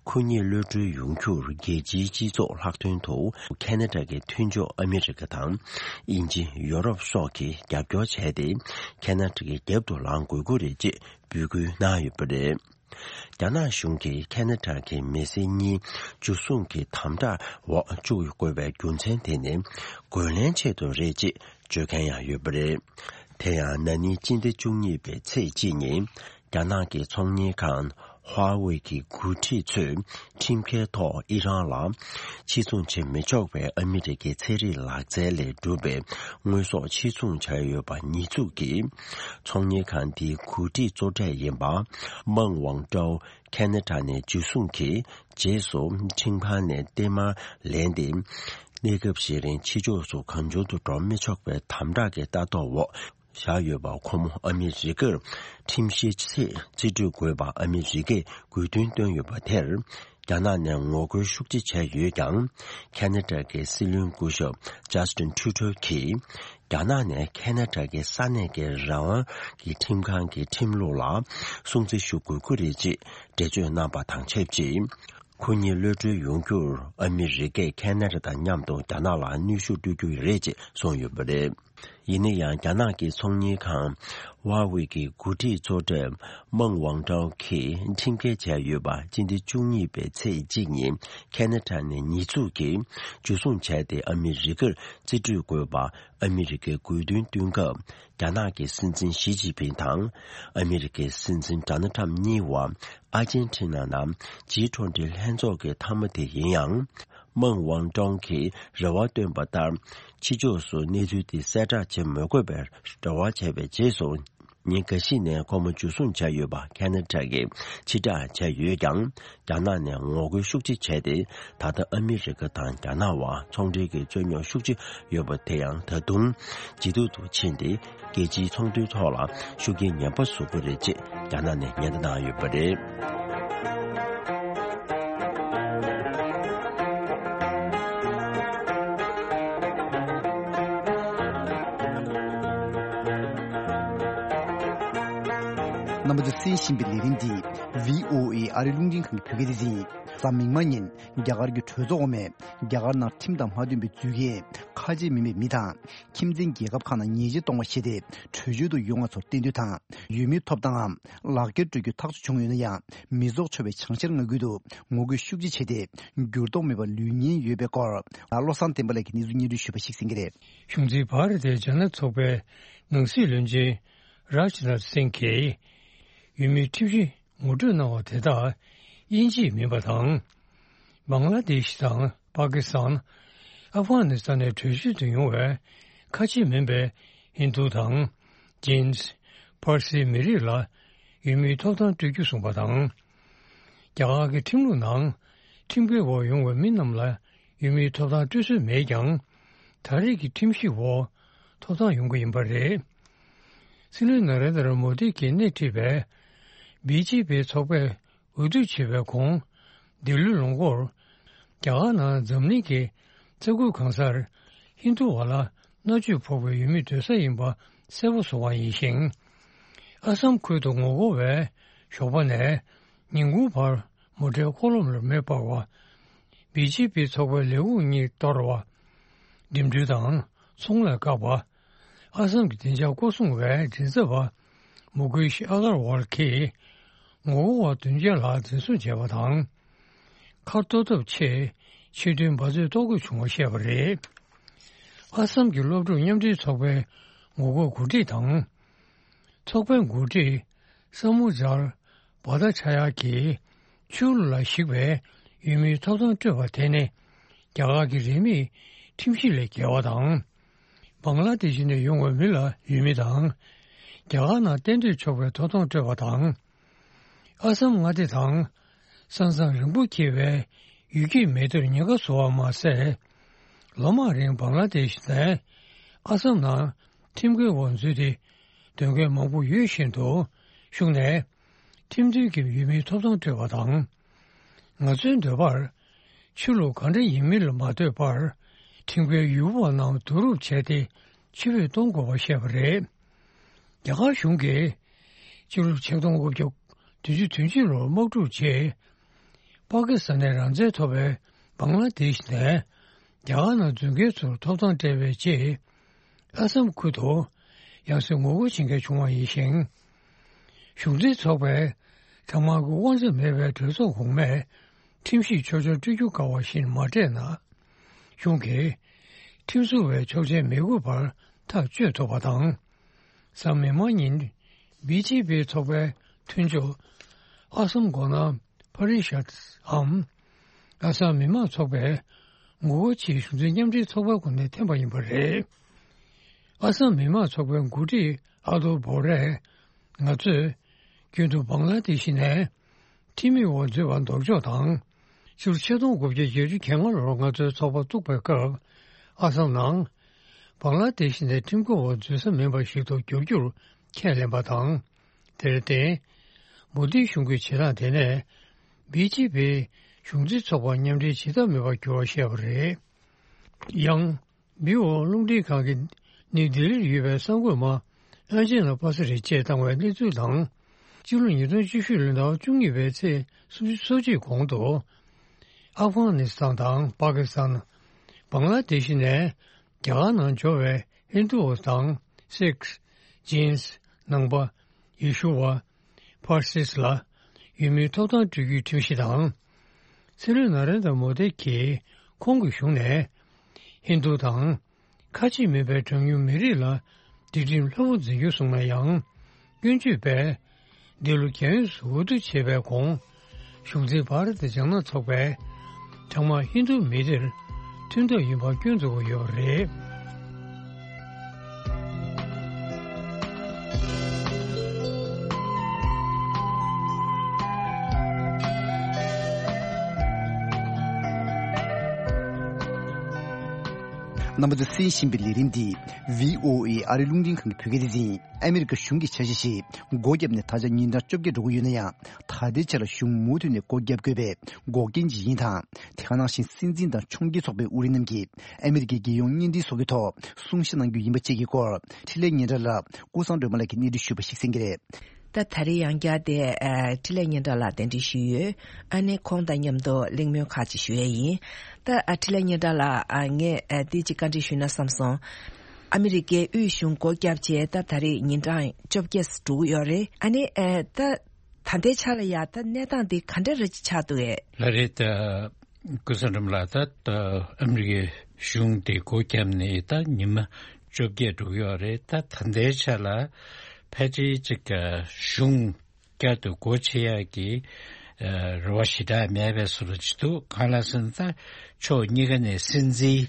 ཁོ་གཉིས་གློད་གྲོལ་ཡོང་རྒྱུར་རྒྱལ་སྤྱིའི་སྤྱི་ཚོགས་ལྷག་དོན་དུ་ཁེ་ན་ཌ་གི་མཐུན་ཕྱོགས་ཨ་མི་རི་ཀ་དང་། དབྱིན་ཇི། ཡོ་རོབ་སོགས་ཀྱིས་རྒྱབ་སྐྱོར་བྱས་ཏེ། ཁེ་ན་ཌ་གི་རྒྱབ་ཏུ་ལངས་དགོས་ཀྱི་རེད་ཅེས་འབོད་སྐུལ་གནང་ཡོད་པ་རེད། རྒྱ་ནག་གཞུང་གིས་ཁེ་ན་ཌ་གི་མི་སེར་གཉིས་འཇུ་བཟུང་གི་དམ་དྲག་འོག་བཅུག་དགོས་པའི་རྒྱུ་མཚན་དེ་ནི་རྒོལ་ལན་ཆེད་དུ་རེད་ཅེས་བརྗོད་མཁན་ཡང་ཡོད་པ་རེད། དེ་ཡང་ན་ནིང་སྤྱི་ཟླ་བཅུ་གཉིས་པའི་ཚེས་གཅིག་ཉིན་རྒྱ་ནག་གི་ཚོང་གཉེར་ཁང་Huawei་གི་འགོ་ཁྲིད་ཚོས་ཁྲིམས་འགལ་ཐོག་ཨི་རན་ལ་ཕྱིར་ཚོང་བྱེད་མི་ཆོག་པའི་ཨ་མི་རི་ཀའི་ཚན་རིག་ལག་རྩལ་ལས་གྲུབ་པའི་དངོས་ཟོག་ཕྱིར་ཚོང་བྱས་ཡོད་པ་ཉེས་འཛུགས་ཀྱིས། ཚོང་གཉེར་ཁང་འདིའི་འགོ་ཁྲིད་གཙོ་གྲས་ཡིན་པ། མང་ཝང་ཀྲའོ་ཁེ་ན་ཌ་ནས་འཇུ་བཟུང་གིས་རྗེས་སུ་ཁྲིམས་ཁང་ནས་བརྟན་མར་ལེན་ཏེ། གནས་སྐབས་ཤིག་རིང་ཕྱི་ཕྱོགས་སུ་གང་བྱུང་དུ་འགྲོ་མི་ཆོག་པའི་དམ་དྲག་གི་ལྟ་རྟོག་འོག་བཞག་ཡོད་པ། ཁོ་མོ་ཨ་མི་རི་ཀར་ཁྲིམས་བཤེར་ཆེད་རྩིས་སྤྲོད་དགོས་པ་ཨ་མི་རི་ཀས་དགོས་འདུན་བཏོན་ཡོད་པ་དེར། རྒྱ་ནག་ནས་ངོ་རྒོལ་ཤུགས་ཆེ་བྱས་ཡོད་ཀྱང་། ཁེ་ན་ཌ་གི་སྲིད་བློན་སྐུ་ཞབས་Justin Trudeau་གིས། རྒྱ་ནག་ནས་ཁེ་ན་ཌ་གི་ས་གནས་ཀྱི་རང་དབང་གི་ཁྲིམས་ཁང་གི་ཁྲིམས་ལུགས་ལ་སྲུང་བརྩི་ཞུ་དགོས་ཀྱི་རེད་ཅེས་འགྲེལ་བརྗོད་གནང་པ་དང་ཆབས་ཅིག་ཁོ་གཉིས་གློད་གྲོལ་ཡོང་རྒྱུར་ཨ་མི་རི་ཀས་ཁེ་ན་ཌ་དང་མཉམ་དུ་རྒྱ་ནག་ལ་གནོན་ཤུགས་སྤྲོད་རྒྱུ་རེད་ཅེས་གསུངས་ཡོད་པ་རེད། ཡིན་ན་ཡང་རྒྱ་ནག་གི་ཚོང་གཉེར་ཁང་Huawei་གི་འགོ་ཁྲིད་གཙོ་གྲས་མང་ཝང་ཀྲའོ་གིས་ཁྲིམས་འགལ་བྱས་ཡོད་པ་སྤྱི་ཟླ་བཅུ་གཉིས་པའི་ཚེས་གཅིག་ཉིན་ཁེ་ན་ཌ་ནས་ཉེས་འཛུགས་ཀྱིས་འཇུ་བཟུང་བྱས་ཏེ་ཨ་མི་རི་ཀར་རྩིས་སྤྲོད་དགོས་པ་ཨ་མི་རི་ཀས་དགོས་འདུན་བཏོན་སྐབས། རྒྱ་ནག་གི་སྲིད་འཛིན་ཞི་ཅིན་ཕིང་དང་ཨ་མི་རི་ཀའི་སྲིད་འཛིན་ཌོ་ནལ་ཁྲམ་གཉིས་བར་ཨར་ཇེན་ཊི་ན་ནང་ཇི་ཊུ་ཝེན་ཊི་ལྷན་ཚོགས་ཀྱི་མཐའ་མ་དེ་ཡིན་ཡང་། མང་ཝང་ཀྲོང་གིས་རེ་བ་བཏོན་པ་ལྟར། ཕྱི་ཕྱོགས་སུ་གནས་ཚུལ་དེ་གསལ་བསྒྲགས་བྱེད་མི་དགོས་པའི་རེ་བ་བྱས་པའི་རྗེས་སུ། ཉིན་འགའ་ཤས་ནས་ཁོ་མོ་འཇུ་བཟུང་བྱས་ཡོད་པ་ཁེ་ན་ཌ་གིས་ཕྱིར་བསྒྲགས་བྱས་ཡོད་ཀྱང་། རྒྱ་ནག་ནས་ངོ་རྒོལ་ཤུགས་ཆེ་བྱས་ཏེ། ད་ལྟ་ཨ་མི་རི་ཀ་དང་རྒྱ་ནག་བར་ཚོང་འབྲེལ་གྱི་རྩོད་རྙོག་ཤུགས་ཆེ་ཡོད་པ་དེ་ཡང་ད་དུང་ཇེ་སྡུག་ཏུ་ཕྱིན་ཏེ། རྒྱལ་སྤྱིའི་ཚོང་དོན་ཐོག་ལ་ཤུགས་རྐྱེན་ངན་པ་བཟོ་གི་རེད་ཅེས་རྒྱ་ནག་ནས་ཉེན་བརྡ་གནང་ཡོད་པ་རེད། རྣམ་པ་ཚོས་གསན་བཞིན་པའི་ལས་རིམ་འདི་བྷི་ཨོ་ཨེ་ཨ་རིའི་རླུང་འཕྲིན་ཁང་གི་བོད་སྐད་སྡེ་ཚན་ཡིན། གཟའ་མིག་དམར་ཉིན་རྒྱ་གར་གྱི་གྲོས་ཚོགས་འོག་མས་རྒྱ་གར་ནང་ཁྲིམས་དང་མ་མཐུན་པའི་འཛུལ་མཁན་ཁ་ཆེ་མིན་པའི་མི་དང་། ཁྱིམ་མཚེས་རྒྱལ་ཁབ་ཁག་ནང་ཉེས་ཆད་གཏོང་བ་བྱས་ཏེ། བྲོས་བྱོལ་དུ་ཡོང་བ་ཚོར་གཏན་སྡོད་དང་། ཡུལ་མིའི་ཐོབ་ཐང་ངམ་ལག་འཁྱེར་སྤྲོད་རྒྱུ་ཐག་གཅོད་བྱུང་ཡོད་ན་ཡང་། མི་རྫོགས་ཆོག་པའི་བྱང་ཤར་མངའ་ཁུལ་དུ་ངོ་རྒོལ་ཤུགས་ཆེ་བྱས་ཏེ། འགྱུར་ལྡོག་མེད་པར་ལུས་ཉེན་ཡོད་པའི་སྐོར། བློ་བཟང་བསྟན་པ་ལགས་ཀྱིས་གནས་ཚུལ་སྙན་སྒྲོན་ཞུས་པ་ཞིག་གསན་གྱི་རེད། གཞུང་འཛིན་བྷ་ར་ཏའི་ཇ་ནད་ཚོགས་པའི་ནང་སྲིད་བློན་ཆེན་རཱཇ་ནཱཐ་སིང་གིས་ཡུལ་མིའི་ཁྲིམས་གཞི་ངོ་སྤྲོད་གནང་བ་དེ་དག་དབྱིན་ཇིའི་མིན་པ་དང་། བང་ལ་དེཤ་དང་། པ་ཀི་སི་ཐན། ཨབ་གྷ་ནི་སི་ཐན་ནས་བྲོས་བྱོལ་དུ་ཡོང་བའི་ཁ་ཆེ་མིན་པའི་ཧིན་རྡུ་དང་། ཇིན། ཕར་སིའི་མི་རིགས་ལ་ཡུལ་མིའི་ཐོབ་ཐང་སྤྲོད་རྒྱུ་གསུངས་པ་དང་། རྒྱ་གར་གྱི་ཁྲིམས་ལུགས་ནང་ཁྲིམས་འགལ་འོག་ཡོང་བའི་མི་རྣམས་ལ་ཡུལ་མིའི་ཐོབ་ཐང་སྤྲོད་སྲོལ་མེད་ཀྱང་། ད་རེས་ཀྱི་ཁྲིམས་གཞི་འོག་ཐོབ་ཐང་ཡོང་གི་ཡིན་པ་རེད། སྲིད་བློན་ན་རེན་དྲ་མོ་དི་གིས་སྣེ་ཁྲིད་པའི་བི་ཇེ་པི་ཚོགས་པས་འོས་བསྡུ་བྱས་པའི་གོང་། འདི་ལོའི་ལོ་འགོར། རྒྱ་གར་ནང་འཛམ་གླིང་གི་ས་ཁུལ་གང་སར་ཧིན་རྡུ་བ་ལ་མནར་གཅོད་ཕོག་པའི་ཡུལ་མི་སྡོད་ས་ཡིན་པ་གསལ་པོ་བཟོ་བ་ཡིན་ཞིང་། ཨ་སམ་ཁུལ་དུ་ངོ་རྒོལ་བས་ཞོགས་པ་ནས་ཉིན་གུང་བར་མོ་ཊའི་འཁོར་ལོ་ལ་མེ་སྤར་བ། བི་ཇེ་པི་ཚོགས་པའི་ལས་ཁུངས་གཉིས་གཏོར་བ། འགྲིམ་འགྲུལ་དང་ཚོང་ལས་བཀག་པ། ཨ་སམ་གྱི་བདེ་འཇགས་སྐོར་སྲུང་བའི་མགྲིན་ཚབ་པ་མུ་ཀེཤ་ཨ་གར་ཝལ་གྱིས་ངོ་རྒོལ་བ་བདུན་བརྒྱ་ལྷག་འཛིན་བཟུང་བྱས་པ་དང་། ཁ་གཏོར་ཐབས་ཆེད་ཆེད་དོན་འབད་རྩོལ་གཏོང་དགོས་བྱུང་བ་བཤད་པ་རེད། ཨ་སམ་གྱི་སློབ་ཕྲུག་མཉམ་འབྲེལ་ཚོགས་པའི་ངོ་རྒོལ་འགོ་ཁྲིད་དང་། ཚོགས་པའི་འགོ་ཁྲིད་ས་མུ་ཛར་བྷ་ཐ་ཆ་ཡ་གིས་ཆོས་ལུགས་ལ་གཞིགས་པའི་ཡུལ་མིའི་ཐོབ་ཐང་སྤྲོད་པ་དེ་ནི་རྒྱ་གར་གྱི་རིས་མེད་ཁྲིམས་གཞི་ལས་འགལ་བ་དང་། བང་ལ་དེ་ཤི་ནས་ཡོང་བའི་མི་ལ་ཡུལ་མི་དང་། རྒྱ་གར་ནང་གཏན་སྡོད་ཆོག་པའི་ཐོབ་ཐང་སྤྲོད་པ་དང་། ཨ་སམ་མངའ་སྡེ་དང་། ས་མཚམས་རིང་པོ་འཁེལ་བའི་ཡུལ་སྐྱེས་མི་སྡེར་ཉེན་ཁ་བཟོ་བ་མ་ཟད། ལོ་མང་རིང་བང་ལ་དེ་ཤི་ནས་ཨ་སམ་ནང་ཁྲིམས་འགལ་འོག་འཛུལ་ཏེ་སྡོད་མཁན་མང་པོ་ཡོད་བཞིན་དུ། གཞུང་ནས་ཁྲིམས་མཐུན་གྱི་ཡུལ་མིའི་ཐོབ་ཐང་སྤྲོད་པ་དང་། ང་ཚོའི་འདོད་པར། ཆོས་ལུགས་གང་འདྲ་ཡིན་མིན་ལ་མ་ལྟོས་པར། ཁྲིམས་འགལ་ཡུལ་པ་རྣམས་བསྡུ་རུབ་བྱས་ཏེ་ཕྱིར་འབུད་གཏོང་དགོས་པ་བཤད་པ་རེད། རྒྱ་གར་གཞུང་གིས་ཕྱི་ལོ་ཆིག་སྟོང་དགུ་བརྒྱ་བདུན་ཅུ་དོན་གཅིག་ལོར་དམག་འཁྲུག་རྗེས། པ་ཀི་སི་ཐན་ནས་རང་བཙན་ཐོབ་པའི་བང་ལ་དེཤ་ནས་རྒྱ་གར་ནང་འཛུལ་མཁན་ཚོར་ཐོབ་ཐང་སྤྲད་པའི་རྗེས། ཨ་སམ་ཁུལ་དུ་ཡང་སེ་ངོ་རྒོལ་བྱེད་མཁན་བྱུང་བ་ཡིན་ཞིང་། གཞུང་འཛིན་ཚོགས་པའི་གྲངས་མང་གི་དབང་ཆ་མེད་པའི་གྲོས་ཚོགས་གོང་མས་ཁྲིམས་ཞིབ་ཆོག་མཆན་སྤྲོད་རྒྱུ་དཀའ་བ་བཞིན་མ་སྤྲད་ན། གཞུང་གིས་ཁྲིམས་བཟོ་བའི་ཆོག་མཆན་མི་དགོས་པར་ཐག་གཅོད་ཐུབ་པ་དང་། གཟའ་མིག་དམར་ཉིན་བི་ཇེ་པི་ཚོགས་པའི་མཐུན་ཕྱོགས་ཨ་སམ་གོ་ནམ་ཕ་རི་ཤད་འམ། ཨ་སམ་མི་དམངས་ཚོགས་པའི་ངོ་རྒོལ་ཆེད་གཞུང་འཛིན་མཉམ་འབྲེལ་ཚོགས་པའི་ངོས་ནས་འཐེན་པ་ཡིན་པ་རེད། ཨ་སམ་མི་དམངས་ཚོགས་པའི་འགོ་ཁྲིད་ཨ་ཏོ་བོ་རས། ང་ཚོས་རྒྱུན་དུ་བང་ལ་དེ་ཤི་ནས་ཁྲིམས་མེད་འོག་འཛུལ་བར་ལྡོག་ཕྱོགས་དང་། ཕྱི་ལོ་ཆིག་སྟོང་དགུ་བརྒྱ་བརྒྱད་ཅུ་གྱ་ལྔ་ལོར་ང་ཚོའི་ཚོགས་པ་བཙུགས་པའི་སྐབས། ཨ་སམ་ནང་བང་ལ་དེ་ཤི་ནས་ཁྲིམས་འགལ་འོག་འཛུལ་ས་མིན་པ་ཞིག་ཏུ་བསྒྱུར་རྒྱུར་ཁས་ལེན་པ་དང་། དེར་བརྟེན། མོ་དིའི་གཞུང་གི་བྱེད་སྟངས་དེ་ནས་བི་ཇེ་པིའི་གཞུང་འཛིན་ཚོགས་པ་མཉམ་འབྲེལ་བྱེད་ཐབས་མེད་པར་གྱུར་བ་བཤད་པ་རེད། ཡང་། བྷི་ཨོ་རླུང་འཕྲིན་ཁང་གིས་ནིའུ་ལྡི་ལིར་ཡོད་པའི་གསར་འགོད་པ་ཨན་ཇེ་ལ་པ་ས་རི་བཅས་བཏང་བའི་གནས་ཚུལ་དང་། སྤྱི་ལོ་ཉིས་སྟོང་བཅུ་བཞི་ལོའི་ཟླ་བ་བཅུ་གཉིས་པའི་ཚེས་སོ་གཅིག་གོང་དུ། ཨབ་གྷ་ནི་སི་ཐན་དང་པ་ཀི་སི་ཐན། བང་ལ་དེ་ཤི་ནས་རྒྱ་གར་ནང་འབྱོར་བའི་ཧིན་རྡུ་བ་དང་སིག་ཇིན། ནང་པ། ཡེ་ཤུ་བ། ཕར་སིས་ལ་ཡུལ་མིའི་ཐོབ་ཐང་སྤྲོད་རྒྱུའི་ཁྲིམས་གཞི་དང་། སྲིད་བློན་ན་རེན་དྲ་མོ་དི་གིས་ཁོང་གི་གཞུང་ནས་ཧིན་རྡུ་དང་། ཁ་ཆེ་མིན་པའི་གྲངས་ཉུང་མི་རིགས་ལ་སྒྲིག་ཁྲིམས་ལྷུག་པོ་འཛིན་རྒྱུ་གསུངས་ན་ཡང་། སྐྱོན་བརྗོད་པས་འདི་ལོ་རྒྱལ་ཡོངས་སུ་འོས་བསྡུ་བྱས་པའི་གོང་། གཞུང་འཛིན་བྷ་ར་ཏི་ལྗང་ནག་ཚོགས་པས་གྲངས་མང་ཧིན་རྡུ་མི་སྡེར་མཐུན་ཐབས་ཡིན་པ་སྐྱོན་འཛུགས་ཀྱི་ཡོད་པ་རེད། རྣམ་པ་ཚོས་གསན་བཞིན་པའི་ལས་རིམ་འདི་བྷི་ཨོ་ཨེ་ཨ་རིའི་རླུང་འཕྲིན་ཁང་གི་བོད་སྐད་སྡེ་ཚན་ཡིན། ཨ་མི་རི་ཀ་གཞུང་གི་འཆར་གཞི་ཞིག་སྒོ་བརྒྱབ་ནས་ད་ཆ་ཉིན་གྲངས་བཅོ་བརྒྱད་འགྲོ་གི་ཡོད་ན་ཡང་། ད་ལྟའི་ཆར་ལ་གཞུང་མུ་མཐུད་ནས་སྒོ་བརྒྱབ་དགོས་པའི་འགོག་རྐྱེན་ཅིག་ཡིན་དང་། དེ་ག་ནང་བཞིན་སྲིད་འཛིན་དང་ཕྱོགས་འགལ་ཚོགས་པའི་དབུ་ཁྲིད་རྣམས་ཀྱིས་ཨ་མི་རི་ཀའི་རྒྱལ་ཡོངས་བརྙན་འཕྲིན་སོགས་ཀྱི་ཐོག་གསུང་བཤད་གནང་རྒྱུ་ཡིན་པ་བཅས་ཀྱི་སྐོར། འཕྲིན་ལས་སྙན་གྲགས་ལགས་ཀུན་བཟང་སྒྲོལ་མ་ལགས་ཀྱིས་གནས་འདྲི་ཞུས་པ་ཞིག་གསན་གྱི་རེད། ད་ད་རེས་ཡང་བསྐྱར་དེ་ཨ་འཕྲིན་ལས་སྙན་གྲགས་ལགས་གདན་འདྲེན་ཞུས་ཡོད། ཨ་ནི་ཁོང་དང་མཉམ་དུ་གླེང་མོལ་ཁག་ཅིག་ཞུ་ཡས་ཡིན། ད་ཨ་འཕྲིན་ལས་སྙན་གྲགས་ལགས། ཨ་ངས་ཨ་འདི་ཅིག་བཀའ་འདྲི་ཞུས་ན་བསམ་སོང་། ཨ་མི་རི་ཀའི་དབུས་གཞུང་སྒོ་བརྒྱབ་རྗེས་ད་ད་རེས་ཉིན་གྲངས་བཅོ་བརྒྱད་འགྲོ་གི་ཡོད་རེད། ཨ་ནི་ཨ་ད་ད་ལྟའི་ཆ་ལ་ཡ་ད་གནས་སྟངས་འདི་ག་འདྲ་རེ་ཆགས་འདུག་གས། ལགས་རེད། ད་ཀུན་བཟང་སྒྲོལ་མ་ལགས། ད་ད་ཨ་མི་རི་ཀའི་གཞུང་དེ་སྒོ་བརྒྱབ་ནས་ད་ཉི་མ་བཅོ་བརྒྱད་འགྲོ་གི་ཡོད་རེད། ད་ད་ལྟའི་ཆ་ལ་ཕལ་ཆེར་ཅིག་གཞུང་བསྐྱར་དུ་སྒོ་ཕྱེ་ཡག་གི་ཨ་རེ་བ་ཞེ་དྲག་མེད་པའི་བཟོ་འདྲ་ཅིག་འདུག། གང་ལགས་ཟེར་ན་ད་ཕྱོགས་གཉིས་ཀ་ནས་སྲིད་འཛིན་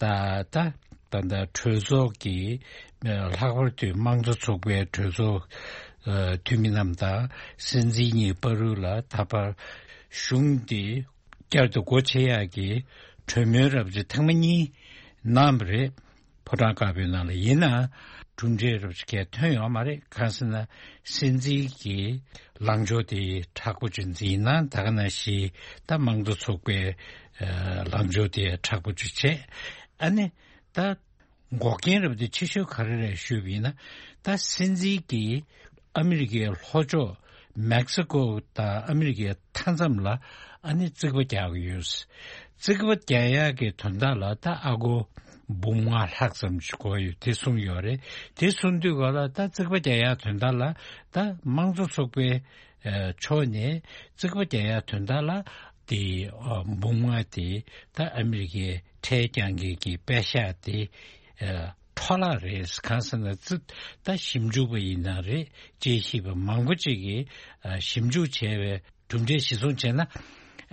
ད་ད་ད་ལྟ་གྲོས་ཚོགས་ཀྱི་ཨ་ལྷག་པར་དུ་དམངས་གཙོ་ཚོགས་པའི་གྲོས་ཚོགས་ཨ་འཐུས་མི་རྣམས་དང་སྲིད་འཛིན་གཉིས་བར་དུ་ལ་ད་བར་གཞུང་འདི་བསྐྱར་དུ་སྒོ་ཕྱེ་ཡག་གི་གྲོས་མོལ་རབ་ཅིག་ཐེངས་མ་གཉིས་གནང་བ་རེད། ཕོ་བྲང་དཀར་པོའི་ནང་ལ། ཡིན་ནའང་གྲུབ་འབྲས་རབ་ཅིག་གང་ཐོན་ཡོད་མ་རེད། གང་ཟེར་ན་སྲིད་འཛིན་གྱི་ལངས་ཕྱོགས་དེ་མཁྲེགས་པོ་ཅིག་འཛིན་ན། ད་ག་ནང་བཞིན་ད་དམངས་གཙོ་ཚོགས་པའི་ཨ་ལངས་ཕྱོགས་དེ་མཁྲེགས་པོ་ཅིག་བྱས། ཨ་ནི་ད་འགོག་རྐྱེན་རབ་དེ་ཆེ་ཤོས་ག་རེ་རེད་ཞུས་པ་ཡིན་ན། ད་སྲིད་འཛིན་གྱིས་ཨ་མི་རི་ཀའི་ལྷོ་ཕྱོགས་མེག་སི་ཀོ་དང་ཨ་མི་རི་ཀའི་མཐའ་མཚམས་ལ་ཨ་ནི་རྩིག་པ་རྒྱག་གི་ཡོད། རྩིག་པ་རྒྱག་ཡག་གི་དོན་དག་ལ་ད་ཨ་སྒོར་འབུམ་ལྔ་ལྷག་ཙམ་ཞིག་དགོས་ཡོད་དེ་གསུངས་ཡོད་རེད། དེ་གསུངས་དུས་ག་ལ་ད་རྩིག་པ་རྒྱག་ཡག་དོན་དག་ལ་ད་དམངས་གཙོ་ཚོགས་པའི་ཨ་ཕྱོགས་ནས་རྩིག་པ་རྒྱག་ཡག་དོན་དག་ལ་དེ་ཨ་འབུམ་ལྔ་དེ་ད་ཨ་མི་རི་ཀའི་ཁྲལ་རྒྱག་མཁན་གྱི་པད་ཤག་དེ་ཨ་འཕྲོ་བརླག་རེད། གང་ཟེར་ན་རྩིག་ད་ཞིབ་འཇུག་པ་ཡིན་ན་རེད། དཔྱད་ཞིབ་པ་མང་པོ་ཅིག་གིས་ཨ་ཞིབ་འཇུག་བྱས་པའི་གྲུབ་འབྲས་གཞིར་བཟུང་བྱས་ན།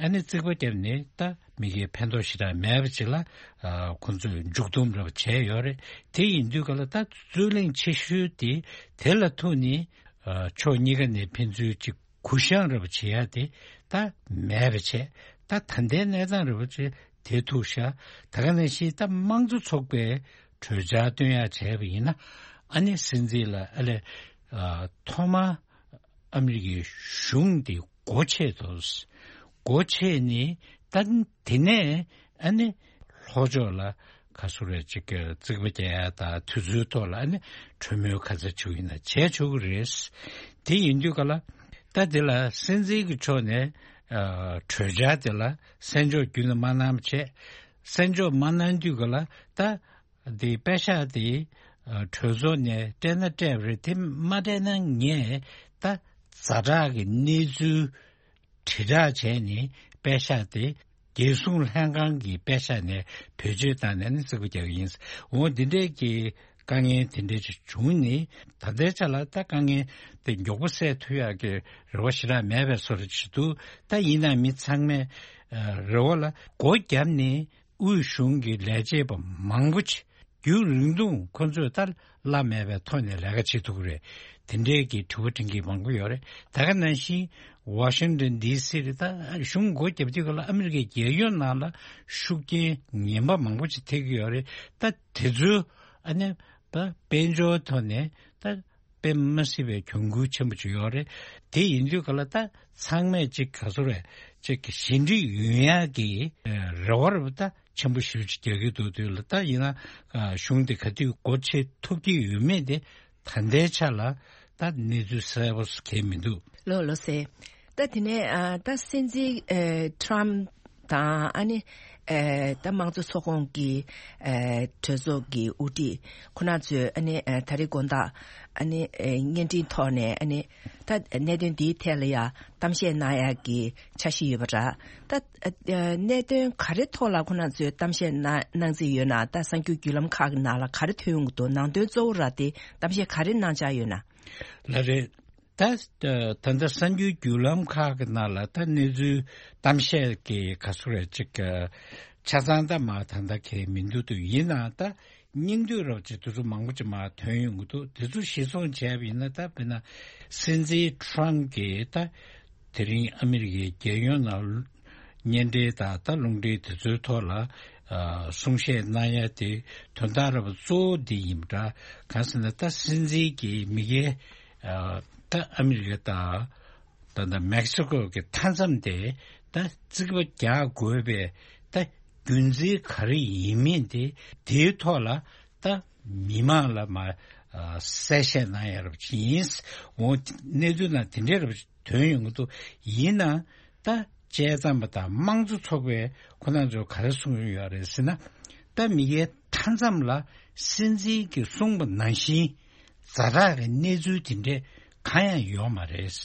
ཨ་ནི་རྩིག་པ་བརྒྱབ་ནས་ད་མི་སྒེར་ཕན་ཐོགས་ཞེ་དྲག་མེད་པ་ཅིག་ལ་ཨ་ཁོང་ཚོས་མཇུག་སྡོམ་རེ་བྱས་ཡོད་རེད། དེ་ཡིན་དུས་ག་ལ་ད་རྩོད་གླེང་ཆེ་ཤོས་དེ་དེ་ལ་ཐུག་ནས་ཨ་ཕྱོགས་གཉིས་ཀ་ནས་ཕན་ཚུན་ཅིག་གུ་བཤངས་རེ་བྱེད་ཡ་དེ་ད་མེད་པ་བྱས། ད་ད་ལྟའི་གནས་སྟངས་རེ་བ་ཅིག་དེ་ཐུག་ཤག། ད་ག་ནང་བཞིན་ད་དམངས་གཙོ་ཚོགས་པའི་གྲོས་འཆར་བཏོན་ཡ་བྱས་པ་ཡིན་ན། ཨ་ནི་སྲིད་འཛིན་ལ་ཨ་ལས་ཨ་ཐོག་མར་ཨ་མི་རི་ཀའི་གཞུང་དེ་སྒོ་ཕྱེ་དགོས། སྒོ་ཕྱེ་ནས་ད་དེ་ནས་ཨ་ནི་ལྷོ་ཕྱོགས་ལ་ག་ཚོད་རེད་ཅིག་གི་རྩིག་པ་རྒྱག་ཡ་དང་དེ་ཚོའི་ཐོག་ལ་ཨ་ནི་གྲོས་མོལ་ག་ཚོད་བྱུང་ཡིན་ན་བྱས་ཆོག་གི་རེད། དེ་ཡིན་དུས་ག་ལ་ད་དེ་ལ་སྲིད་འཛིན་གྱི་ཕྱོགས་ནས་ཨ་གྲོས་འཆར་དེ་ལ་གསན་འཇོག་རྒྱུན་ནས་མ་གནང་བ་བྱས། གསན་འཇོག་མ་གནང་དུས་ག་ལ་ད་དེ་པད་ཤག་དེ་ཨ་གྲོས་ཚོགས་ནས་སྤྲད་ན་སྤྲད་པ་རེད། དེ་མ་སྤྲད་ན་ངས་ད་ཛ་དྲག་གི་གནས་ཚུལ་དྲིལ་བསྒྲགས་བྱས་ནས་པད་ཤག་དེ་རྒྱལ་སྲུང་ལྷན་ཁང་གི་པད་ཤག་ནས་བེད་སྤྱོད་བཏང་ནས་ནི་རྩིག་པ་རྒྱག་གི་ཡིན། འོ་འདི་འདྲས་ཀྱི་དཀའ་ངལ་དེ་འདྲས་ཅིག་བྱུང་ནས། ད་ལྟའི་ཆ་ལ་ད་དཀའ་ངལ་དེ་མགྱོགས་པོ་སེལ་ཐུབ་ཡག་གི་རེ་བ་ཞེ་དྲག་མེད་པའི་བཟོ་འདྲ་ཅིག་འདུག། ད་ཡིན་ནའང་མི་ཚང་མས་ཨ་རེ་བ་ལ་སྒོ་བརྒྱབ་ནས་དབུས་གཞུང་གི་ལས་བྱེད་པ་མང་པོ་ཅིག་རྒྱུན་རིང་ཐུང་ཁོ་ཚོས་ད་གླ་མེད་པའི་ཐོག་ནས་ལས་ཀ་བྱེད་ཐུབ་ཀྱི་རེད། དེ་འདྲའི་གི་དྲི་བ་དྲི་མཁན་མང་པོ་ཡོད་རེད། ད་ག་ནང་བཞིན་ཝ་ཤིང་ཏོན་ཌི་སི་རེད། ད་གཞུང་སྒོ་བརྒྱབ་དུས་སྐབས་ལ་ཨ་མི་རི་ཀའི་རྒྱལ་ཡོངས་ནང་ལ་ཤུགས་རྐྱེན་ངན་པ་མང་པོ་ཅིག་ཐེབས་ཀྱི་ཡོད་རེད། ད་དེ་ཚོའི་ཨ་ནི་ད་དཔལ་འབྱོར་ཐོག་ནས་ད་དཔེ་མ་སྲིད་པའི་གྱོང་གུད་ཆེན་པོ་ཅིག་ཡོད་རེད། དེ་ཡིན་དུས་ག་ལ་ད་ཚང་མས་ཅིག་ག་ཚོད་རེད་ཅིག་གི་ཞི་འགྲིག་ཡོང་ཡག་གི་རེ་བ་རེ་བ་ད་ཆེན་པོ་ཞེ་པོ་ཅིག་རྒྱག་གི་འདུག། དུས་ལ་ད་ཡིན་ན་ཨ་གཞུང་དེ་ག་དུས་སྒོ་ཕྱེ་ཐུབ་ཀྱི་ཡོད་མེད་དེ་ད་ལྟའི་ཆ་ལ་ད་གནས་ཚུལ་གསལ་པོ་གང་ཡང་མི་འདུག། ལགས་ལགས་སེ། ད་དེ་ནས་ཨ་ད་སྲིད་འཛིན་ཨ་ཊམ་དང་ཨ་ནི་ཨ་ད་དམངས་གཙོ་ཚོགས་ཁོངས་ཀྱི་ཨ་གྲོས་ཚོགས་ཀྱི་དབུ་ཁྲིད་ཁོ་ན་ཚོས་ཨ་ནི་ཨ་ད་རེས་དགོང་དག་ཨ་ནི་ཨ་བརྙན་འཕྲིན་ཐོག་ནས་ཨ་ནི་ད་གནད་དོན་འདིའི་ཐད་ལ་ཡ་གཏམ་བཤད་གནང་ཡག་གི་འཆར་གཞི་ཡོད་པ་འདྲ། ད་ཨ་གནད་དོན་ག་རེ་ཐོག་ལ་ཁོ་ན་ཚོས་གཏམ་བཤད་གནང་གནང་རྩིས་ཡོད་ན། ད་གསར་འགྱུར་བརྒྱུད་ལམ་ཁག་གི་ནང་ལ་ག་རེ་ཐོན་ཡོང་གི་འདུག། ནང་དོན་གཙོ་བོ་ར་དེ་གཏམ་བཤད་ག་རེ་གནང་འཆར་ཡོད་ན། ལགས་རེད། ད་ད་ལྟ་གསར་འགྱུར་བརྒྱུད་ལམ་ཁག་གི་ནང་ལ་ད་གནས་ཚུལ་གཏམ་བཤད་ཀྱི་ག་ཚོད་རེད་ཅིག་ཆ་ཚང་ད་མ་ད་ལྟ་གང་ཡང་མི་འདུག། དུ་ཡིན་ནའང་ད་སྙིང་བསྡུས་རོབ་ཅིག་དེ་ཚོ་མང་པོ་ཅིག་མར་ཐོན་ཡོང་གི་འདུག། དེ་ཚོ་གཞིར་བཟུང་བྱས་པ་ཡིན་ན། ད་དཔེར་ན་སྲིད་འཛིན་ཊམ་གྱིས་ད་དེ་རིང་ཨ་མི་རི་ཀའི་རྒྱལ་ཡོངས་ནང་བརྙན་འཕྲིན་དང་ད་རླུང་འཕྲིན་དེ་ཚོའི་ཐོག་ལ་ཨ་གསུང་བཤད་གནང་ཡ་དེ་དོན་དག་ར་བ་གཙོ་བོ་འདི་ཡིན་པ་འདྲ། གང་ཟེར་ན་ད་སྲིད་འཛིན་གྱིས་མི་སྒེར་ཨ་ད་ཨ་མི་རི་ཀ་དང་ད་ད་མེག་སི་ཀོ་གི་མཐའ་མཚམས་དེ་ད་རྩིག་པ་རྒྱག་དགོས་པའི་ད་རྒྱུ་མཚན་ག་རེ་ཡིན་མིན་དེ་དེའི་ཐོག་ལ་ད་མི་མང་ལ་མ་ གསལ་བཤད་གནང་ཡ་རབས་ཅིག་ཡིན། འོ་གནས་ཚུལ་ནང་དེ་འདྲའི་རབས་ཐོན་ཡོང་གི་འདུག་ཡིན་ན་ད་དཔྱད་མཚམས་པ་དང་དམངས་གཙོ་ཚོགས་པའི་ཁོ་ན་ཚོ་ག་རེ་གསུང་གི་ཡོད་རེད་ཟེར་ན། ད་མི་སྒེར་མཐའ་མཚམས་ལ་སྲིད་འཛིན་གྱིས་གསུངས་པ་ནང་བཞིན་ཛ་དྲག་གི་གནས་ཚུལ་དེ་འདྲས་གང་ཡང་ཡོད་མ་རེད།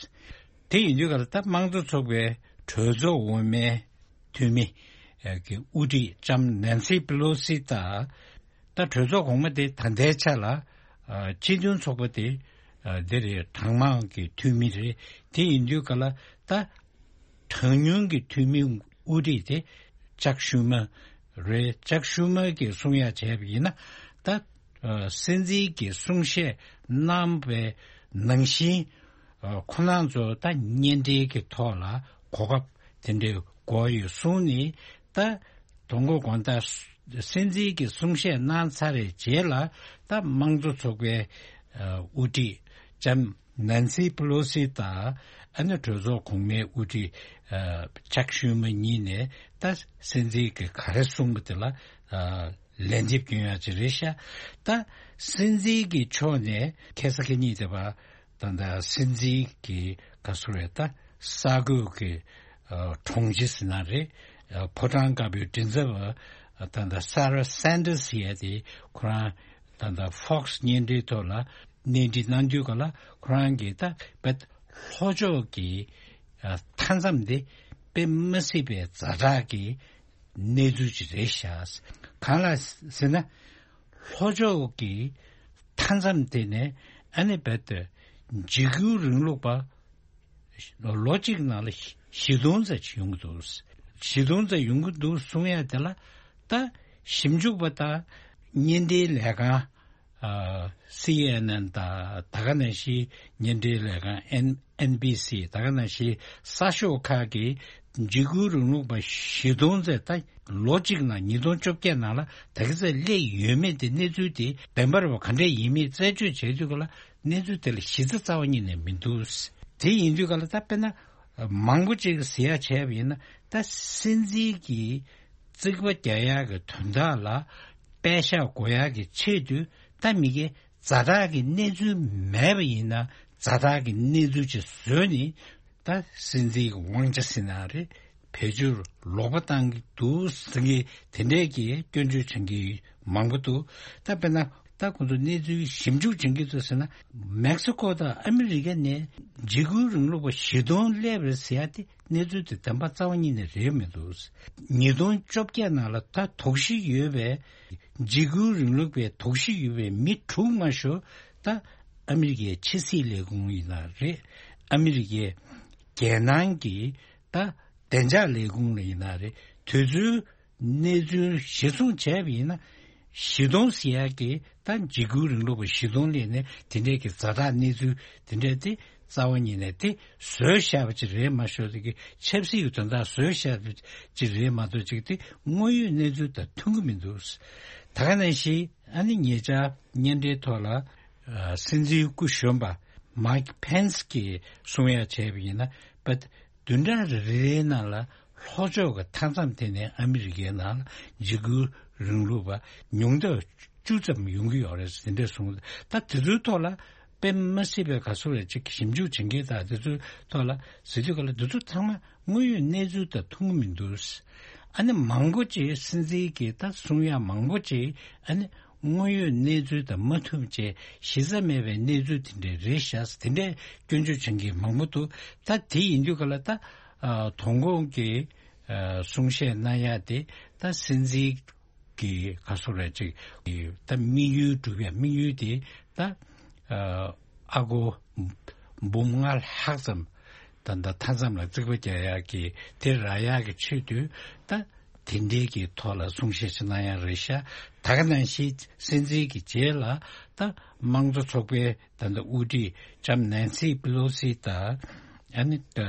དེ་ཡིན་དུས་ག་ལ་ད་དམངས་གཙོ་ཚོགས་པའི་གྲོས་ཚོགས་འོག་མའི་འཐུས་མི་གི་དབུ་ཁྲིད་ལྕམ་ནན་སི་པི་ལོ་སི་དང་། ད་གྲོས་ཚོགས་གོང་མ་དེ་ད་ལྟའི་ཆ་ལ་སྤྱི་མཐུན་ཚོགས་པ་དེ་འདི་རེད། གྲངས་མང་གི་འཐུས་མི་རེད། དེ་ཡིན་དུས་ག་ལ་ད་གྲངས་ཉུང་གི་འཐུས་མི་དབུ་ཁྲིད་དེ་ཅག་ཤུ་མ་རེད། ཅག་ཤུ་མ་གིས་གསུང་ཡ་བྱས་པ་ཡིན་ན་ད་སྲིད་འཛིན་གྱིས་གསུང་བཤད་གནང་བའི་ནང་བཞིན་ཁོ་རང་ཚོ་ད་གཉེན་འབྲེལ་གྱི་ཐོག་ལ་གོ་སྐབས་དེ་འདྲའི་དགོས་ཡོད་གསུངས་ནས། ད་དོ་དགོང་དག་སྲིད་འཛིན་གྱིས་གསུང་བཤད་གནང་ཚར་བའི་རྗེས་ལ་ད་དམངས་གཙོ་ཚོགས་པའི་དབུ་ཁྲིད་ལྕམ་ནན་སི་པི་ལོ་སི་དང་ཨ་ནི་གྲོས་ཚོགས་གོང་མའི་དབུ་ཁྲིད་ཅག་ཤུ་མ་གཉིས་ནས་ད་སྲིད་འཛིན་གྱིས་ག་རེ་གསུངས་པ་དེ་ལ་ལན་འདེབས་སྐྱོན་ཡག་ཅིག་རེད་ཤག་ད་སྲིད་འཛིན་གྱི་ཕྱོགས་ནས་ཁ་སང་ཁ་ཉིན་དེ་བ་ད་ད་སྲིད་འཛིན་གྱི་ག་སུ་རེད། ད་ས་གོས་ཀྱི་གྲོང་ཁྱེར་ཟེར་ན་རེད། ཕོ་བྲང་དཀར་པོའི་མགྲིན་ཚབ་པ་ད་ད་སཱ་ར་སན་ཏར་སི་ཡ་དེ་ཁོ་རང་ད་ད་ཧྥོག་སི་བརྙན་འཕྲིན་ཐོག་ལ་གནས་འདྲི་གནང་དུས་ག་ལ་ཁོ་རང་གིས་ད་བེད་ལྷོ་ཕྱོགས་ཀྱི་མཐའ་མཚམས་དེ་དཔེ་མི་སྲིད་པའི་ཛ་དྲག་གི་གནས་ཚུལ་ཅིག་རེད་ཤག་གང་ལ་ཟེར་ན། ལྷོ་ཕྱོགས་ཀྱི་མཐའ་མཚམས་དེ་ནས་ཨ་ནི་རྦད་དེ་འཇིགས་སྐུལ་རིང་ལུགས་པ་ལོ་གཅིག་ནང་ལ་བཞི་སྟོང་ཙམ་ཡོང་གི་འདུག་བཞི་སྟོང་ཙམ་ཡོང་གི་འདུག་གསུང་ཡ་དེ་ལ་ད་ཞིབ་འཇུག་པ་དང་བརྙན་འཕྲིན་ལས་ཁང་སི་ཨེན་ཨེན་དང་ད་ག་ནང་བཞིན་བརྙན་འཕྲིན་ལས་ཁང་ཨེན་ཨེན་བི་སི་ད་ག་ནང་བཞིན་གསར་ཤོག་ཁག་གིས་འཇིགས་སྐུལ་རིང་ལུགས་པ་བཞི་སྟོང་ཙམ་ད་ལོ་གཅིག་ནང་ཉིས་སྟོང་བཅོ་བརྒྱད་ནང་ལ་ད་ག་ཚད་སླེབས་ཡོད་མེད་དེ་གནས་ཚུལ་དེ་བདེན་པ་རེད་པ་ག་འདྲས་ཡིན་མིན་རྩད་གཅོད་བྱས་དུས་ག་ལ་གནས་ཚུལ་དེ་ལ་གཞི་རྩ་རྩ་བ་ཉིད་ནས་མི་འདུག་དེ་ཡིན་དུས་ག་ལ་ད་དཔེར་ན་མང་པོ་ཅིག་ཟེར་ཡ་བྱས་པ་ཡིན་ན་ད་སྲིད་འཛིན་གྱི་རྩིག་པ་རྒྱག་ཡག་གི་དོན་དག་ལ་པད་ཤག་བགོ་ཡག་གི་ཆེད་དུ་ད་མི་སྒེར་ཛ་དྲག་གི་གནས་ཚུལ་མེད་པ་ཡིན་ན་ཛ་དྲག་གི་གནས་ཚུལ་ཅིག་བཟོས་ནས་ད་སྲིད་འཛིན་གྱི་དབང་ཆ་ཟེར་ན་རེད། བེད་སྤྱོད་ལོག་པ་བཏང་གི་འདུག་ཟེར་མཁན་དེ་འདྲས་ཀྱི་སྐྱོན་བརྗོད་བྱེད་མཁན་མང་པོ་འདུག་ད་དཔེར་ན་ད་ཁོང་ཚོ་གནས་ཚུལ་ཞིབ་འཇུག་བྱེད་ཀྱི་འདུག་ཟེར་ན་མེག་སི་ཀོ་དང་ཨ་མི་རི་ཀ་ནས་འཇིགས་སྐུལ་རིང་ལུགས་པ་བཞི་སྟོང་སླེབས་རེད་ཟེར་ཡ་དེ་གནས་ཚུལ་དེ་བདེན་པ་རྩ་བ་ཉིད་ནས་རེད་མི་འདུག་ཉིས་སྟོང་བཅོ་བརྒྱད་ནང་ལ་ད་དོགས་གཞི་ཡོད་པའི་འཇིགས་སྐུལ་རིང་ལུགས་པའི་དོགས་གཞི་ཡོད་པའི་མི་དྲུག་མ་ཤོར་ད་ཨ་མི་རི་ཀའི་ཕྱི་སྲིད་ལས་ཁུངས་ཡིན་ན་རེད། ཨ་མི་རི་ཀའི་རྒྱལ་ནང་གི་ད་བདེ་འཇགས་ལས་ཁུངས་ལ་ཡིན་ན་རེད། དུས་ཚོད་གནས་ཚུལ་གཞིར་བཟུང་བྱས་པ་ཡིན་ན་བཞི་སྟོང་ཟེར་ཡག་གི་ད་འཇིགས་སྐུལ་རིང་ལུགས་པ་བཞི་སྟོང་སླེབས་ནས་དེ་འདྲས་ཀྱི་ཛ་དྲག་གནས་ཚུལ་དེ་འདྲས་དེ་རྩ་བ་ཉིད་ནས་དེ་བཟོས་བཞག་པ་ཅིག་རེད་མ་ཤོར་དེ་གི་ཆབ་སྲིད་ཀྱི་དོན་དག་བཟོས་བཞག་པ་ཅིག་རེད་མ་གཏོགས་ཅིག་དེ་དངོས་ཡོད་གནས་ཚུལ་དང་མཐུན་གྱི་མི་འདུག་ད་ག་ནང་བཞིན་ཨ་ནི་ཉེ་ཆར་བརྙན་འཕྲིན་ཐོག་ལ་སྲིད་འཛིན་སྐུ་གཞོན་པ་མའིག་ཕེན་སི་གིས་གསུང་ཡ་བྱས་པ་ཡིན་ན་བདུན་ཕྲག་རེ་རེའི་ནང་ལ་ལྷོ་ཕྱོགས་ཀྱི་མཐའ་མཚམས་དེ་ནས་ཨ་མི་རི་ཀའི་ནང་ལ་འཇིགས་སྐུལ་རིང་ལུགས་པ་ཉུང་མཐའ་བཅུ་ཙམ་ཡོང་གི་ཡོད་རེད་ཟེར་འདྲ་གསུངས། ད་དེ་ཚོའི་ཐོག་ལ་དཔེ་མ་སྲིད་པའི་ག་ཚོད་རེད་ཅིག་ཞིབ་འཇུག་བྱེད་མཁན་དང་དེ་ཚོའི་ཐོག་ལ་ཟེར་དུས་ག་ལ་དེ་ཚོ་ཚང་མ་དངོས་ཡོད་གནས་ཚུལ་དང་མཐུན་གྱི་མི་འདུག་ཨ་ནི་མང་པོ་ཅིག་སྲིད་འཛིན་གྱིས་ད་གསུང་ཡ་མང་པོ་ཅིག་ཨ་ནི་དངོས་ཡོད་གནས་ཚུལ་དང་མ་མཐུན་བྱས་གཞི་རྩ་མེད་པའི་གནས་ཚུལ་དེ་འདྲས་རེད་ཤག་དེ་འདྲས་སྐྱོན་བརྗོད་བྱེད་མཁན་མང་པོ་འདུག་ད་དེ་ཡིན་དུས་ག་ལ་ད་ཨ་དོ་དགོང་གི་ཨ་གསུང་བཤད་གནང་ཡ་དེ་ད་སྲིད་འཛིན་གྱི་ག་སོ་རེད་ཅིག་ད་དམིགས་ཡུལ་སྒྲུབ་ཡ་དམིགས་ཡུལ་དེ་ད་ཨ་ཨ་སྒོར་འབུམ་ལྔ་ལྷག་ཙམ་ད་ད་མཐའ་མཚམས་ལ་རྩིག་པ་རྒྱག་ཡག་གི་དེ་རག་ཡག་གི་ཆེད་དུ་ད་དེ་འདྲའི་གི་ཐོག་ལ་གསུང་བཤད་ཅིག་གནང་ཡག་རེད་ཤག་ད་ག་ནང་བཞིན་སྲིད་འཛིན་གྱི་རྗེས་ལ་ད་དམངས་གཙོ་ཚོགས་པའི་ད་ལྟ་དབུ་ཁྲིད་ལྕམ་ནན་སི་པི་ལོ་སི་དང་ཨ་ནི་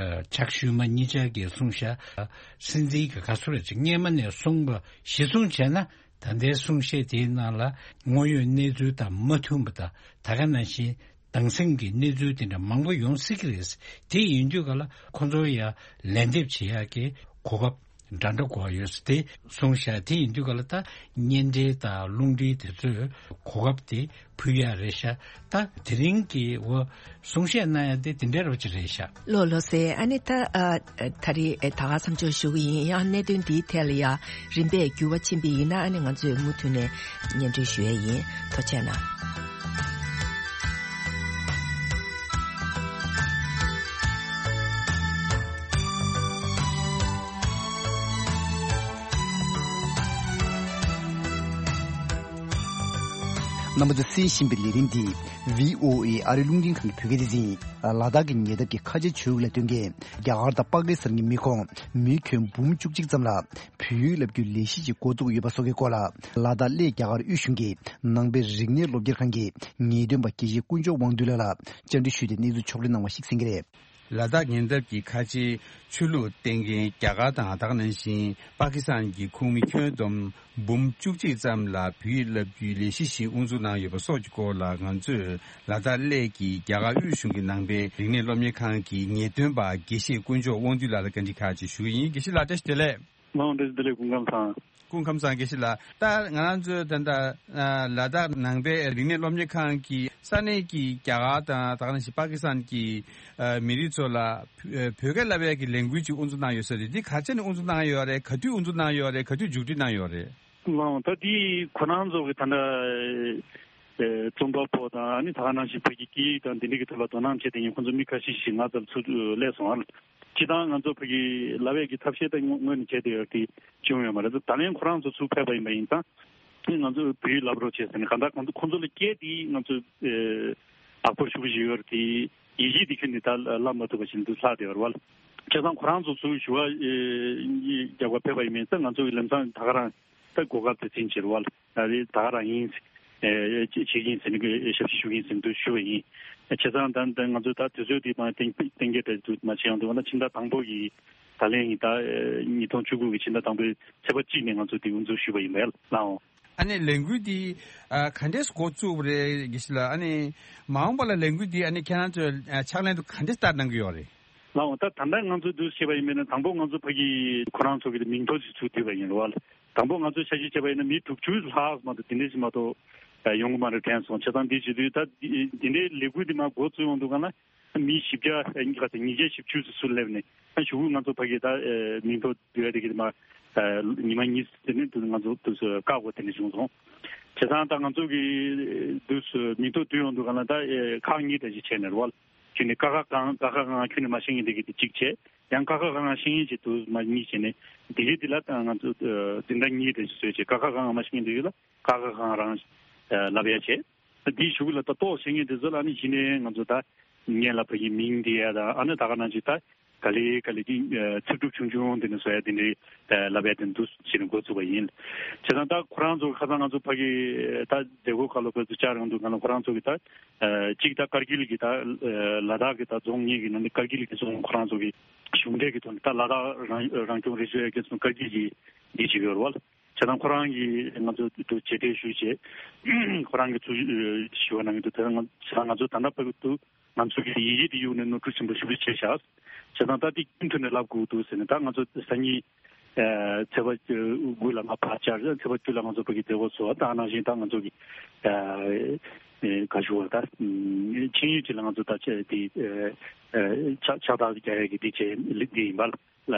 ཅག་ཤུ་མ་གཉིས་ཆར་གྱིས་གསུངས་ཤག་སྲིད་འཛིན་གྱི་ག་ཚོད་རེད་ཅིག་སྔས་མ་ནས་གསུངས་པ་གཞི་བཟུང་བྱས་ན། ད་ལྟའི་གསུང་བཤད་དེའི་ནང་ལ་དངོས་ཡོད་གནས་ཚུལ་དང་མ་མཐུན་པ་དང་ད་ག་ནང་བཞིན་སྡང་སེམས་ཀྱི་གནས་ཚུལ་དེ་འདྲ་མང་པོ་ཡོང་སྲིད་ཀྱི་རེད། དེ་ཡིན་དུས་ག་ལ་ཁོ་ཚོར་ཡང་ལན་འདེབས་བྱེད་ཡག་གི་གོ་སྐབས་ འདྲ་འདྲ་གོ་བ་ཡོད་ས་དེ་གསུངས་ཤག་དེ་ཡིན་དུས་ག་ལ་ད་གཉེན་འབྲེལ་དང་རླུང་འཕྲིན་དེ་ཚོས་གོ་སྐབས་དེ་ཕུལ་ཡ་རེད་ཤག་ད་དེ་རིང་གི་འོ་གསུང་བཤད་གནང་ཡ་དེ་དེ་འདྲའི་རོ་ཅིག་རེད་ཤག་ལོ་ལོ་སེ་ཨ་ནི་ད་ཨ་ད་རེས་ཨེ་ད་ག་མཚམས་འཇོག་ཞུ་གི་ཡིན། ཡང་གནད་དོན་འདིའི་ཐད་ལ་ཡ་རིམ་པས་འགྱུར་བ་ཕྱིན་པ་ཡིན་ན་ཨ་ནི་ང་ཚོས་མུ་མཐུད་ནས་སྙན་སྒྲོན་ཞུ་ཡ་ཡིན། ཐུགས་རྗེ་གནང་། རྣམ་པ་ཚོས་གསན་བཞིན་པའི་ལས་རིམ་འདི་བྷི་ཨོ་ཨེ་ཨ་རིའི་རླུང་འཕྲིན་ཁང་གི་བོད་སྐད་སྡེ་ཚན་ཡིན། ལ་དྭགས་ཀྱི་ཉེ་འདབས་ཀྱི་ཁ་ཆེ་ཆོས་ལུགས་ལ་བརྟེན་མཁན་རྒྱ་གར་དང་པ་ཀི་སི་ཐན་གྱི་མི་ཁོངས་མི་ཁྱོན་འབུམ་བཅུ་གཅིག་ཙམ་ལ་བོད་ཡིག་བསླབ་རྒྱུའི་ལས་གཞི་ཞིག་འགོ་བཙུགས་ཡོད་པ་སོགས་ཀྱི་སྐོར་ལ། ལ་དྭགས་གླེ་རྒྱ་གར་དབུས་གཞུང་གི་ནང་པའི་རིག་གནས་སློབ་གཉེར་ཁང་གི་ངེས་སྟོན་པ་དགེ་བཤེས་དཀོན་མཆོག་དབང་འདུས་ལགས་ལ་བཅར་འདྲི་ཞུས་ཏེ་གནས་ཚུལ་ཕྱོགས་སྒྲིག་གནང་བ་ཞིག་གསན་གྱི་རེད། ལ་དྭགས་ཉེ་འདབས་ཀྱི་ཁ་ཆེའི་ཆོས་ལུགས་བསྟེན་མཁན་རྒྱ་གར་དང་ད་ག་ནང་བཞིན་པ་ཀི་སི་ཐན་གྱི་ཁོངས་མི་ཁྱོན་བསྡོམས་འབུམ་བཅུ་གཅིག་ཙམ་ལ་བོད་ཡིག་བསླབ་རྒྱུའི་ལས་གཞི་ཞིག་དབུ་འཛུགས་གནང་ཡོད་པ་སོགས་ཀྱི་སྐོར་ལ་ང་ཚོས་ལ་དྭགས་གླེ་གི་རྒྱ་གར་དབུས་གཞུང་གི་ནང་པའི་རིག་གནས་སློབ་གཉེར་ཁང་གི་ངེས་སྟོན་པ་དགེ་བཤེས་དཀོན་མཆོག་དབང་འདུས་ལགས་ལ་བཀའ་འདྲི་ཁག་ཅིག་ཞུ་གི་ཡིན། དགེ་བཤེས་ལགས་བཀྲ་ཤིས་བདེ་ལེགས། ལགས་འོང་། བཀྲ་ཤིས་བདེ་ལེགས། སྐུ་ཁམས་བཟང་། སྐུ་ཁམས་བཟང་། དགེ་བཤེས་ལགས། ད་ང་རང་ཚོའི་ད་ལྟ་ཨ་ལ་དྭགས་ནང་པའི་རིག་གནས་སློབ་གཉེར་ཁང་གིས་ས་གནས་ཀྱི་རྒྱ་གར་དང་ད་ག་ནང་བཞིན་པ་ཀི་སི་ཐན་གྱི་ཨ་མི་རིགས་ཚོ་ལ་བོད་སྐད་བསླབ་ཡས་ཀྱི་ལས་འགུལ་ཅིག་དབུ་འཛུགས་གནང་ཡོད་ས་རེད། འདི་ག་ཚོད་ནས་དབུ་འཛུགས་གནང་ཡོད་རེད། ག་དུས་དབུ་འཛུགས་གནང་ཡོད་རེད། ག་དུས་མཇུག་སྒྲིལ་གནང་ཡོད་རེད། ལགས་འོང་། ད་འདི་ཁོ་རང་ཚོ་གི་ད་ལྟ་ཨེ་རྩོམ་པ་པོ་དང་ཨ་ནི་ད་ག་ནང་བཞིན་བོད་ཀྱི་སྐད་ཡིག་དང་འདི་འདྲ་གི་ཐོག་ལ་དོ་སྣང་བྱེད་མཁན་ཁོང་ཚོ་མི་ཁ་ཤས་ཤིག་ང་ཚོར་ཚུར་སླེབས་སོང་བ། སྤྱིར་བཏང་ང་ཚོ་བོད་ཀྱི་བསླབ་ཡས་ཀྱི་ཐབས་ཤེས་ད་དངོས་གནས་བྱས་བསྡད་ཡོད་དེ་བྱུང་ཡོད་མ་རེད། ད་ལན་ཁོ་རང་ཚོ་ཚུར་ཕེབས་པ་ཡིན་པ་ཡིན་ཙང་ཨ་ནི་ང་ཚོས་བོད་ཡིག་བསླབ་རོགས་བྱས་ཟེར་ནས། གང་ལྟར་ཁོང་ཚོ་ཁོང་ཚོ་ལ་སྐད་དེ་ང་ཚོས་ཨེ་དག་པོ་ཞེ་པོ་ཞིག་ཡོད་རེད་དེ། ཡིག་ཆ་དེ་ཁྱོན་ནས་ད་བསླབ་མ་ཐུབ་པ་ཞིག་འདུག་ལྷག་བསྡད་ཡོད་རེད་བ། བྱས་ཙང་ཁོ་རང་ཚོ་ཚུར་ཞུ་བ་ཨེ་རྒྱག་པར་ཕེབས་པ་ཡིན་མིན་ཙང་ང་ཚོ་གི་ལམ་སང་ད་ག་རང་ད་གོ་སྐབས་དེ་འཛིན་བྱེད་རེད་བ། ད་རེས་ད་ག་རང་ཡིན། ཨེ་བྱེད་ཀྱི་ཡིན་ཟེར་ནས་ཞབས་ཕྱི་ཞུ་གི་ཡིན་ཟེར་འདུག་ཞུ་བ་ཡིན། བྱས་ཙང་ད་ད་ང་ཚོ་ད་དུས་ཚོད་དེ་མ་གཏན་གཏན་འཁེལ་འདྲ་འདུག་མ་བྱས་ཡོང་འདུག་ན་ཕྱི་ཟླ་དང་པོ་གི་ད་ལན་ཡིན། ད་ཉིས་སྟོང་བཅུ་དགུ་གི་ཕྱི་ཟླ་དང་པོའི་ཚེས་པ་གཅིག་ནས་ང་ཚོ་དེ་དབུ་འཛུགས་ཞུས་པ་ཡིན་པས་ལགས་འོང་། ཨ་ནི་ལས་འགུལ་འདི་ཨ་ག་འདྲས་འགོ་བཙུགས་པ་རེད་དགེ་བཤེས་ལགས། ཨ་ནི་མ་འོངས་པ་ལ་ལས་འགུལ་འདི་ཨ་ནི་ཁྱེད་རང་ཚོས་ཨ་ཕྱག་ལེན་དུ་ག་འདྲས་བསྟར་གནང་གི་ཡོད་རེད། ལགས་འོང་། ད་ད་ལྟ་ང་ཚོ་འདུག་བྱས་པ་ཡིན་པས་ན་དང་པོ་ང་ཚོ་ཕ་གི་ཁོ་རང་ཚོ་གི་མིང་ཐོ་ཞིག་ཚུར་བསྡུས་པ་ཡིན་རེད་བ། དང་པོ་ང་ཚོ་ཆ་ཤས་བྱས་པ་ཡིན་ན་མི་དྲུག་ཅུ་ལྷག་མ་གཏོགས་དེ་འདྲས་ཞིག་མ་གཏོགས་ཡོང་གི་མ་རེད་དྲན་སོང་། བྱས་ཙང་འདི་བྱེད་དུས་ད་འདི་འདི་འདྲའི་ལས་འགུལ་འདི་མར་འགོ་བཙུགས་ཡོང་དུས་ག་ན། མི་བཞི་བརྒྱ་ཨ་ཉི་ཁ་ཚ་ཉིས་བརྒྱ་བཞི་བཅུ་ཙམ་ཚུར་སླེབས་ནས། ཨ་གཞུག་གུ་ང་ཚོ་ཕ་གི་ད་ཨེ་མིང་ཐོ་བསྡུ་ཡ་དེ་གི་མ་ཨེ་ཉི་མ་གཉིས་དེ་ནས་དུ་ང་ཚོ་དུ་སུ་བཀག་དགོས་དེ་འདྲ་བྱུང་སོང་། བྱས་ཙང་ད་ང་ཚོ་གི་དུ་སུ་མིང་ཐོ་བསྡུ་ཡོང་དུས་ག་ན་ད་ཨེ་ཁག་གཉིས་འདྲ་ཞིག་བྱས་ནས་རེད་བ། ཁྱོན་ནས་ཀ་ཁ་གང་ཀ་ཁ་གང་ཁྱོན་ནས་མ་ཤེས་མཁན་དེ་གི་དེ་གཅིག་བྱས། ཡང་ཀ་ཁ་གང་ཤེས་མཁན་ཅིག་དུ་མ་གཉིས་བྱས་ནས་དེ་གི་དེ་ལ་ད་ང་ཚོ་ཨེ་འཛིན་གྲྭ་གཉིས་འདྲ་ཞིག་བཟོས་བྱས། ཀ་ཁ་གང་མ་ཤེས་མཁན་དེ་གི་ལ་ཀ་ཁ་གང་རང་ཨེ་བསླབ་ཡ་བྱས། དེའི་གཞུག་ལ་ད་ཏོག་བྱེད་མཁན་དེ་ཚོ་ལ་ནི་གཞི་ནས་ང་ཚོ་ད་སྔོན་ལ་ཕ་གི་མིང་འདི་ཡ་དང་ཨ་ནི་ད་ག་ནང་བཞིན་ད་ག་ལེ་ག་ལེ་གི་ཚིག་གྲུབ་ཆུང་ཆུང་དེ་ནས་བཟོ་ཡ་དེ་འདྲའི་ལབ་ཡ་དེ་འདུག་ཟེར་ནས་འགོ་བཙུགས་པ་ཡིན། བྱས་ཙང་ད་ཁོ་རང་ཚོ་ཁ་སང་ང་ཚོ་ཕ་གི་ད་མཛད་སྒོ་ཁག་ལ་བོད་དུ་བཅར་ཡོང་དུས་ག་ལ་ཁོ་རང་ཚོ་གི་ད་གཅིག་ད་ཀར་གིལ་གི་ད་ལ་དྭགས་གི་ད་རྫོང་གཉིས་ཀྱི་ནང་ནས་ཀར་གིལ་གི་རྫོང་ཁོ་རང་ཚོ་གི་གཞུང་འབྲེལ་གི་ཐོག་ནས་ད་ལ་དྭགས་རང་རང་སྐྱོང་རི་ཆོད་ཀྱི་ཀར་གིལ་གི་འདི་བྱེད་ཀྱི་ཡོད་རེད་བ། བྱས་ཙང་ཁོ་རང་གིས་ང་ཚོ་དུ་མཇལ་འཕྲད་ཞུས་བྱས། ཁོ་རང་གིས་ཚུར་ཞུ་བ་གནང་གི་འདུག་དེ་ང་ང་ཚོ་ད་ལྟ་བར་དུ་ང་ཚོ་གི་ཡི་གེ་དེ་གཡུག་ནས་ནོར་འཁྲུལ་ཆེན་པོ་ཞེ་པོ་ཅིག་བྱས་ཤག་བྱས་ཙང་ད་དེ་རྒྱུན་མཐུད་ནས་ལབ་དགོས་འདུག་ཟེར་ནས། ད་ང་ཚོ་སང་ཉིན་ཚེས་པ་དགུ་ལ་ང་ཕར་བཅར། ཚེས་པ་བཅུ་ལ་ང་ཚོ་ཕ་གི་མཛད་སྒོ་ཚོགས། ད་ནང་བཞིན་ད་ང་ཚོ་གི་ག་ཞུ་བ་ད་ཆིངས་ཡིག་ཅིག་ལ་ང་ཚོ་ད་ཆ་དེ་ཕྱག་ཕྱག་རྟགས་རྒྱག་ཡ་གི་དེ་བྱས་འདི་ཡིན་པ། ལ་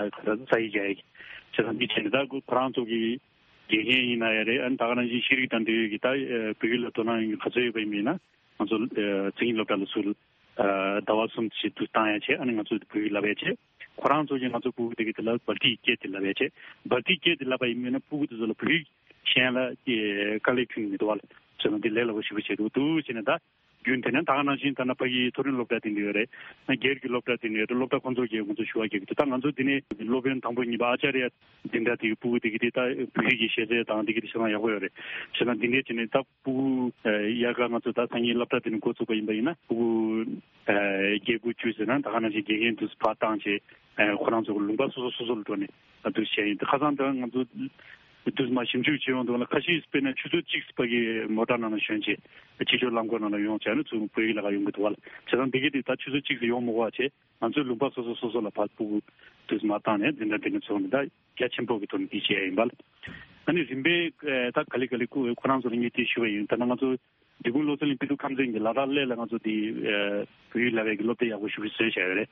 ས་ཡི་རྒྱ་ཡིག་བྱས་ཙང་འདི་བྱས་ནས་ད་ཁོ་རང་ཚོ་གི་དགེ་རྒན་ཡིན་ན་ཡང་རེད། ཨ་ནི་ད་ག་ནང་བཞིན་ཤེས་རིག་དང་འབྲེལ་ཡོད་ཀྱི་ད་བོད་ཡིག་ལ་དོ་སྣང་ཡོད་མཁན་ག་ཚོད་ཡོད་པ་ཡིན་ན། ང་ཚོ་མཚན་ཉིད་སློབ་གྲྭ་ལ་ཚུར་ཟླ་བ་གསུམ་ཞིག་ཏུ་བཏང་ཡ་བྱས། ཨ་ནི་ང་ཚོ་བོད་ཡིག་བསླབ་ཡ་བྱས། ཁོ་རང་ཚོ་གིས་ང་ཚོ་སྤུ་གུ་དེ་གི་དེ་ལ་བལ་ཏིའི་སྐད་དེ་བསླབ་ཡ་བྱས། བལ་ཏིའི་སྐད་དེ་བསླབ་པ་ཡིན་ན་སྤུ་གུ་དེ་ཚོ་ལ་བོད་ཡིག་གཞན་ལ་དཀའ་ལས་ཁྱོན་མི་འདུག་བ། ལ་བྱས་ན་འདི་ལས་སླ་པོ་ཞེ་པོ་བྱས་འདུག་འདུག་བྱས་ནས་ད། རྒྱུན་དེ་ནས་ད་ག་ནང་བཞིན་ད་ནི་ཕ་གིའི་མཐོ་རིམ་སློབ་གྲྭ་དེ་འདྲ་ཡོད་རེད། སྒེར་གྱི་སློབ་གྲྭ་དེ་འདྲ་ཡོད་རེད། སློབ་གྲྭ་ཁོང་ཚོ་གིས་ང་ཚོ་ཞུ་བ་རྒྱག་གི་འདུག་ད་ང་ཚོ་འདི་ནས་སློབ་དཔོན་དང་པོ་གཉིས་པ་ཨ་ཅཱར་ཡ་འཛིན་གྲྭ་དེ་གི་སྤུ་གུ་དེ་གི་དེ་ད་བོད་ཡིག་གི་ཤེས་ཚད་དང་དེ་གི་དེ་ཤེས་ན་ཡག་པོ་ཡོད་རེད། བྱས་ཙང་འདི་འདྲས་བྱས་ནས་ད་སྤུ་གུ་ཡར་ག་ང་ཚོ་ད་སང་ཉིན་སློབ་གྲྭ་དེ་ནས་འགོ་བཙུགས་པ་ཡིན་པ་ཡིན་ན་སྤུ་གུ་བརྒྱད་དགུ་བཅུ་ཟེར་ན་ད་ག་ནང་བཞིན་དགེ་རྒན་དུ་ཕར་བཏང་བྱས། ཁོ་རང་ཚོ་གི་ལུང་པ་སོ་སོ་སོ་སོ་ལ་འགྲོ་ནས་ད་དུ་བྱས་ཡིན། ད་ཁ་སང་ད་ང་ཚོ་ དུས་མ་ཞིབ་འཇུག་བྱེད་ཡོང་དུས་ལ་ཁ་ཤས་དཔེར་ན་ཆུ་ཚོད་གཅིག་ཙམ་ཕ་གི་མོ་ཊ་ནང་ལ་ཞོན་བྱས་ཕྱི་ཕྱོགས་རླངས་འཁོར་ནང་ལ་ཡོང་བྱས་ནས་ཚུར་བོད་ཡིག་ལ་ཁ་ཡོང་གི་འདུག་བ་ལ། བྱས་ཙང་འདི་གའི་དུས་ད་ཆུ་ཚོད་གཅིག་ཙམ་ཡོང་མི་དགོས་པ་བྱས། ང་ཚོའི་ལུང་པ་སོ་སོ་སོ་སོ་ལ་ཕར་སྤུ་གུ་དུས་མ་བཏང་ནས་འཛིན་གྲྭ་འདི་ནས་ཚོགས་ནས་ད་རྒྱ་ཆེན་པོ་གི་ཐོག་ནས་འདི་བྱས་ཡིན་པ་ལ། ཨ་ནི་རིམ་པས་ད་ག་ལེ་ག་ལེ་ཁོ་ཁོ་རང་ཚོ་ལ་ངས་དེ་ཞུ་བ་ཡིན། ད་ནང་ང་ཚོ་འབྲི་གུང་བློ་གསལ་གླིང་པི་ཏུ་ཁམས་ཚན་གྱི་ལ་དྭགས་གླེ་ལ་ང་ཚོ་དེ་བོད་ཡིག་བསླབ་པའི་གི་སློབ་དེབ་ཡག་པོ་ཞིག་བཟོས་བཞག་ཡོད་རེད།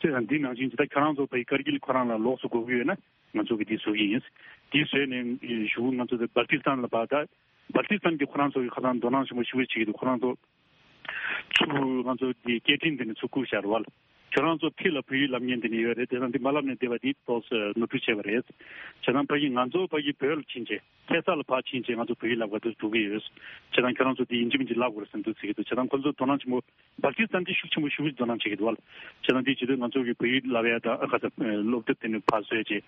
དེ་དང་འདི་ནང་བཞིན་ཇི་ལྟར་ཁྱོད་རང་ཚོ་བོད་ཡིག་ཀར་གིལ་ཁོ་རང་ལ་ལོགས་སུ་དགོས་ཀྱི་ཡོད་ན་ང་ཚོ་གི་དེ་བཟོ་གི་ཡིན། དེ་བཟོས་ནས་གཞུག་ང་ཚོ་དེ་སྦལ་ཏི་སི་ཐན་ལ་བར་ད་སྦལ་ཏི་སི་ཐན་གྱི་ཁོ་རང་ཚོ་གི་ཁ་སང་དོ་སྣང་ཆེན་པོ་ཞིག་བྱེད་ཀྱི་འདུག་ཁོ་རང་ཚོ་ཚུར་ང་ཚོ་དེ་སྐད་འཕྲིན་དེ་ནས་ཚུར་བསྐུར་བཞག་རེད་བ། ཁྱོད་རང་ཚོ་ཕི་ལ་བོད་ཡིག་བསླབ་མཁན་དེ་ནས་ཡོད་རེད། དེ་དང་དེ་མ་བསླབ་ནས་བསྡད་པ་དེ་ཏོག་ཙམ་ནོར་འཁྲུལ་བྱས་པ་རེད། བྱས་ཙང་ཕ་གི་ང་ཚོ་ཕ་གི་བོད་ལ་ཕྱིན་བྱས་ཁ་སང་ལ་ཕར་ཕྱིན་བྱས་ང་ཚོ་བོད་ཡིག་བསླབ་ག་དུ་འགྲོ་གི་ཡོད། བྱས་ཙང་ཁྱོད་རང་ཚོ་དེ་ཡིན་གཅིག་མིན་གཅིག་བསླབ་དགོས་རེད་བསམ་འདུག་ཟེར་གྱི་འདུག་བྱས་ཙང་ཁོ་ཚོ་དོ་སྣང་ཆེན་པོ་སྦལ་ཏི་སི་ཐན་དེ་ཤུགས་ཆེན་པོ་ཤུགས་ཆེ་དོ་སྣང་བྱེད་ཀྱི་འདུག་བ། བྱས་ཙང་དེ་བྱེད་དུས་ང་ཚོ་གི་བོད་ཡིག་བསླབ་ཡ་དང་ཁ་ས་སློབ་དེབ་དེ་ནས་ཕར་བཟོས་བྱས་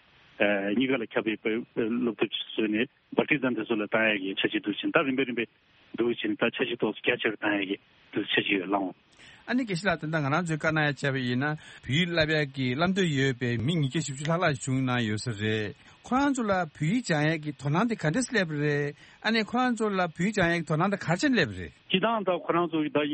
གཉིས་ཀ་ལ་ཁྱབ་པའི་སློབ་དེབ་བཟོས་ནས་སྦལ་ཏི་སི་ཐན་དེ་ཚོ་ལ་བཏང་ཡ་གི་འཆར་གཞི་འདུག་བྱས་ད་རིམ་པས་རིམ་པས་འདུག་བྱས་ད་འཆར་གཞི་ཏོག་ཙམ་རྒྱ་ཆེར་བཏང་ཡ་གི་འདུག་འཆར་གཞི་ཡོད་ལགས། ཨ་ནི་དགེ་བཤེས་ལགས། ད་ལྟ་ང་རང་ཚོའི་བཀའ་གནང་ཡ་བྱས་པ་ཡིན་ན་བོད་ཡིག་བསླབ་ཡག་གི་བསླབ་འདོད་ཡོད་པའི་མི་ཉིས་བརྒྱ་བཞི་བཅུ་ལྷག་ལྷག་བྱུང་གནང་ཡོད་ས་རེད། ཁོ་རང་ཚོ་ལ་བོད་ཡིག་སྦྱང་ཡག་གི་དོ་སྣང་དེ་ག་འདྲས་སླེབས་པ་རེད། ཨ་ནི་ཁོ་རང་ཚོ་ལ་བོད་ཡིག་སྦྱང་ཡག་གི་དོ་སྣང་དེ་ག་རེ་བྱས་ནས་སླེབས་པ་རེད། སྤྱིར་བཏང་ད་ཁོ་རང་ཚོ་གི་ད་ཨེ་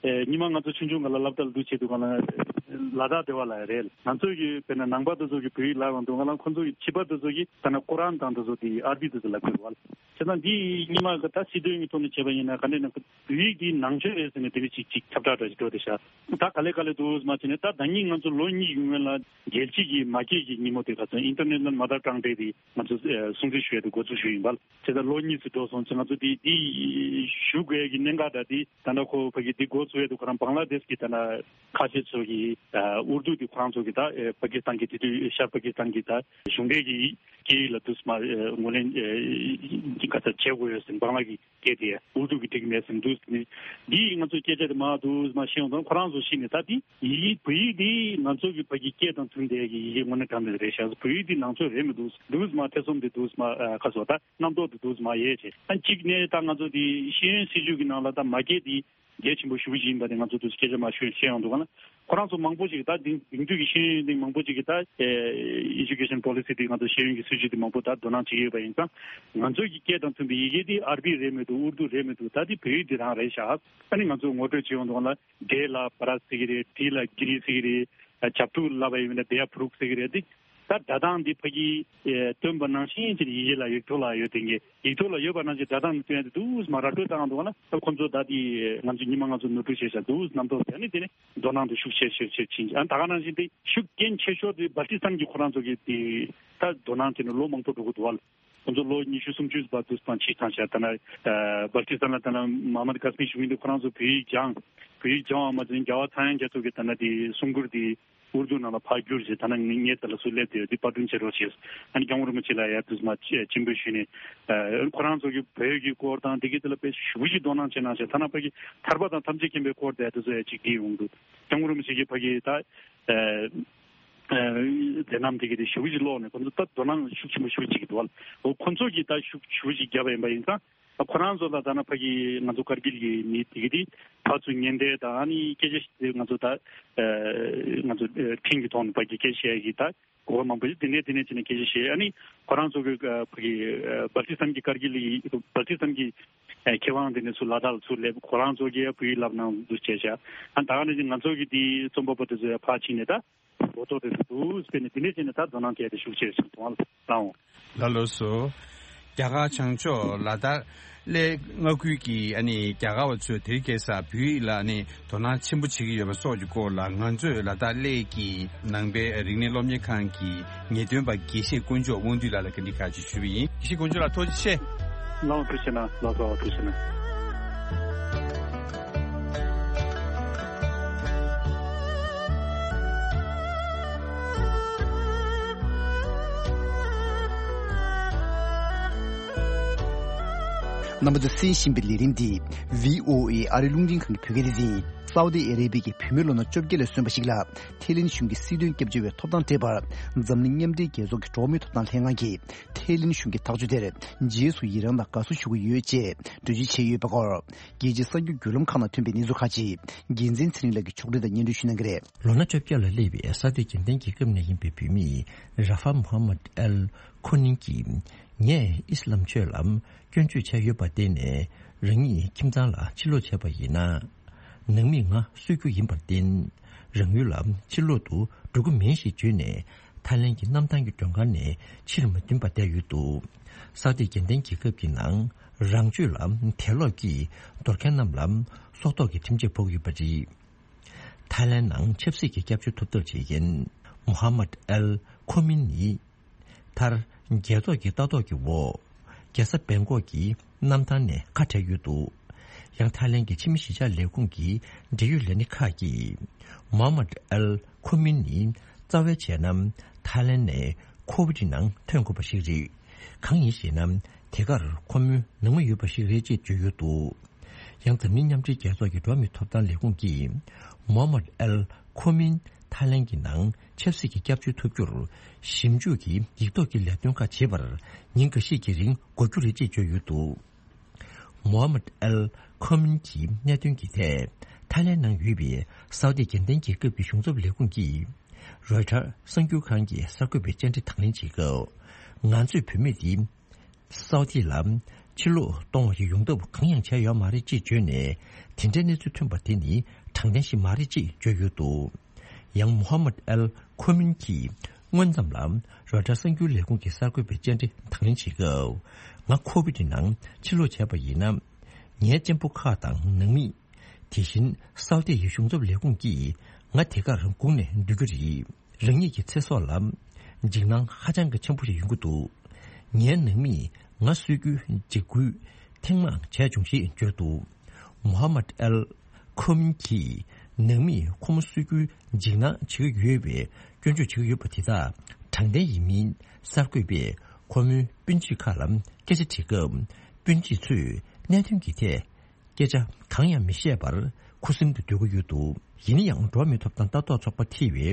ཨེ་ཉི་མ་ང་ཚོ་ཆུང་ཆུང་སྒང་ལ་སློབ་གྲྭ་ལ་འདུག་བྱས་དུས་སྒང་ལ་ལ་དྭགས་སྡེ་བ་ལ་རེད། ང་ཚོ་གི་དཔེར་ན་ནང་པ་དེ་ཚོ་གི་བོད་ཡིག་བསླབ་ཡོང་དུས་སྒང་ལ་ཁོ་ཚོ་གི་བྱིས་པ་དེ་ཚོ་གི་ད་ན་ཀོ་རཱན་དང་དེ་ཚོ་དེ་ཨར་བི་དེ་ཚོ་ལབ་ཀྱི་རེད་བ། བྱས་ཙང་འདི་ཉི་མ་གི་ད་སྲིད་དོན་གྱི་ཐོག་ནས་བྱས་པ་ཡིན་ན་ག་འདྲས་ན་བོད་ཡིག་འདི་ནང་ཆོས་རེད་ཟེར་ནས་དེ་འདྲ་ཅིག་ཅིག་ཁྱབ་བསྒྲགས་འདྲ་ཞིག་འགྲོ་བསྡད་ཤག་ད་ག་ལེ་ག་ལེ་འདུག་མ་བྱས་ནས་ད་ཟླ་ཉིན་ང་ཚོ་ལོ་གཉིས་ཀྱི་སྔོན་ལ་རྒྱལ་སྤྱི་གི་མ་སྐད་ཀྱི་ཉིན་མོ་དེ་ག་ཚོད་International Mother Tongue Day དེ་ང་ཚོ་ཨེ་སྲུང་བརྩི་ཞུ་ཡས་དེ་འགོ་འཛུགས་ཞུས་ཡིན་པ། བྱས་ཙང་ལོ་གཉིས་སུ་འགྲོ་སོང་ཙང་ང་ཚོ་དེ་དེ་ཞུ་དགོས་ཀྱི་གནད་འགག་འདྲ་དེ་ད་ལྟ་ཁོ་ཕ་གི་དེ་འགོ་ཚུགས་ཡས་དེ་ཁོ་རང་བང་ལ་དེཤ་གི་ད་ལྟ་ཁ་ཆེ་ཚོ་གི་ཨུར་དུ་དེ་ཁོ་རང་ཚོ་གི་ད་ཨེ་པ་ཀི་སི་ཐན་གི་དེ་དུས་ཤར་པ་ཀི་སི་ཐན་གི་ད་གཞུང་འབྲེལ་གྱི་སྐད་ཡིག་ལ་དུས་མ་ངོས་ལེན་ག་ཚོད་བྱེད་དགོས་ཡོད་ཟིན་བང་ལ་གི་སྐད་དེ་ཨུ་ཏུ་གི་འགྲིག་མེད་ཟིན་འདུག་ཟིན། འདིས་ང་ཚོའི་སྐད་ཆ་དེ་མ་འདུག་མ་ཤེས་ཡོང་དང་ཁོ་རང་ཚོ་ཤེས་ནས་ད་དེ་ཡི་བོད་ཡིག་དེ་ང་ཚོ་གི་ཕ་གི་སྐད་དང་མཐུན་པའི་གི་ཡི་གེ་དངོས་གནས་དྲང་བདེན་རེད་ཤག་བོད་ཡིག་དེ་ནང་ཆོས་རེད་མི་འདུག་འདུག་མ་ཐེ་ཚོམ་དེ་འདུག་མ་ཁ་སོ་ད་རྣམ་རྟོག་དེ་འདུག་མ་ཡོད་ཅེས་ཨ་གཅིག་ནས་ད་ང་ཚོ་དེ་ཤེས་ཡོན་སྲིད་བྱུས་ཀྱི་ནང་ལ་ད་མ་སྐད་དེ་གལ་ཆེན་པོ་ཞེ་པོ་ཅིག་ཡིན་པ་དེ་ང་ཚོ་དུ་སྐད་ཆ་མ་ཤོད་ཤེས་ཡོང་འདུག་ག་ན། ཁོ་རང་ཚོ་མང་པོ་ཅིག་ད་དེང་དེང་དུས་ཀྱི་ཤེས་ཡོན་དེ་མང་པོ་ཅིག་གི་ད་ཨེ་ཨེ་ཇུ་ཀེ་ཤན་པོ་ལི་སི་དེ་ང་ཚོ་ཤེས་ཡོན་གྱི་སྲིད་བྱུས་དེ་མང་པོ་ད་དོ་སྣང་བྱེད་ཀྱི་ཡོད་པ་ཡིན་ཙང་། ང་ཚོ་གི་སྐད་དང་མཐུན་པའི་ཡི་གེ་དེ་ཨར་བི་རེད་མི་འདུག་ཨུར་དུ་རེད་མི་འདུག་ད་དེ་བོད་ཡིག་དེ་རང་རེད་ཤག་ཨ་ནི་ང་ཚོ་ངོ་སྤྲོད་བྱེད་ཡོང་དུས་ལ་འབྲས་ལ་བ་ར་ཟེར་གྱི་རེད། དྲི་ལ་གི་རི་ཟེར་གྱི་རེད། ཨ་བྱབ་ཕྲུག་ལབ་པ་ཡིན་ན་བེ་ཡ་ཕྲུག་ཟེར་གྱི་རེད། དེ་ད་སྒྲ་གདངས་འདི་ཕ་གི་ཨེ་སྟོན་པ་ནང་བཞིན་གྱི་ཡི་གེ་ལ་ཡིག་ཐོག་ལ་ཡོད་དེ་ངས་ཡིག་ཐོག་ལ་ཡོད་པ་ནང་བཞིན་སྒྲ་གདངས་འདི་སྟོན་ཡ་དེ་འདུག་མ་ར་སྤྲོད་བཏང་འདུག་ན། ད་ཁོ་ཚོ་ད་དེ་ང་ཚོ་ཉི་མ་ང་ཚོ་ནོར་འཁྲུལ་བྱས་ཤག་འདུག་རྣམ་རྟོག་དེ་ནི་དེ་ནི་དོ་སྣང་དེ་ཤུགས་ཆེ་ཆེ་ཆེ་ཕྱིན་ཨ་ད་ག་ནང་བཞིན་དེ་ཤུགས་རྐྱེན་ཆེ་ཤོས་དེ་སྦལ་ཏི་སི་ཐན་གྱི་ཁོ་རང་ཚོ་གི་དེ་ད་དོ་སྣང་དེ་ནི་ལོ་མང་པོ་འགྲོ་གི་འདུག་བ། ཁོ་ཚོ་ལོ་ཉི་ཤུ་སུམ་ཅུ་བར་དུ་སྤང་ཕྱིར་བཏང་བྱས་ད་ན་སྦལ་ཏི་སི་ཐན་ལ་ད་ན་མ་མ་དི་ཀ་སི་མིར་བཞུགས་མཁན་དེ་ཁོ་རང་ཚོ་བོད་ཡིག་སྦྱང་བོད་ཡིག་སྦྱང་བ་མ་ཟད་རྒྱལ་བ་ཚངས་དབྱངས་རྒྱ་མཚོ་གི་ད་ན་དེ་གསུང་མགུར་དེ། ཨུར་དུ་ནང་ལ་ཕར་བསྒྱུར་བྱས་ད་ནང་ངེད་ཚོ་ལ་སུ་སླེབས་ཏེ་འདི་པར་སྐྲུན་བྱེད་རོགས་བྱས། ཨ་ནི་སྐྱབས་མགོན་རིན་པོ་ཆེ་ལ་ཡ་དུས་མ་སྤྱན་འབུལ་ཞུས་ནས་ཁོ་རང་ཚོ་གི་བོད་ཀྱི་སྐོར་དང་དེ་གི་དེ་ལ་དཔེ་ཞེ་པོ་ཅིག་དོ་སྣང་བྱེད་གནང་བྱས་ཐ་ན་ཕ་གི་ཐར་པ་དང་ཐམས་ཅད་མཁྱེན་པའི་སྐོར་དེ་དེ་ཚོ་ཡ་ཅིག་བྲིས་ཡོང་འདུག་སྐྱབས་མགོན་རིན་པོ་ཆེ་གི་ཕ་གི་ད་མཛད་རྣམ་དེ་གི་དེ་ཞེ་པོ་ཅིག་ཀློག་ནས་ཁོ་ཚོ་ད་དོ་སྣང་ཤུགས་ཆེན་པོ་ཞེ་པོ་ཅིག་གི་འདུག་བ། ཁོ་ཚོ་གི་ད་ཤུགས་ཞེ་པོ་ཅིག་བརྒྱབ་པ་ཡིན་པ་ཡིན་ཙང་། ཁོ་རང་ཚོ་ལ་ད་ན་ཕ་གི་ང་ཚོ་ཀར་གིལ་གྱི་མི་དེ་གི་དེ་ཕར་ཚུར་ཉེན་བརྡ་དང་ཨ་ནི་སྐད་ཆ་ཞིག་དེ་ང་ཚོ་ད་ང་ཚོ་འཕྲིན་གྱི་ཐོག་ནས་ཕ་གི་སྐད་ཆ་བཤད་ཀྱི་ད་གོ་བ་མང་པོ་ཞིག་དེ་ནས་དེ་ནས་ཅི་ནས་སྐད་ཆ་བཤད་ཨ་ནི་ཁོ་རང་ཚོ་གི་ཕ་གི་སྦལ་ཏི་སི་ཐན་གྱི་ཀར་གིལ་གྱི་སྦལ་ཏི་སི་ཐན་གྱི་མཁས་དབང་དེ་ནས་ཚུར་ལ་དྭགས་ལ་ཚུར་སླེབས་ཁོ་རང་ཚོ་གི་བོད་ཡིག་བསླབ་གནང་འདུག་བྱས་བྱས་ཨ་ད་ག་ནས་ང་ཚོ་གི་དེ་རྩོམ་པ་པོ་དེ་ཚོ་ཡ་ཕར་ཕྱིན་ནས་ད། གོ་རྟོགས་དེ་འདུག་སྤེལ་ནས་དེ་ནས་བྱས་ནས་ད་དོ་སྣང་སྐྱེས་ཏེ་ཤུགས་ཆེ་ཞིག་གཏོང་བ་ལ་བཏང་འོང་། ལ་ལོ་སོ། རྒྱ་གར་བྱང་ཕྱོགས་ལ་དྭགས་གླེ་མངའ་ཁུལ་གྱི་ཨ་ནི་རྒྱ་གར་བ་ཚོས་དེ་རིང་ཁ་སང་བོད་ཡིག་ལ་ཨ་ནི་དོ་སྣང་ཆེན་པོ་བྱེད་ཀྱི་ཡོད་པ་སོགས་ཀྱི་སྐོར་ལ་ང་ཚོས་ལ་དྭགས་གླེ་གི་ནང་པའི་རིག་གནས་སློབ་གཉེར་ཁང་གི་ངེས་སྟོན་པ་དགེ་བཤེས་དཀོན་མཆོག་དབང་འདུས་ལགས་ལ་བཀའ་འདྲི་ཁག་ཅིག་ཞུས་པ་ཡིན། དགེ་བཤེས་དཀོན་མཆོག་ལགས་ཐུགས་རྗེ་ཆེ། ལགས་འོང་། ཐུགས་རྗེ་གནང་། ལགས་སོ། ཐུགས་རྗེ་གནང་། རྣམ་པ་ཚོས་གསན་བཞིན་པའི་ལས་རིམ་འདི་བྷི་ཨོ་ཨེ་ཨ་རིའི་རླུང་འཕྲིན་ཁང་གི་བོད་སྐད་སྡེ་ཚན་ཡིན། སའུ་ཏི་ཨ་རེ་བྷི་ཡའི་བུད་མེད་ལོ་ན་བཅོ་བརྒྱད་ལ་སོན་པ་ཞིག་ལ་ཐའི་ལེན་གཞུང་གི་སྲིད་དོན་སྐྱབས་བཅོལ་བའི་ཐོབ་ཐང་སྤྲད་པར་འཛམ་གླིང་མཉམ་འབྲེལ་རྒྱལ་ཚོགས་ཀྱི་འགྲོ་བ་མིའི་ཐོབ་ཐང་ལྷན་ཁང་གིས་ཐའི་ལེན་གཞུང་གི་ཐག་གཅོད་དེར་རྗེས་སུ་ཡི་རང་དང་དགའ་བསུ་ཞུ་གི་ཡོད་ཅེས་འགྲེལ་བརྗོད་བྱས་ཡོད་པའི་སྐོར། རྒྱལ་སྤྱིའི་གསར་འགྱུར་བརྒྱུད་ལམ་ཁག་ནང་ཐོན་པའི་གནས་ཚུལ་ཁག་ཅིག་འགན་འཛིན་ཚེ་རིང་ལགས་ཀྱིས་ཕྱོགས་སྒྲིག་དང་སྙན་སྒྲོན་ཞུ་གནང་གི་རེད། ལོ་ན་བཅོ་བརྒྱད་ལ་སླེབས་པའི་སའུ་ཏི་རྒྱལ་བསྟན་རྒྱལ་ཁབ་ནས་ཡིན་པའི་བུད་མེད་ར་ཧྥ་མོ་ཧ་མད་ཨལ་ཁོ་ནིང་གིས་ ངས་ཨི་སི་ལམ་ཆོས་ལ་སྐྱོན་བརྗོད་བྱས་ཡོད་པར་བརྟེན་ནས་རང་ཉིད་ཁྱིམ་ཚང་ལ་ཕྱིར་ལོག་བྱས་པ་ཡིན་ན། ནང་མིས་ང་གསོད་རྒྱུ་ཡིན་པར་བརྟེན། རང་ཡུལ་ལ་ཕྱིར་ལོག་ཏུ་འགྲོ་གི་མིན་ཞེས་བརྗོད་ནས་ཐའི་ལན་གྱི་གནམ་ཐང་གི་མགྲོན་ཁང་ནས་ཕྱིར་མ་ཐོན་པར་བསྡད་ཡོད་འདུག་སའུ་ཏི་རྒྱལ་ལྡན་རྒྱལ་ཁབ་ཀྱི་ནང་རང་ཆོས་ལ་དད་ལོག་གིས་འདོར་མཁན་རྣམས་ལ་སྲོག་ཐོག་གི་ཁྲིམས་ཆད་ཕོག་ཡོད་པ་རེད། ཐའི་ལན་ནང་ཆབ་སྲིད་ཀྱི་སྐྱབས་བཅོལ་ཐོབ་ཐབས་བྱེད་མཁན་མོ་ཧ་མད་ཨལ་ཁོ་མིན་ནི། མཐར། རྒྱལ་ཚོགས་ཀྱི་ལྟ་རྟོག་གི་འོག་རྒྱལ་ས་བེང་ཀོག་གི་གནམ་ཐང་ནས་ཁ་བྲལ་ཡོད་འདུག་ཡང་ཐའི་ལན་གྱི་ཕྱི་མི་གཞིས་ཆགས་ལས་ཁུངས་ཀྱི་འབྲེལ་ཡོད་ལས་སྣེ་ཁག་གིས། མོ་ཧ་མད་ཨལ་ཁོ་མིན་ནི་རྩ་བའི་བྱས་ན་ཐའི་ལན་ནས་ཁོ་ཝི་ཌི་ནང་ཐོན་དགོས་པ་ཞིག་རེད། གང་ཡིན་ཞེ་ན། དེ་གར་ཁོ་མོའི་ནང་མི་ཡོད་པ་ཞིག་རེད་ཅེས་བརྗོད་ཡོད་འདུག་ཡང་འཛམ་གླིང་མཉམ་འབྲེལ་རྒྱལ་ཚོགས་ཀྱི་འགྲོ་བ་མིའི་ཐོབ་ཐང་ལས་ཁུངས་ཀྱིས། མོ་ཧ་མད་ཨལ་ཁོ་མིན་ཐའི་ལན་གྱི་ནང་ཆབ་སྲིད་ཀྱི་སྐྱབས་བཅོལ་ཐོབ་རྒྱུར་ཞིབ་འཇུག་གི་ཡིག་ཐོག་གི་ལས་དོན་ཁག་བྱེད་པར་ཉིན་འགའ་ཤས་ཀྱི་རིང་འགོར་རྒྱུ་རེད་ཅེས་བརྗོད་ཡོད་འདུག་མོ་ཧ་མད་ཨལ་ཁོ་མིན་གྱི་གནད་དོན་གྱི་ཐད་ཐའི་ལན་ནང་ཡོད་པའི་སའུ་ཏི་རྒྱལ་ལྡན་རྒྱལ་ཁབ་ཀྱི་གཞུང་ཚབ་ལས་ཁུངས་ཀྱིས་རོའི་ཊར་གསར་འགྱུར་ཁང་གི་གསར་འགོད་པའི་བཅར་འདྲི་དང་ལེན་བྱེད་སྐབས། ང་ཚོས་བུད་མེད་འདི། སའུ་ཏི་ལ་ཕྱིར་ལོག་གཏོང་བ་ཞིག་ཡོང་ཐབས་གང་ཡང་བྱས་ཡོད་མ་རེད་ཅེས་བརྗོད་ནས། དེ་འདྲའི་གནས་ཚུལ་ཐོན་པ་དེ་ནི་དྲང་བདེན་ཞིག་མ་རེད་ཅེས་བརྗོད་ཡོད་འདུག་ཡང་མོ་ཧ་མད་ཨལ་ཁོ་མིན་གྱིས་སྔོན་ཙམ་ལ་རོའི་ཊར་གསར་འགྱུར་ལས་ཁུངས་ཀྱི་གསར་འགོད་པའི་བཅར་འདྲི་དང་ལེན་བྱེད་སྐབས། ང་ཁོ་ཝི་ཌི་ནང་ཕྱིར་ལོག་བྱས་པ་ཡིན་ན། ངའི་གཅེན་པོ་ཁག་དང་ནང་མི། དེ་བཞིན་སའུ་ཏི་ཡི་གཞུང་ཚབ་ལས་ཁུངས་ཀྱིས་ང་དེ་གར་སྒུག་ནས་སྡོད་རྒྱུ་རེད། རང་ཉིད་ཀྱི་ཚེ་སྲོག་ལ་འཇིགས་སྣང་ཧ་ཅང་གི་ཆེན་པོ་ཞིག་ཡོང་གི་འདུག་ངའི་ནང་མིས་ང་གསོད་རྒྱུའི་འཇིགས་སྐུལ་ཐེངས་མང་བྱས་བྱུང་ཞེས་བརྗོད་འདུག་མོ་ཧ་མད་ཨལ་ཁོ་མིན་གྱིས་ནང་མིས་ཁོ་མོ་གསོད་རྒྱུའི་འཇིགས་སྣང་བྱེད་ཀྱི་ཡོད་པའི་སྐྱོན་བརྗོད་བྱེད་ཀྱི་ཡོད་པ་དེ་དག་དྲང་བདེན་ཡིན་མིན་གསར་འགོད་པས་ཁོ་མོའི་སྤུན་མཆེད་ཁག་ལ་སྐད་ཆ་དྲིས་སྐབས། སྤུན་མཆེད་ཚོས་གནད་དོན་གྱི་ཐད། སྐད་ཆ་གང་ཡང་མི་བཤད་པར་ཁུ་སིམ་དུ་སྡོད་ཀྱི་ཡོད་འདུག་ཡིན་ན་ཡང་འགྲོ་བ་མིའི་ཐོབ་ཐང་ལྟ་རྟོག་ཚོགས་པ་ཐེ་བའི་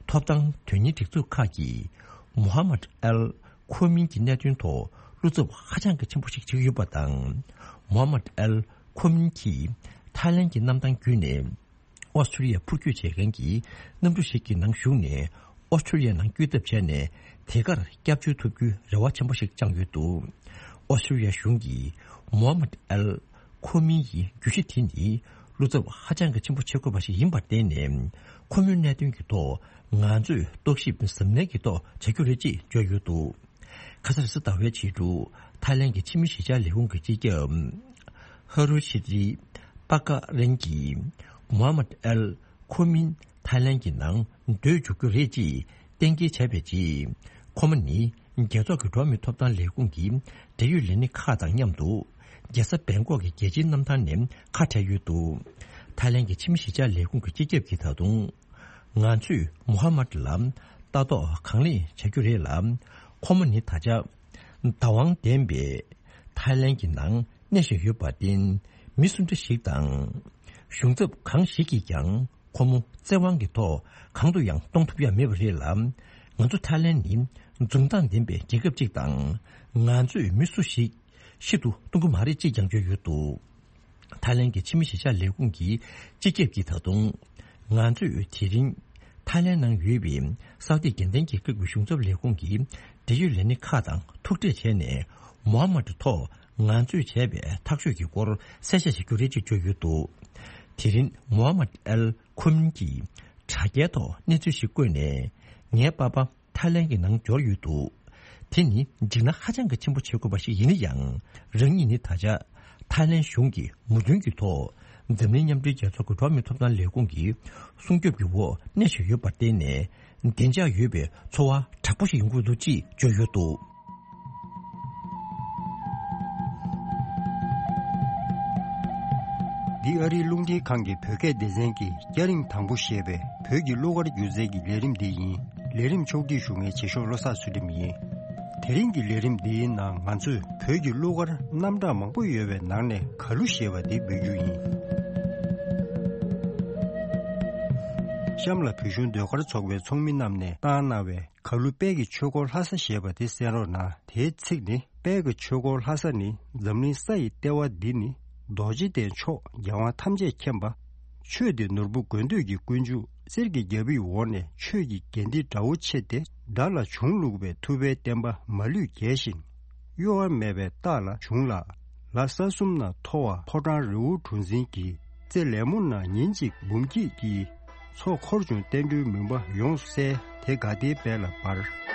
ཐོབ་ཐང་དོན་གཉེར་སྒྲིག་འཛུགས་ཁག་གིས་མོ་ཧ་མད་ཨལ་ཁོ་མིན་གྱི་གནད་དོན་ཐོག་བློ་འཚབ་ཧ་ཅང་གི་ཆེན་པོ་ཞིག་བྱེད་ཀྱི་ཡོད་པ་དང་། མོ་ཧ་མད་ཨལ་ཁོ་མིན་གྱིས་ཐའི་ལན་གྱི་གནམ་ཐང་བརྒྱུད་ནས། ཨོ་སི་ཁྲུ་ལི་ཡ་འཕུར་སྐྱོད་བྱེད་མཁན་གྱི་གནམ་གྲུ་ཞིག་གི་ནང་ཞུགས་ནས་ཨོ་སི་ཁྲུ་ལི་ཡ་ནང་བསྐྱོད་ཐབས་བྱས་ནས་དེ་གར་སྐྱབས་བཅོལ་ཐོབ་རྒྱུའི་རེ་བ་ཆེན་པོ་ཞིག་བཅངས་ཡོད་འདུག་ཨོ་སི་ཁྲུ་ལི་ཡ་གཞུང་གིས་མོ་ཧ་མད་ཨལ་ཁོ་མིན་ཡི་བརྗོད་གཞི་དེ་ནི་བློ་འཚབ་ཧ་ཅང་གི་ཆེན་པོ་བྱེད་དགོས་པ་ཞིག་ཡིན་པར་བརྟེན་ནས་ཁོ་མོའི་གནད་དོན་གྱི་ཐོག་ང་ཚོས་རྟོག་ཞིབ་གཟབ་ནན་གྱི་ཐོག་བྱ་རྒྱུ་རེད་ཅེས་བརྗོད་ཡོད་འདུག་ཁ་སང་རེས་གཟའ་ཟླ་བའི་ཕྱི་དྲོ་ཐའི་ལན་གྱི་ཕྱི་མི་གཞིས་ཆགས་ལས་ཁུངས་ཀྱི་སྤྱི་ཁྱབ་ཧ་རུ་ཤི་རི་པ་ཀ་རན་གྱིས་མོ་ཧ་མད་ཨལ་ཁོ་མིན་ཐའི་ལན་གྱི་ནང་སྡོད་འཇུག་རྒྱུ་རེད་ཅེས་གཏན་འཁེལ་བྱས་པའི་རྗེས། ཁོ་མོ་ནི་རྒྱལ་ཚོགས་ཀྱི་འགྲོ་བ་མིའི་ཐོབ་ཐང་ལས་ཁུངས་ཀྱི་འབྲེལ་ཡོད་ལས་སྣེ་ཁག་དང་མཉམ་དུ་རྒྱལ་ས་བེང་ཀོག་གི་རྒྱལ་སྤྱིའི་གནམ་ཐང་ནས་ཁ་བྲལ་ཡོད་འདུག་ཐའི་ལན་གྱི་ཕྱི་མི་གཞིས་ཆགས་ལས་ཁུངས་ཀྱི་སྤྱི་ཁྱབ་ཀྱིས་ད་དུང་། ང་ཚོས་མོ་ཧ་མད་ལ་ལྟ་རྟོག་གང་ལེགས་བྱ་རྒྱུ་རེད་ལ། ཁོ་མོ་ནི་ད་ཆ་བདག་དབང་ལྡན་པའི་ཐའི་ལན་གྱི་ནང་གནས་བཞིན་ཡོད་པར་བརྟེན། མི་སུ་འདྲ་ཞིག་དང་གཞུང་ཚབ་གང་ཞིག་གིས་ཀྱང་ཁོ་མོ་བཙན་དབང་གི་ཐོག་གང་དུ་ཡང་གཏོང་ཐུབ་ཡ་མེད་པ་རེད་ལ། ང་ཚོ་ཐའི་ལན་ནི་འཛུམ་མདངས་ལྡན་པའི་རྒྱལ་ཁབ་ཅིག་དང་། ང་ཚོས་མི་སུ་ཞིག་ཤི་དུ་གཏོང་གི་མ་རེད་ཅེས་ཀྱང་བརྗོད་ཡོད་འདུག་ཐའི་ལན་གྱི་ཕྱི་མི་གཞིས་ཆགས་ལས་ཁུངས་ཀྱི་སྤྱི་ཁྱབ་ཀྱིས་ད་དུང་། ང་ཚོས་དེ་རིང་ཐའི་ལན་ནང་ཡོད་པའི་སའུ་ཏི་རྒྱལ་ལྡན་རྒྱལ་ཁབ་ཀྱི་གཞུང་ཚབ་ལས་ཁུངས་ཀྱི་འབྲེལ་ཡོད་ལས་སྣེ་ཁག་དང་ཐུག་འཕྲད་བྱས་ནས། མོ་ཧ་མད་ཐོག་ང་ཚོས་བྱས་པའི་ཐག་གཅོད་ཀྱི་སྐོར་གསལ་བཤད་བྱ་རྒྱུ་རེད་ཅེས་བརྗོད་ཡོད་འདུག་དེ་རིང་མོ་ཧ་མད་ཨལ་ཁོ་མིན་གྱིས་དྲ་རྒྱའི་ཐོག་གནས་ཚུལ་ཞིག་བཀོད་ནས། ངའི་པ་ཕ། ཐའི་ལན་གྱི་ནང་འབྱོར་ཡོད་འདུག་དེ་ནི་འཇིགས་སྣང་ཧ་ཅང་གི་ཆེན་པོ་བྱེད་དགོས་པ་ཞིག་ཡིན་ན་ཡང་། རང་ཉིད་ནི་ད་ཆ་ཐའི་ལན་གཞུང་གི་མོས་མཐུན་གྱི་ཐོག་འཛམ་གླིང་མཉམ་འབྲེལ་རྒྱལ་ཚོགས་ཀྱི་འགྲོ་བ་མིའི་ཐོབ་ཐང་ལས་ཁུངས་ཀྱི་སྲུང་སྐྱོབ་ཀྱི་འོག་གནས་བཞིན་ཡོད་པར་བརྟེན་ནས། བདེ་འཇགས་ཡོད་པའི་འཚོ་བ་དྲག་པོ་ཞིག་ཡོང་གི་འདུག་ཅེས་བརྗོད་ཡོད་འདུག་འདི་ཨ་རིའི་རླུང་འཕྲིན་ཁང་གི་བོད་སྐད་སྡེ་ཚན་གྱི་སྐྱ་རེངས་དང་པོ་ཞེས་པའི་བོད་ཀྱི་གླུ་གར་སྒྱུ་རྩལ་གྱི་ལས་རིམ་འདི་ཡིན། ལས་རིམ་ཕྱོགས་སྒྲིག་ཞུ་མཁན་རྗེ་ཤོག་བློ་བཟང་ཚུལ་ཁྲིམས་ཡིན། དེ་རིང་གི་ལས་རིམ་འདིའི་ནང་ང་ཚོས་བོད་ཀྱི་གླུ་གར་རྣམ་གྲངས་མང་པོ་ཡོད་པའི་ནང་ནས་གར་གླུ་ཞེས་པ་འདི་འབུལ་རྒྱུ་ཡིན། གཤམ་ལ་བོད་གཞུང་ཟློས་གར་ཚོགས་པའི་ཚོགས་མི་རྣམས་ནས་བཏང་གནང་བའི་གར་གླུ་དཔལ་གྱི་ཆོས་འཁོར་ལྷ་ས་ཞེས་པ་དེ་གསན་རོགས་གནང་། དེའི་ཚིག་ནི། དཔལ་གྱི་ཆོས་འཁོར་ལྷ་ས་ནི། འཛམ་གླིང་ས་ཡི་ལྟེ་བ་འདི་ནི། རྡོ་རྗེ་གདན་མཆོག་རྒྱལ་དབང་ཐམས་ཅད་མཁྱེན་པ། ཆོས་འདི་ནོར་བུ་དགོས་འདོད་ཀྱི་ཀུན་འབྱུང་། གསེར་གྱི་རྒྱལ་པོའི་འོག་ནས་ཆོས་ཀྱི་རྒྱན་འདི་འདྲ་བོ་ཆེ་སྟེ། དགྲ་ལ་བྱུང་བླུགས་པའི་ཐུབ་པའི་བསྟན་པ་མ་ལུས་རྒྱས་ཤིང་། གཡོ་བ་མེད་པའི་རྟགས་ལ་བྱུང་ལ། ལ་ས་གསུམ་ན་མཐོ་བ་ཕོ་བྲང་རི་བོ་གྲུ་འཛིན་གྱི་རྩེ་ལེབ་མོ་ན་ཉིན་གཅིག་འབུམ་སྐྱིད་ཀྱི་མཚོ་འཁོར་བྱུང་བསྟན་འགྲོའི་མུན་པ་ཡོངས་བསལ་དེ་དགའ་བདེའི་དཔལ་ལ་འབར།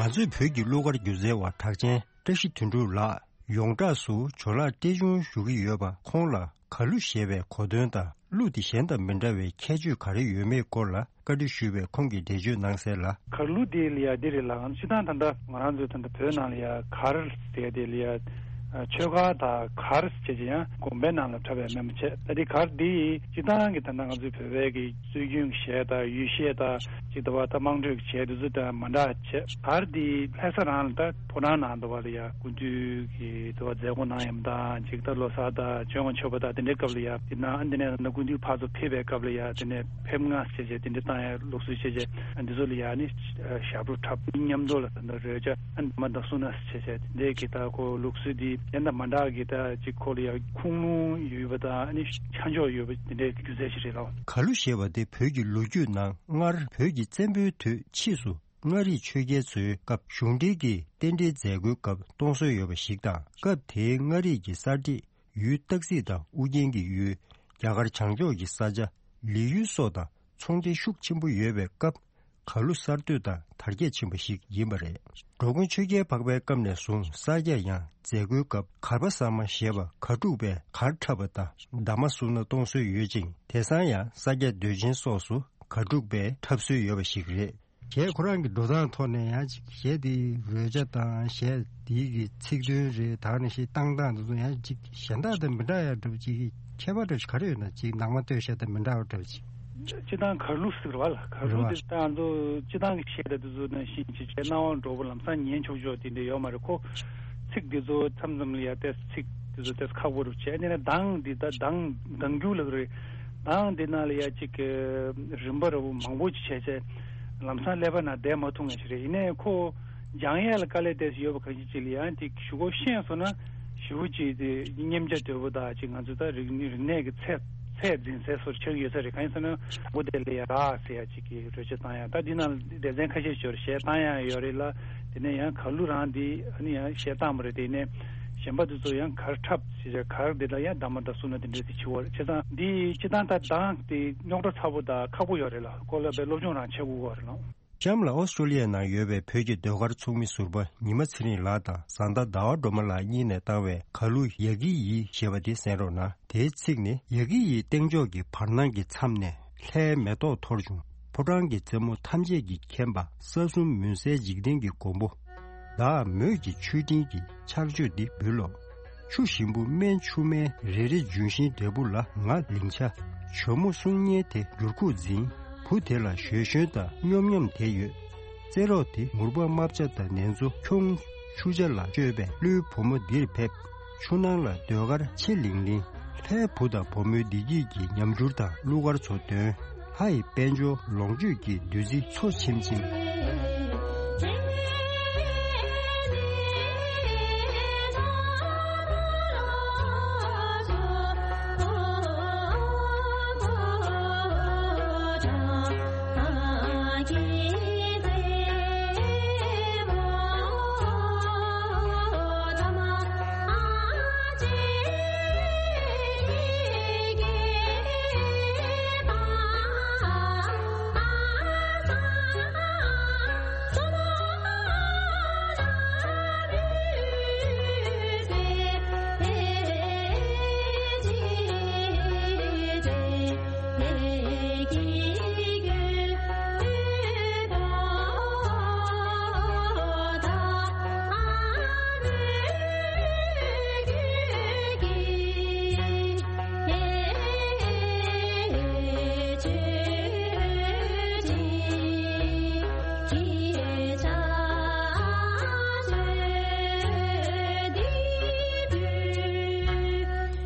ང་ཚོའི་བོད་ཀྱི་གླུ་གར་སྒྱུ་རྩལ་བ་གྲགས་ཅན་བཀྲ་ཤིས་དོན་གྲུབ་ལགས་ཡོངས་གྲགས་སུ་ཇོ་ལགས་བཀྲས་ཆུང་ཞུ་གི་ཡོད་པ། ཁོང་ལ་གར་གླུ་ཞེས་པའི་གོ་དོན་དང་གླུ་དེ་གཞན་དང་མི་འདྲ་བའི་ཁྱད་ཆོས་ག་རེ་ཡོད་མེད་སྐོར་ལ་བཀའ་འདྲི་ཞུས་པས། ཁོང་གིས་འགྲེལ་བརྗོད་གནང་གསལ་ལ། གར་གླུ་དེ་ལ་ཡ་འདི་རེད་ལ། སྤྱིར་བཏང་ད་ལྟ་ང་རང་ཚོའི་ད་ལྟ་བོད་ནང་ལ་ཡ་གར་ཟེར་དེ་ལ་ཡ་ ཆོས་སྒར་དང་གར་བྱས་ཀྱི་ཡང་དགོན་པའི་ནང་ལ་འཁྲབ་པའི་མེད་མ་བྱས། ད་དེ་གར་འདི་སྤྱི་བཏང་གི་ད་ལྟ་ང་ཚོའི་བོད་པའི་གི་སྲོལ་རྒྱུན་གྱི་གཞས་དང་ཡུལ་གཞས་དང་ཅིག་ད་བ་ད་དམངས་ཁྲོད་ཀྱི་གཞས་དེ་ཚོ་དང་མ་འདྲ་བྱས། གར་འདི་ལྷ་ས་རང་ལ་ད་ཕོ་བྲང་ནང་ད་བ་ལ་ཡ་སྐུ་མདུན་གྱི་ད་བ་མཛད་སྒོ་གནང་ཡམ་དང་ཅིག་ད་ལོ་གསར་དང་བྱོན་དགོང་མཆོད་པ་དང་དེ་འདྲའི་སྐབས་ལ་ཡ་དེ་ནང་ཨ་འདི་ནས་ད་སྐུ་མདུན་ཕར་ཚུར་ཕེབས་པའི་སྐབས་ལ་ཡ་དེ་ནས་ཕེབས་ང་བྱས་བྱས་དེ་འདྲ་བཏང་ཡ་ལུགས་སྲོལ་བྱས་བྱས་འདི་ཚོ་ལ་ཡ་ནི་ཞབས་བྲོ་འཁྲབ་མཉམ་དུ་ལ་ད་ད་རོལ་ཆ་ཨ་འདི་མ་ད་སུ་ན་བྱས་བྱས་དེ་འདྲའི་གི་ད་ཁོ་ལུགས་སྲོལ་འདི་གཞན་དང་མ་འདྲ་གི་ད་ཅིག་ཁོ་ལ་ཡ་ཁུངས་ལུང་ཡོད་པ་དང་ཨ་ནི་ཆ་འཇོག་ཡོད་པ་དེ་འདྲའི་སྒྱུ་རྩལ་ཞིག་རེད་ལ། གར་གླུ་ཞེས་པ་དེ་བོད་ཀྱི་ལོ་རྒྱུས་ནང་སྔར་བོད་ཀྱི་བཙན་པོའི་དུས་ཕྱིས་སུ་མངའ་རིས་ཆོས་རྒྱལ་ཚོའི་སྐབས་གཞུང་འབྲེལ་གྱི་རྟེན་འབྲེལ་མཛད་སྒོའི་སྐབས་གཏོང་སྲོལ་ཡོད་པ་ཞིག་དང་། སྐབས་དེའི་མངའ་རིས་ཀྱི་གསར་བསྒྲིགས་ཡུལ་སྟག་རྩེ་དང་ཨུ་རྒྱན་གྱི་ཡུལ། རྒྱ་གར་བྱང་ཕྱོགས་ཀྱི་ས་ཆ་ལི་ཡུལ་སོགས་དང་ཚོང་འབྲེལ་ཤུགས་ཆེན་པོ་ཡོད་པའི་སྐབས། གར་གླུ་གསར་གཏོད་དང་དར་རྒྱས་ཕྱིན་པ་ཞིག་ཡིན་པ་རེད། འགྲོ་མགོན་ཆོས་རྒྱལ་འཕགས་པའི་སྐབས་ནས་བཟུང་ས་སྐྱ་ཡང་མཛད་སྒོའི་སྐབས་གར་པ་ཟ་མ་ཞེས་པ་གར་འཁྲུག་པས་གར་འཁྲབ་པ་དང་འདབ་མ་བསུབས་ན་གཏོང་སྲོལ་ཡོད་ཅིང་། དེང་སང་ཡང་ས་སྐྱ་མདོས་ཆེན་སོགས་སུ་གར་འཁྲུག་པས་འཁྲབ་སྲོལ་ཡོད་པ་ཞིག་རེད། གཞས་ཁོ་རང་གི་འགྲོ་སྟངས་ཐོག་ནས་ཡང་ཅིག་གཞས་དེའི་རོལ་ཆ་དང་གཞས་དེའི་གི་ཚིག་དོན་རེད། ད་ནི་གཞས་བཏང་སྟངས་དེ་ཚོ་ཡང་ཅིག་གཞན་དག་དང་མི་འདྲ་ཡ་འདྲ་པོ་ཅིག་གི་ཁྱད་པར་འདྲ་ཞིག་ག་རེ་ཡོད་ན། ཅིག་ནང་མ་སྟོད་གཞས་དང་མི་འདྲ་བ་འདྲ་པོ་ཅིག་སྤྱི་བཏང་གར་གླུ་ཟེར་བ་ལ་གར་གླུ་རེད་བ། དེ་ད་ང་ཚོ་སྤྱི་བཏང་གི་གཞས་དང་དེ་ཚོ་ནང་བཞིན་ཅིག་བྱས་སྣང་བ་འགྲོ་པོ་ལམ་སང་ཉན་ཆོག་ཆོག་དེ་འདྲ་ཡོད་མ་རེད། ཁོ་ཚིག་དེ་ཚོ་མཚམས་མཚམས་ལ་ཡ་ཏེས་ཚིག་དེ་ཚོ་ཏེས་ཁག་པོ་རུ་བྱས་ནས་གདངས་འདི་ད་གདངས་གདངས་རྒྱུག་ལ་རེད། གདངས་འདི་ནང་ལ་ཡ་ཅིག་གི་རིམ་པ་རུ་མང་པོ་ཅིག་བྱས་བྱས་ལམ་སང་ཀླད་པ་ནང་བསྡད་མ་ཐུབ་ངེས་ཤིག་རེད། ཡིན་ནའི་ཁོ་སྦྱང་ཡས་ལ་དཀའ་ལས་ཏེས་ཡོད་པ་གང་ཞིག་ཅིག་ལ་ཡང་དེ་ཞུ་སྒོ་ཤེས་སོང་ན་ཞུ་སྒོ་ཅིག་དེ་སྙེམས་བྱ་དོད་པོ་དང་ཅིག་ང་ཚོ་ད་རིག་རིག་གནས་ཀྱི་ཚད་ཚད་འཛིན་ཚད་སོར་ཆགས་ཡོད་ས་རེད། གང་ཡིན་ཟེར་ན་སྒོ་དེ་ལ་ཡ་རག་ཟེར་ཡ་ཅིག་གི་རོལ་ཆ་བཏང་ཡ་ད་འདི་ནང་སྡེ་ཚན་ཁ་ཤས་ཤོར་གཞས་བཏང་ཡ་ཡོད་རེད་ལ། དེ་ནས་ཡང་གར་གླུ་རང་འདི་ཨ་ནི་ཡང་གཞས་བཏང་བ་རེད། དེ་ནས་གཞན་པ་དེ་ཚོ་ཡང་གར་འཁྲབ་ཟེར་གར་འདི་ལ་ཡང་གདམས་པ་དང་སུ་ན་དེ་འདྲས་དེ་བྱེད་བར་བྱས་ཙང་འདི་སྤྱི་བཏང་ད་གདངས་དེ་རྙོག་དྲ་ཚ་པོ་དང་ཁག་པོ་ཡོད་རེད་ལ། ཁོ་ལ་པའི་སློབ་སྦྱོང་རང་བྱེད་དགོས་བ་རེད་ལ། གཤམ་ལ་ཨོ་སི་ཀྲོ་ལི་ཡའི་ནང་ཡོད་པའི་བོད་ཀྱི་ཟློས་གར་ཚོགས་མི་ཟུར་པ་ཉི་མ་ཚེ་རིང་ལགས་དང་བཟའ་ཟླ་ཟླ་བ་སྒྲོལ་མ་ལགས་གཉིས་ནས་བཏང་བའི་གར་གླུ་ཡ་གི་ཡི་ཞེས་པ་དེ་གསན་རོགས་གནང་། དེའི་ཚིག་ནི། ཡ་གི་ཡི་སྟེང་ཕྱོགས་ཀྱི་བར་སྣང་གི་མཚམས་ནས་ལྷའི་མེ་ཏོག་འཐོར་བྱུང་། ཕོ་བྲང་གི་རྩེ་མོ་ཐམས་ཅད་ཀྱིས་ཁེངས་པ་ས་གསུམ་མུན་སེལ་འཇིག་རྟེན་གྱི་མགོན་པོ། བདག་མོས་ཀྱི་མཆོད་སྤྲིན་གྱི་ཕྱག་མཆོད་འདི་འབུལ་ལོ། ཆུ་ཞིམ་པོ་སྨན་ཆུ་སྨན་རེ་རེ་ལྗོན་ཤིང་འབྲས་བུ་ལ་ང་ལིང་ཆ། ཇོ་མོ་གསུང་སྙན་དེ་འགྱུར་ཁུག་འཛིན། བུ་དེ་ལ་ཞོད་ཞོན་དང་སྙོམ་སྙོམ་དེ་ཡོད། རྩེད་རོགས་དེ་མུར་པ་རྨ་བྱ་དང་ནེ་ཙོ་ཁྱུང་། ཆུ་བྱ་ལ་སྤྱོད་པའི་ཀླུའི་བུ་མོ་འདིར་ཕེབས། ཆུ་ནང་ལ་ཟློས་གར་ཆེ་ལིང་ལིང་། ལྷའི་བུ་དང་བུ་མོའི་བདེ་སྐྱིད་ཀྱི་ཉམས་འགྱུར་དང་གླུ་གར་ཚོ་འདོན། ལྷ་ཡི་དཔལ་འབྱོར་ལོངས་སྤྱོད་ཀྱི་བདུད་རྩི་འཚོ་ཆེམ་ཆེམ།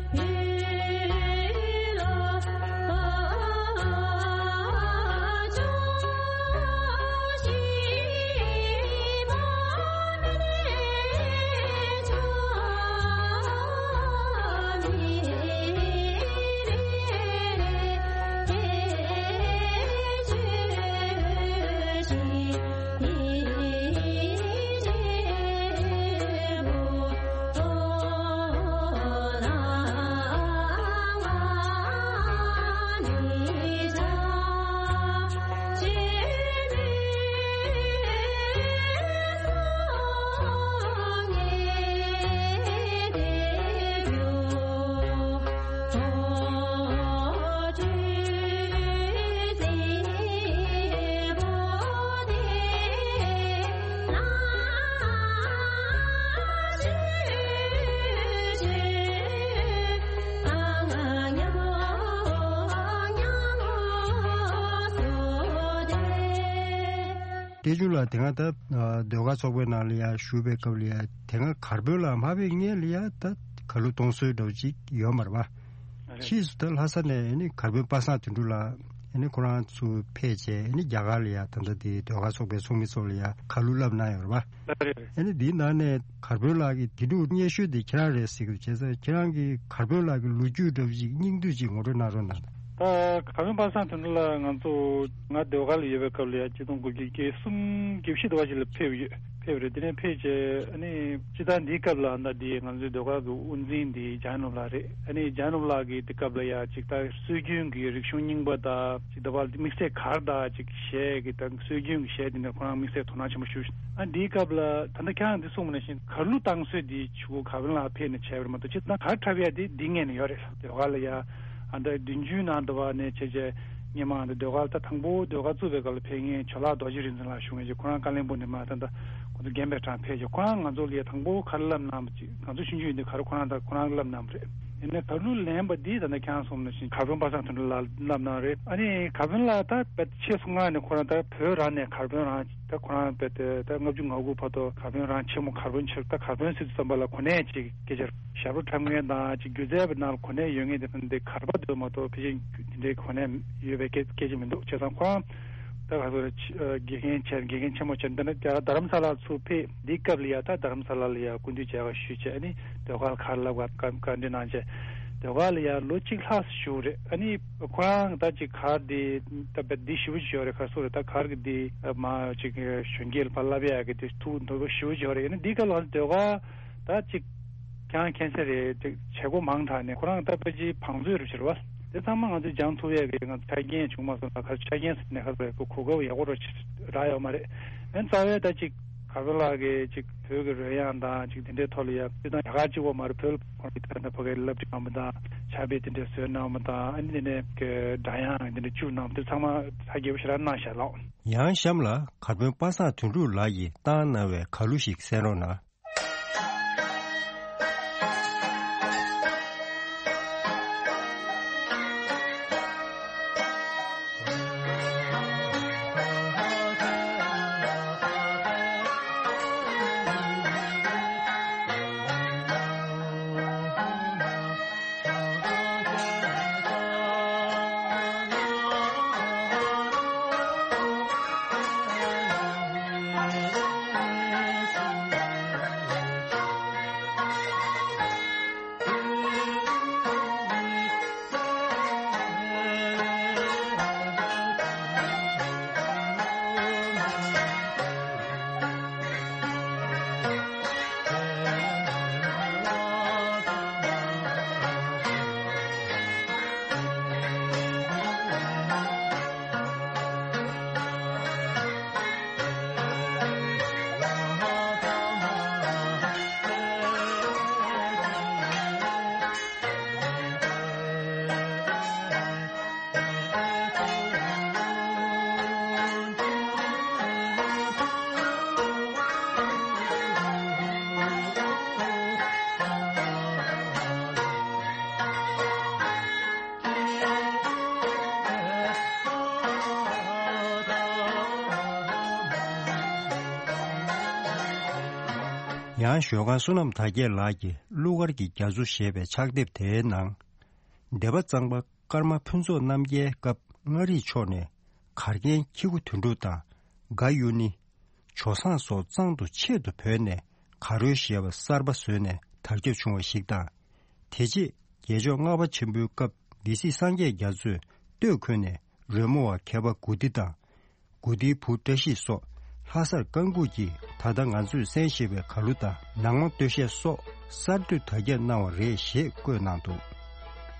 བསྟན་ཆུང་ལགས་དེ་སྔ་ད་ཨ་ཟློས་གར་ཚོགས་པའི་ནང་ལ་ཡ་ཞུགས་པའི་སྐབས་ལ་ཡ་དེ་སྔ་གར་དཔོན་ལ་མ་ཕེབས་སྔོན་ལ་ཡ་ད་ཁ་ལུད་གཏོང་སྲོལ་འདྲ་བོ་ཅིག་ཡོད་མ་རེད་པ། རེད། ཕྱིས་སུ་ད་ལྷ་ས་ནས་ཨ་ནི་གར་དཔོན་པ་སངས་དོན་གྲུབ་ལགས་ཨ་ནི་ཁོ་རང་ཚོ་ཕེབས་བྱས་ཨ་ནི་རྒྱ་གར་ལ་ཡ་ད་ལྟ་དེ་ཟློས་གར་ཚོགས་པའི་ཚོགས་མི་ཚོ་ལ་ཡ་ཁ་ལུད་བསླབ་གནང་ཡོད་རེད་པ། རེད་རེད། ཨ་ནི་འདིའི་ནང་ནས་གར་དཔོན་ལགས་ཀྱིས་དེ་འདྲ་སྙན་ཞུ་དེ་ཁྱེད་རང་རེད་ཟེར་གི་འདུག་བྱས་ཙང་ཁྱེད་རང་གིས་གར་དཔོན་ལགས་ཀྱི་ལོ་རྒྱུས་འདྲ་བོ་ཅིག་སྙིང་བསྡུས་ཅིག་ངོ་སྤྲོད་གནང་རོགས་གནང་། ད་གར་དཔོན་པ་སངས་དོན་གྲུབ་ལགས་ང་ཚོ་ང་ཟློས་གར་ལ་ཡོད་པའི་སྐབས་ལ་ཡ་གཅིག་སྟོང་དགུ་བརྒྱ་བརྒྱད་ཅུ་གྱ་གསུམ་གྱ་བཞི་དུ་བ་ཞིག་ལ་ཕེབས་ཡོད་ཕེབས་རེད། དེ་ནས་ཕེབས་རྗེས་ཨ་ནི་སྤྱི་བཏང་འདིའི་སྐབས་ལ་ད་འདི་ང་ཚོའི་ཟློས་གར་གྱི་དབུ་འཛིན་འདི་འཇམ་དབྱངས་ནོར་བུ་ལགས་རེད། ཨ་ནི་འཇམ་དབྱངས་ནོར་བུ་ལགས་ཀྱིས་དེ་སྐབས་ལ་ཡ་ཅིག་ད་སྲོལ་རྒྱུན་གྱི་རིག་གཞུང་རྙིང་པ་དང་ཅིག་ད་བར་དམིགས་བསལ་གར་དང་ཅིག་གཞས་ཀྱི་ད་སྲོལ་རྒྱུན་གྱི་གཞས་དེ་འདྲ་ཁོ་རང་དམིགས་བསལ་དོ་སྣང་ཆེན་པོ་ཞུ། ཨ་འདིའི་སྐབས་ལ་ད་ལྟ་ཁྱེད་རང་འདི་གསུངས་པ་ནང་བཞིན་གར་གླུ་བཏང་སྲོལ་འདི་ཆུ་བོ་གར་དཔོན་ལགས་ཕེབས་ནས་བྱས་པ་རེད་མ་གཏོགས་སྤྱིར་བཏང་གར་འཁྲབ་ཡ་དེ་འདི་སྔོན་ནས་ཡོད་རེད། ཟློས་གར་ལ་ཡ་ཨ་ད་བདུན་ཅུའི་ནང་དུ་བ་ནས་བྱས་བྱས་སྔོན་མ་ཨ་ད་ཟློས་གར་ད་དང་པོ་ཟློས་གར་བཙུགས་པའི་སྐབས་ལ་ཕེབས་མཁན་ཇོ་ལགས་རྡོ་རྗེ་རིག་འཛིན་ལགས་བཞུགས་མཁན་ཅིག་ཁོ་རང་ཀ་ལོན་སྦུག་ནས་མ་ད་ད་ཁོ་ཚོ་རྒན་པའི་གྲས་ཕེབས་བྱས་ཁོ་རང་ང་ཚོ་ལ་ཡ་དང་པོ་གར་བསླབ་གནང་བ་ཅིག་ང་ཚོ་ཆུང་ཆུང་ཡིན་དུས་གར་ཁོ་རང་ད་ཁོ་རང་བསླབ་གནང་བ་རེད། ཡིན་ནའི་གར་གླུ་ལེན་པ་འདི་ད་ལྟ་ཁྱེད་རང་གསུངས་ནང་བཞིན་གར་དཔོན་པ་སངས་དོན་གྲུབ་ལགས་བསླབ་གནང་རེད། ཨ་ནི་གར་དཔོན་ལགས་ད་དཔེ་ཆེས་སུ་མངགས་ནས་ཁོ་རང་ད་བོད་རང་ནས་གར་དཔོན་རང་ད་ཁོ་རང་དཔེ་དེ་ད་ལྔ་བཅུ་ང་དགུ་བར་དུ་གར་དཔོན་རང་ཆེན་མོ་གར་དཔོན་ཆེ་ད་གར་དཔོན་ཟེར་དུས་ཙམ་པ་ལ་གོ་གནས་ཅིག་སྐད་ཆ་ཞབས་བྲོ་འཁྲབ་མཁན་དང་ཅིག་སྒྱུ་རྩལ་བའི་ནང་ལ་གོ་གནས་ཡོད་མཁན་དེ་ཕན་འདི་གར་པ་དེ་མ་གཏོགས་ཕལ་ཆེར་དེ་འདྲའི་གོ་གནས་ཡོད་པའི་སྐད་སྐད་ཆ་མི་འདུག་བྱས་ཙང་ཁོ་རང་ད་ག་ཚོད་དགེ་རྒན་ཆེ་དགེ་རྒན་ཆེན་མོ་ཆེ་འདི་ནི་རྡ་རམ་ས་ལ་ཚུར་ཕེབས་འདི་སྐབས་ལ་ཡ་ད་རྡ་རམ་ས་ལ་ལ་ཡ་སྐུ་མདུན་མཇལ་ཁ་ཞུས་བྱས་ཨ་ནི་ཟློས་གར་གར་བསླབ་ག་བཀའ་བཀའ་འདྲི་གནང་བྱས་ཟློས་གར་ལ་ཡ་ལོ་གཅིག་ལྷག་བཞུགས་རེད། ཨ་ནི་ཁོ་རང་ད་ཅིག་གར་འདི་ད་བད་འདི་ཞིབ་པོ་ཅིག་ཡོད་རེད། ག་སོ་རེད་ད་གར་གི་འདི་མ་ཅིག་གཞོན་སྐྱེས་ལ་ཕར་བསླབ་ཡ་གི་འདི་ཐུགས་འདོད་པ་ཞིབ་པོ་ཅིག་ཡོད་རེད། ཨ་ནི་འདི་ག་ལ་ཟློས་གར་ད་ཅིག་ཀྱང་མཁྱེན་གསལ་རེད། ཅིག་བྱེད་སྒོ་མང་དྲགས་ནས་ཁོ་རང་ད་ཕལ་ཆེར་བང་མཛོད་རུ་ཕྱིར་བ་དེ་ཚང་མ་ང་ཚོས་སྦྱང་ཐུབ་ཡ་གི་ང་ཚོ་ཆ་རྐྱེན་བྱུང་མ་སོང་ད་གར་ཆ་རྐྱེན་ཟེར་ནས་ག་ཚོད་གོ་སྐབས་ཡག་པོ་ར་རག་ཡོད་མ་རེད། ཨ་ནི་རྩ་བའི་ད་ཅིག་གར་པ་ལགས་ཀྱིས་ཅིག་བོད་ཀྱི་རོལ་དབྱངས་དང་ཅིག་དེ་འདྲའི་ཐོག་ལ་ཡ་སྤྱིར་བཏང་རྒྱ་གར་གཅིག་པོ་མ་རེད། བོད་ལ་ཁོང་གིས་ད་ལྟ་ཕ་གིར་བསླབ་ཁྲིད་གནང་བ་དང་ཕྱག་དཔེ་དེ་འདྲའི་བཟོས་གནང་བ་དང་ཨ་ནི་དེ་ནས་ཀྱི་སྒྲ་དབྱངས་དེ་འདྲ་བཅུག་གནང་བ་དེ་ཚང་མ་ཧ་རྒྱས་པོ་ཞེ་དྲག་གནང་ཤག་ལགས། ཡང་གཤམ་ལ་གར་དཔོན་པ་སངས་དོན་གྲུབ་ལགས་ཀྱིས་བཏང་གནང་བའི་གར་གླུ་ཞིག་གསན་རོགས་གནང་། ཡང་ཞོལ་ཁང་བསོད་ནམས་དར་རྒྱས་ལགས་ཀྱིས་གླུ་གར་གྱི་རྒྱ་མཚོ་ཞེས་པའི་ཕྱག་དེབ་དེའི་ནང་། སྡེ་པ་གཙང་པ་ཀརྨ་ཕུན་ཚོགས་རྣམ་རྒྱལ་སྐབས་མངའ་རིས་ཕྱོགས་ནས་གར་མཁན་ཁྱི་གུ་དོན་གྲུབ་དང་དགའ་གཡུ་ནི། ཇོ་བཟང་སོགས་གཙང་དུ་ཆེད་དུ་བོས་ནས་གར་རོལ་ཞེས་པ་གསར་པ་བཟོས་ནས་དར་ཁྱབ་བྱུང་བ་ཞིག་དང་། དེ་རྗེས་རྒྱལ་མཆོག་ལྔ་པ་ཆེན་པོའི་སྐབས་སྡེ་སྲིད་སངས་རྒྱས་རྒྱ་མཚོས་སྟོད་འཁོད་ནས་རོལ་མོ་བ་མཁས་པ་དགུ་སྡེ་དང་། དགུ་སྡེའི་བུ་བཀྲ་ཤིས་སོགས་ལྷ་སར་བཀའ་འགུགས་ཀྱིས་ད་ལྟ་ང་ཚོས་གསན་བཞིན་པའི་གར་གླུ་དང་ནང་མ་སྟོད་གཞས་སོགས་གསར་གཏོད་དར་ཁྱབ་གནང་བ་རེད་ཞེས་བཀོད་གནང་འདུག་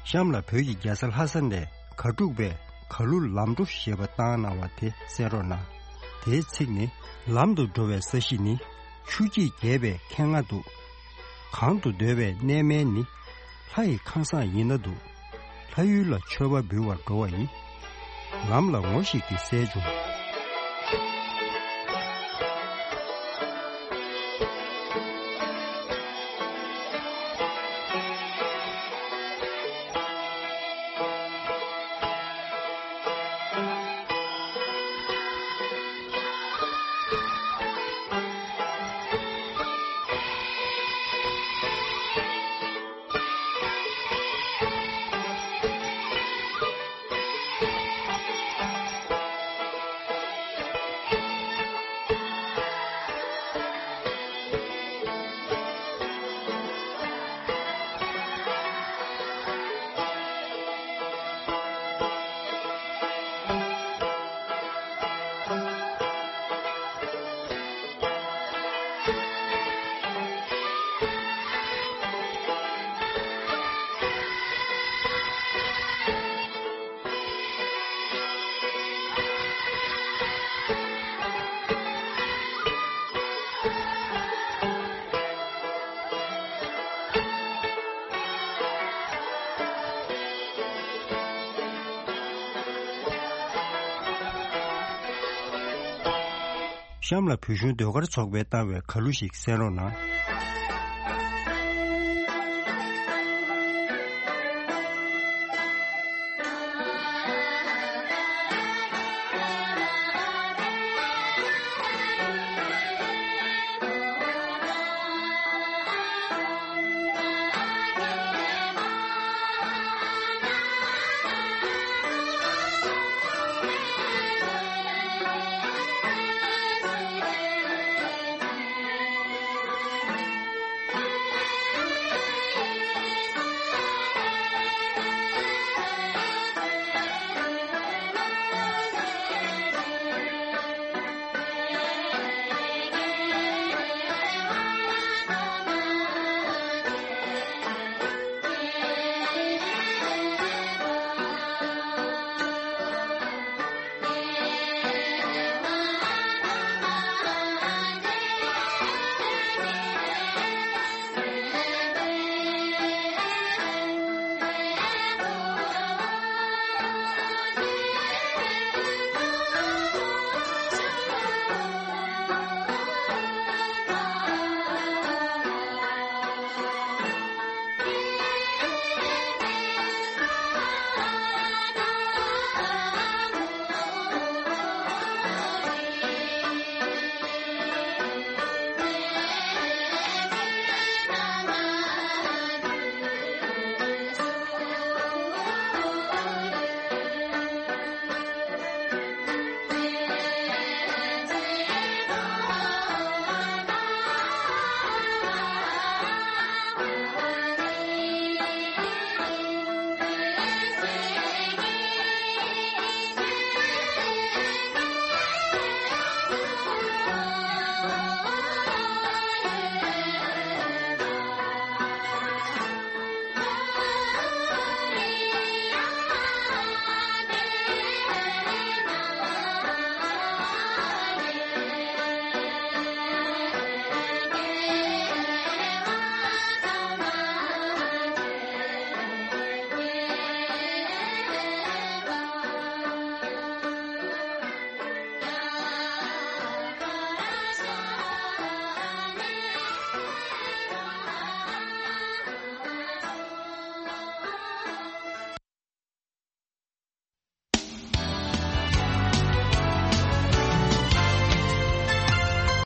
གཤམ་ལ་བོད་ཀྱི་རྒྱལ་ས་ལྷ་ས་ནས་གར་སྒྲུག་པས་གར་གླུ་ལམ་འགྲོ་ཞེས་པ་བཏང་གནང་བ་དེ་གསན་རོགས་གནང་། དེའི་ཚིག་ནི། ལམ་དུ་འགྲོ་བའི་ས་གཞི་ནི། ཆུ་སྐྱེས་རྒྱས་པའི་ཁེངས་ང་འདུག་གང་དུ་སྡོད་པའི་གནས་མལ་ནི། ལྷ་ཡི་ཁང་བཟང་ཡིན་ན་འདུག་ལྷ་ཡུལ་ལ་མཆོད་པ་འབུལ་བར་འགྲོ་བ་ཡིན། ལམ་ལ་ངོ་ཞིག་གིས་གསལ་བྱུང་། གཤམ་ལ་བོད་གཞུང་ཟློས་གར་ཚོགས་པས་བཏང་བའི་ཁ་ལོ་ཞིག་གསན་རོགས་གནང་།